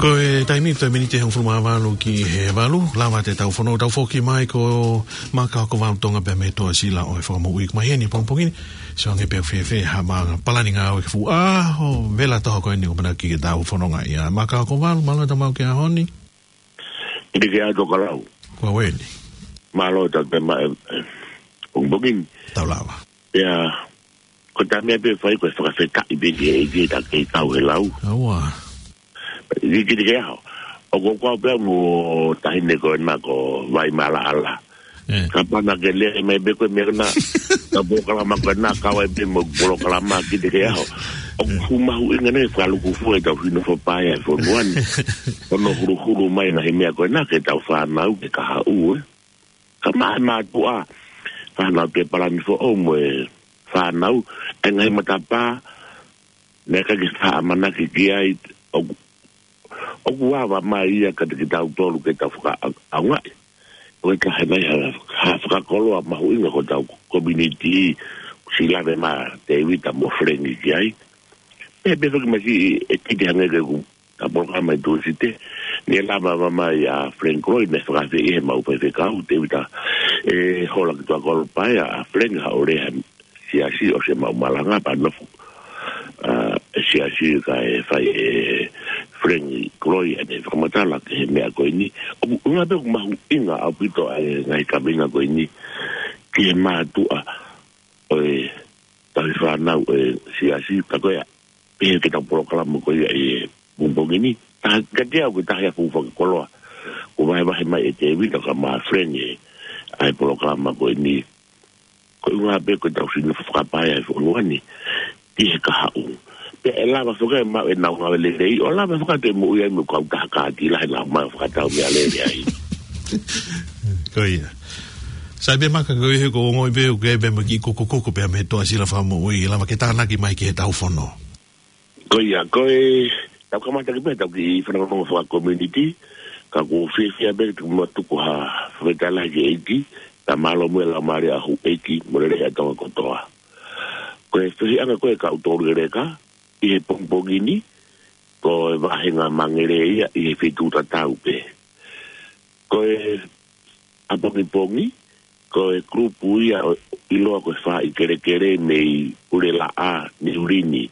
Ko e taimi, toe miniti ʻe hongofulu mā valu ki he valu, lava ʻetau fono, tau foki mai ko Maka Hokovalu Tonga pea mo Toa Sila ʻo e Fakamoʻui. Ko mai heni pongipongi ni, sio ange pē ʻoku fēfē haʻama palani ngāue ki he fuʻu ʻaho vela toho ko eni ʻoku ʻamanaki ke tau fononga ai. Maka Hokovalu, mālō e tau maʻu ki he ʻaho ni. Kiate koe Tokalau. Ko au eni. Mālō e tau maʻu e, e, pongipongi ni. Tau lava. Ia, ko e taimi pē fai ko e fakafetaʻi pē ki he ʻEiki he ta kei kau he lau. Aua. Kiate koe ʻaho. ʻOku ou kau pē au mo e taʻahine ko ena ko Vai Malaʻala. ʻE. Kapau naʻa ke lea mai pē ko e meʻa ko ena, ka polokalama ko ena, kau ai pē mo e polokalama kiate koe ʻaho. ʻOku fuʻu mahuʻinga ʻene fakalūkufua ʻetau hino fakapaea e fonua ni. Hono huluhulu mai e ngaahi meʻa ko ena ki heʻetau fānau ke kahaʻu, ē. Ka maʻa e mātuʻa, fānau ke palani foʻou mo e fānau, e ngaahi matapā, naʻe ʻikai ke faʻa ʻamanaki ki ai, ʻoku, ʻoku ava mai ia kiate kitautolu ke tau fakaʻaongaʻi. Ko e taha e ngaahi ha, ha fakakoloa mahuʻinga ko ʻetau community, ʻoku siʻi lave mai Tēvita mo Felengi ki ai. Pea, pea fakamaʻi e kite hangē ko e, ko e polokalama ʻi Tūsite, naʻe lava mai ʻa Felengi Koloi, naʻe fakaafeʻi ʻe he mau faifekau, Tēvita, ʻe hola ki tuʻa kolo pea ʻai ʻa Felengi haʻu ʻo lea he siasi ʻosi e maʻu malanga pea nofo, ʻa, e siasi kae fai ʻe Felengi Koloi ʻene fakamatala ki he meʻa ko eni. ʻOku, ʻuhinga pē ʻoku mahuʻinga ʻaupito ʻa e ngaahi kaveinga ko eni ki he mātuʻa ʻo e tauhi fānau ʻo e siasi, ka ko ia, pehē ki heʻetau polokalama ko ia ʻi he pongipongi ni. Taha, kiate au ko e taha ia e fuʻu fakakoloa, kuo vahevahe mai ʻe Tēvita kae ʻumaʻā Felengi ʻa e polokalama ko eni. Ko e ʻuhinga pē ko ʻetau hino fakapaea e fonua ni ki he kahaʻu. Pea ʻe lava foki ʻe maʻu ʻenau ngāue lelei, ʻo lava foki ʻo toe moʻui ai mo e kautaha kātila heʻenau maʻu fakatau meʻalele ai. Ko ia. Sai pē Maka, ko ia he ʻoku ou ongoʻi pē ʻoku ʻi ai pē mo e kiʻi kukukuku pea mei he Toa Sila Fakamoʻui, lava ke tānaki mai ki heʻetau fono. Ko ia, ko e, tau kamata ki pē ʻetau kiʻi fanongonongo faka-community, ka ʻoku ou fiefia pē ke tuku mo tuku ha fakafetaʻi lahi ki he ʻEiki, pea mālō mo e laumālie ʻa houʻeiki mo e lelei ʻa Tonga kotoa. Ko e fehiʻanga ko ē ʻa e kau toulekeleka ʻi he pongipongi ni, ko e vāhenga Mangere ia ʻi he feituʻu tatau pē. Ko e ʻapongipongi, ko e kulupu ia ʻo, ʻiloa ko e Faaʻi Kelekele mei Pulelaʻā, Niu Lini.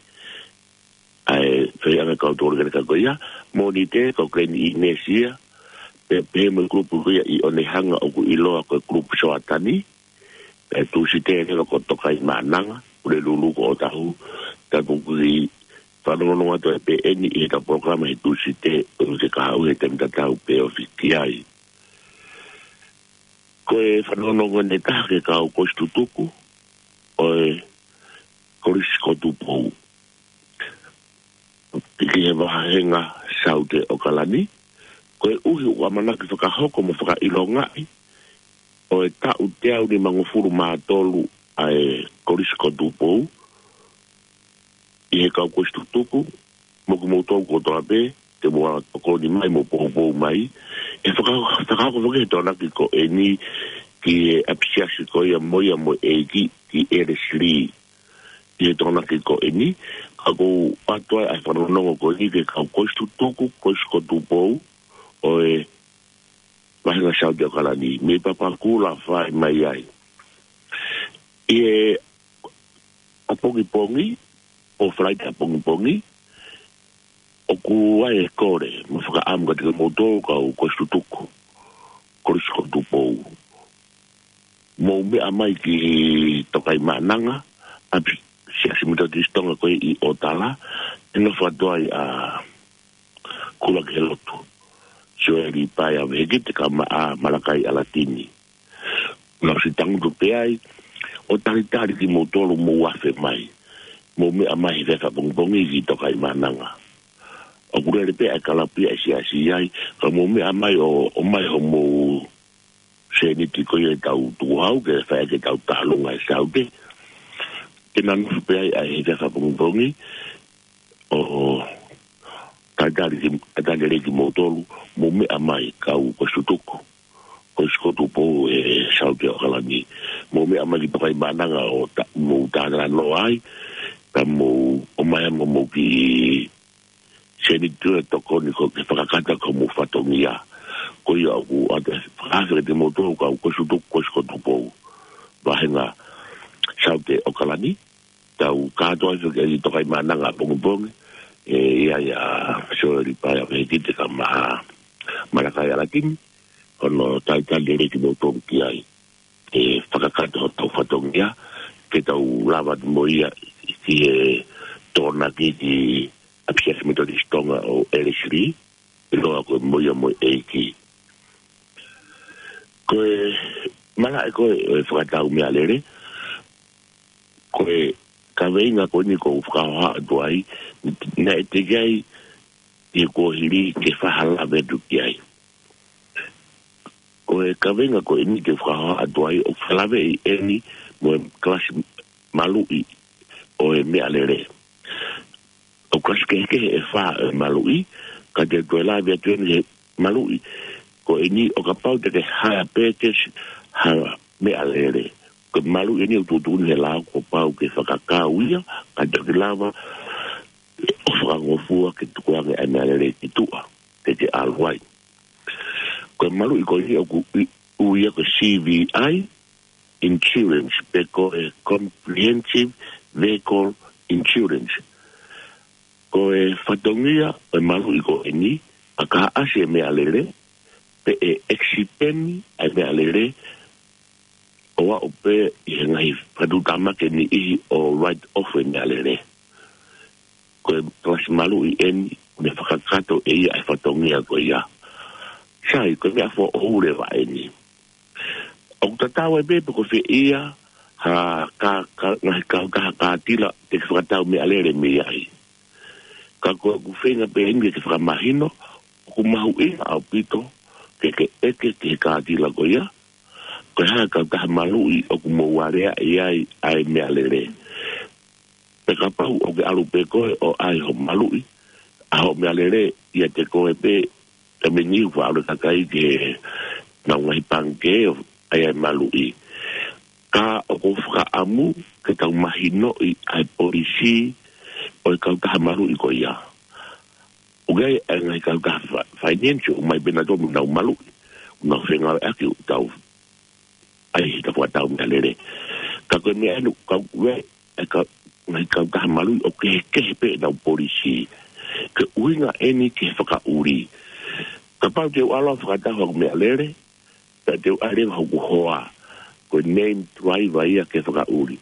ʻA e fehiʻanga ʻa e kau toulekeleka ko ia, Mōnite ko Glen Innes ia, pea pehē mo e kulupu ko ia ʻi ʻOnehunga ʻoku ʻiloa ko e kulupu Soatani, pea Tūsite leva ko Tokaimaʻananga, Pulelulu ko ʻŌtāhuhu, tau toki fanongonongo atu ai pē eni ʻi heʻetau polokalama he Tūsite ʻo e kahaʻu he taimi tatau pē ofi ki ai. Ko e fanongonongo ʻe taha ki he kau kolisi tutuku ʻo e Kolisi ko Tupou ki he vāhenga Saute ʻAokalani, koeʻuhi ʻoku ʻamanaki fakahoko mo fakaʻilongaʻi ʻo e taʻu teau nimangofulu mā tolu ʻa e Kolisi ko Tupou, ʻi he kau kolisi tutuku, mo kimoutolu kotoa pē, te mou ala tokoni mai mo poupou mai, ʻe faka-, fakahoko foki he Tokonaki ko eni ki he ʻapisiasi ko ia mo ia mo e ʻEiki ki ʻElesi Lī. ʻI he Tokonaki ko eni, ka ʻoku ou ʻoatu ai ʻa e fanongonongo ko eni ki he kau kolisi tutuku, Kolisi ko Tupou, ʻo e vāhenga Saute ʻAokalani, mei Papakura fai mai ai. ʻI he ʻapongipongi, ʻo Falaite ʻapongipongi, ʻoku ʻi ai e kole mo e fakaʻamu kiate kimoutolu kau kolisi tutuku, Kolisi ko Tupou, mou meʻa mai ki Tokaimaʻananga, ʻapi-, Siasi Metotisi Tonga ko ē ʻi ʻŌtala, ʻe nofo atu ai ʻa Kulakehelotu Sioeli Paea Vehikite kae ʻumaʻā Malakai ʻAlatini. Naʻa ku ʻosi tangutu pē ai ʻo talitali kimoutolu mou afe mai, mou meʻa mai he efiafi ʻapongipongi ki Tokaimaʻananga. ʻOku lele pē ʻa e kalapu ia ʻa e siasi ai, ka mou meʻa mai ʻo, ʻomai homou sēniti ko ia ʻetau tukuhau ke fai ʻaki ʻetau tālunga ʻi Saute. Ke nofo pē ai ʻa e efiafi ʻapongipongi, ʻo talitali ki, talitali lelei kimoutolu, mou meʻa mai kau kolisi tutuku, Kolisi ko Tupou ʻi Saute ʻAokalani. Mou meʻa mai ki Tokaimaʻananga ʻo ta-, mou talanoa ai, ka mou ʻomai homou kiʻi Sēniti ʻe tokoni ko e fakakata ko hoʻomou fatongia. Ko ia ʻoku ʻoatu e fakaafe kiate kimoutolu kau Kolisi ʻUtuku, Kolisi ko Tupou. Vahenga Saute ʻAokalani, tau kātoa ʻi he Tokaimaʻananga pongipongi, ʻe ʻi ai ʻa Soeli Paea Vehikite kae ʻumaʻā Malakai ʻAlatini, hono talitali lelei kimoutolu ki ai. ʻE fakakata hotau fatongia, ke tau lava mo ia ki he Tokonaki ki ʻApisiasi Metotisi Tonga ʻo Elesili, ʻiloa ko e Mo Ia Mo e ʻEiki. Ko e malaʻe ko ē ʻo e fakatau meʻalele, ko e kaveinga ko eni ʻoku ou fakahoha atu ai, naʻe teʻeki ai ʻi he kuohili ke fai ha lave atu ki ai. Ko e kaveinga ko eni ʻoku ou fakahoha atu ai, ʻoku fakalaveʻi eni mo e kalasi maluʻi ʻo e meʻalele. ʻOku kalasi kehekehe ʻe fā ʻo e maluʻi, ka te u toe lave atu eni he maluʻi ko eni ʻo kapau te ke hire purchase ha meʻalele. Ko e maluʻi eni ʻoku tuʻutuʻuni he lao kuo pau ke fakakau ia, ka te ke lava ʻo fakangofua ke tukuange ʻa e meʻalele ki tuʻa, ke ke ʻalu ai. Ko e maluʻi ko eni ʻoku ui, ui ia ko e C V I insurance, pe ko e comprehensive vehicle insurance. Ko e fatongia ʻo e maluʻi ko eni, ʻa ka ʻasi e meʻalele, pe ʻe accident ʻa e meʻalele, ʻo aʻu pē ʻi he ngaahi fakatamaki ʻe niʻihi ʻo write off e meʻalele. Ko e kalasi maluʻi eni, ʻoku ne fakakakato ʻe ia ʻa e fatongia ko ia. Sai, ko e meʻa foʻou leva eni. ʻOku tatau ai pē pe ko fē ia ha ka, ka, ngaahi kautaha kātila te ke fakatau meʻalele mei ai. Ka ko ʻeku feinga pē eni ke fakamahino, ʻoku mahuʻinga ʻaupito ke ke ʻeke ki he kātila ko ia, ko e hā e kautaha maluʻi ʻoku mou aleaʻi ai ʻa e meʻalele. Pea kapau ʻoku ke ʻalu pē koe ʻo ʻai hoʻo maluʻi ʻa hoʻo meʻalele ʻiate koe pē, ka meni ʻoku faʻa ʻalu e kakai ki heʻenau ngaahi pangikē ʻo ʻai ʻa e maluʻi. Ka ʻoku ou fakaʻamu ke tau mahinoʻi ʻa e polisī ʻo e kautaha maluʻi ko ia. ʻOku ʻi ai e ngaahi kautaha fa-, finance ʻoku ʻomai pē nautolu mo ʻenau maluʻi, ʻoku nau fengāueʻaki ʻo tau ʻai ʻetau fakatau meʻalele. Ka ko e meʻa ʻeni ʻoku kau ai e ka-, ngaahi kautaha maluʻi ʻoku kehekehe pē ʻenau polisī. Ko e ʻuhinga eni ki he fakaʻuli. Kapau te u ʻalu ʻo fakatau haʻaku meʻalele, pea te u ʻai leva hoku hoa, ko e named driver ia ki he fakaʻuli.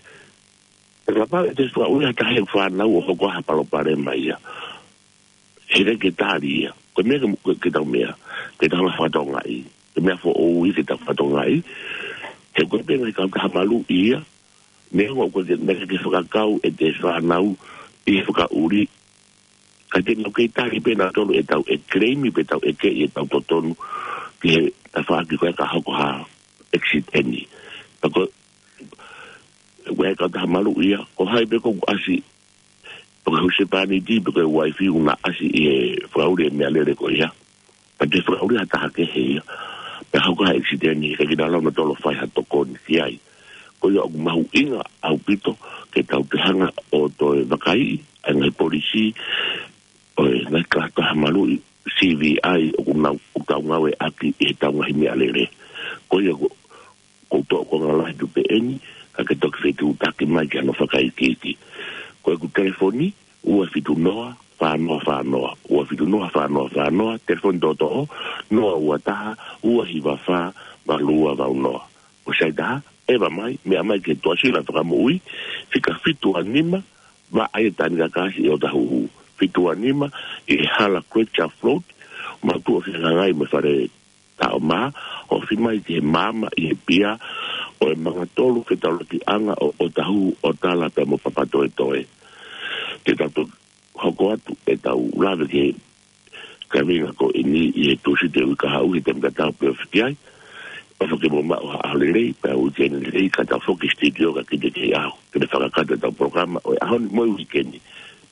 Pea kapau ʻe toe fakaʻuli ha taha ʻi heʻeku fānau ʻo hoko ai ha palopalema ia, heʻikai ke tali ia. Ko e meʻa ke, ke, ke tau meʻa, ke tau fakatokangaʻi. Ko e meʻa foʻou ia ke tau fakatokangaʻi. He ko e pē ngaahi kautaha maluʻi ia, neongo ʻoku ʻikai ke, naʻe ʻikai ke fakakau ʻete fānau ʻi he fakaʻuli, ka te nau kei tali pē nautolu ʻetau ʻe claim pe ʻetau ʻeke ʻi heʻetau totonu ki he tafaʻaki ko ē ka hoko ha accident. Pea ko e, ko e kautaha maluʻi ia, ko hai pē ʻoku ʻasi, pe ko e husepāniti, pe ko e uaifi ʻoku na ʻasi ʻi he fakaʻuli e meʻalele ko ia, pea toe fakaʻuli ha taha kehe ia, pea hoko ha accident, ʻikai ke nau lava nautolu ʻo fai ha tokoni ki ai. Ko ia ʻoku mahuʻinga ʻaupito ke tau toe hanga ʻo toe vakaiʻi ʻa e ngaahi polisī ʻo e ngaahi kautaha maluʻi, C V I, ʻoku nau, ʻoku tau ngāueʻaki ʻi heʻetau ngaahi meʻalele. Ko ia ʻoku, ʻoku ou toʻo konga lahi atu pē ʻeni, ka ke toki fetuʻutaki mai ki hano fakaikiiki. Ko ʻeku telefoni, ua fitu noa, fā noa fā noa, ua fitu noa, fā noa fā noa, telefoni toʻotoʻo, noa ua taha, ua hiva fā, valu ua valu noa. Ko e sāita, ʻeva mai, meʻa mai ki he Tuʻasila Fakamoʻui, fika fitu ua nima, vaʻa ʻi he Tanikakasi ʻi ʻOtahuhu. Fitu ua nima, ʻi he hala Creature Float, mau tuʻu ʻo fehangahangai mo e fale Taʻomā, ofi mai ki he maama ʻi he pia ʻo e Mangatolu Fetaulakiʻanga ʻo ʻOtahuhu, ʻOtala pea mo Papatoetoe. Te tau toki hoko atu ʻetau lave ki he kaveinga ko eni ʻi he Tūsite uike kahaʻu he taimi tatau pē ʻoku fiki ai. ʻOfa ke mou maʻu ha ʻaho lelei, pea uike lelei, ka tau foki studio ka kite ki he ʻaho, ke ne fakakakato ʻetau polokalama ʻo e ʻaho ni mo e uike ni.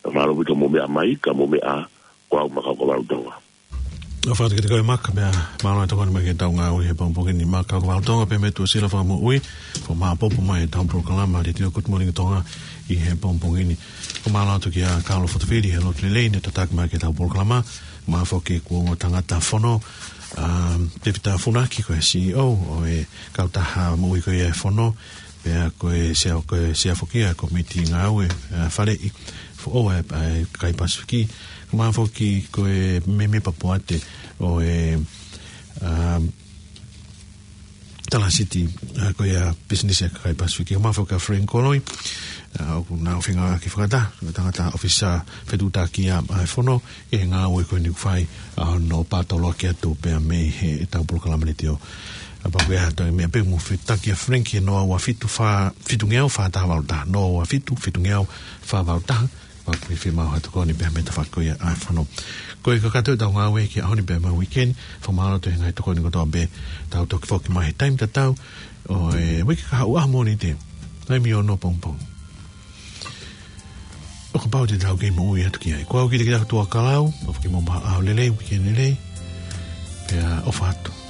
Ka mālō ʻaupito hoʻomou meʻa mai, ka mou meʻa ā, ko au Makaukavalu Tonga. ʻOfa atu kiate koe Maka, pea mālō e tokoni mai ki heʻetau ngāue he pongipongi ni Maka, ko Valo Tonga pē mei Tuʻasila Fakamoʻui, fakamāʻopoʻopo mai ʻetau polokalama Letiō Good Morning Tonga ʻi he pongipongi ni. Ko e mālō atu kia Kalo Fotofili he lotu lelei ne tataki mai ki heʻetau polokalama, mālō foki ki he ongo tangata fono, um, Tevita Funaki ko e C E O ʻo e kautaha moʻui ko ia e fono, pea ko e sea, ko e sea foki ia e komiti ngāue, ʻa, faleʻi foʻou ʻa e, ʻa e kakai Pasifiki. Ko e mālō foki ko e mēmipa poate ʻo e, um, Talasiti, ʻa, ko ia pisinisi ʻa e kakai Pasifiki. Ko e mālō foki kia Frank Koloi, ʻa, ʻoku nau fengāueʻaki fakataha, ko e tangata ʻōfisa fetuʻutaki ʻa, ʻa e fono, ʻi he ngāue ko eni ʻoku fai, ʻa, hono pātoloaki atu pea mei heʻetau polokalama Letiō. ʻA, pea ko ia toe meʻa pē mo fetaki ʻa Frank he noa ua fitu fā, fitu ngeau fā taha valu taha, noa ua fitu, fitu ngeau fā valu taha, pea ko e fiemaʻu ha tokoni pea mei he tafaʻaki ko ia ʻa e fono. Ko e kakato ʻetau ngāue ki he ʻaho ni pea mo e uike ni, fakamālō atu he ngaahi tokoni kotoa pē, tau toki foki mai he taimi tatau ʻo e uike kahaʻu ʻaho Mōnite, taimi ono pongipongi. ʻO kapau te tau kei moʻui atu ki ai. Ko au Kitakita Tuʻakalau, ʻofa ke mou maʻu ha ʻaho lelei, uike lelei. Pea ʻofa atu.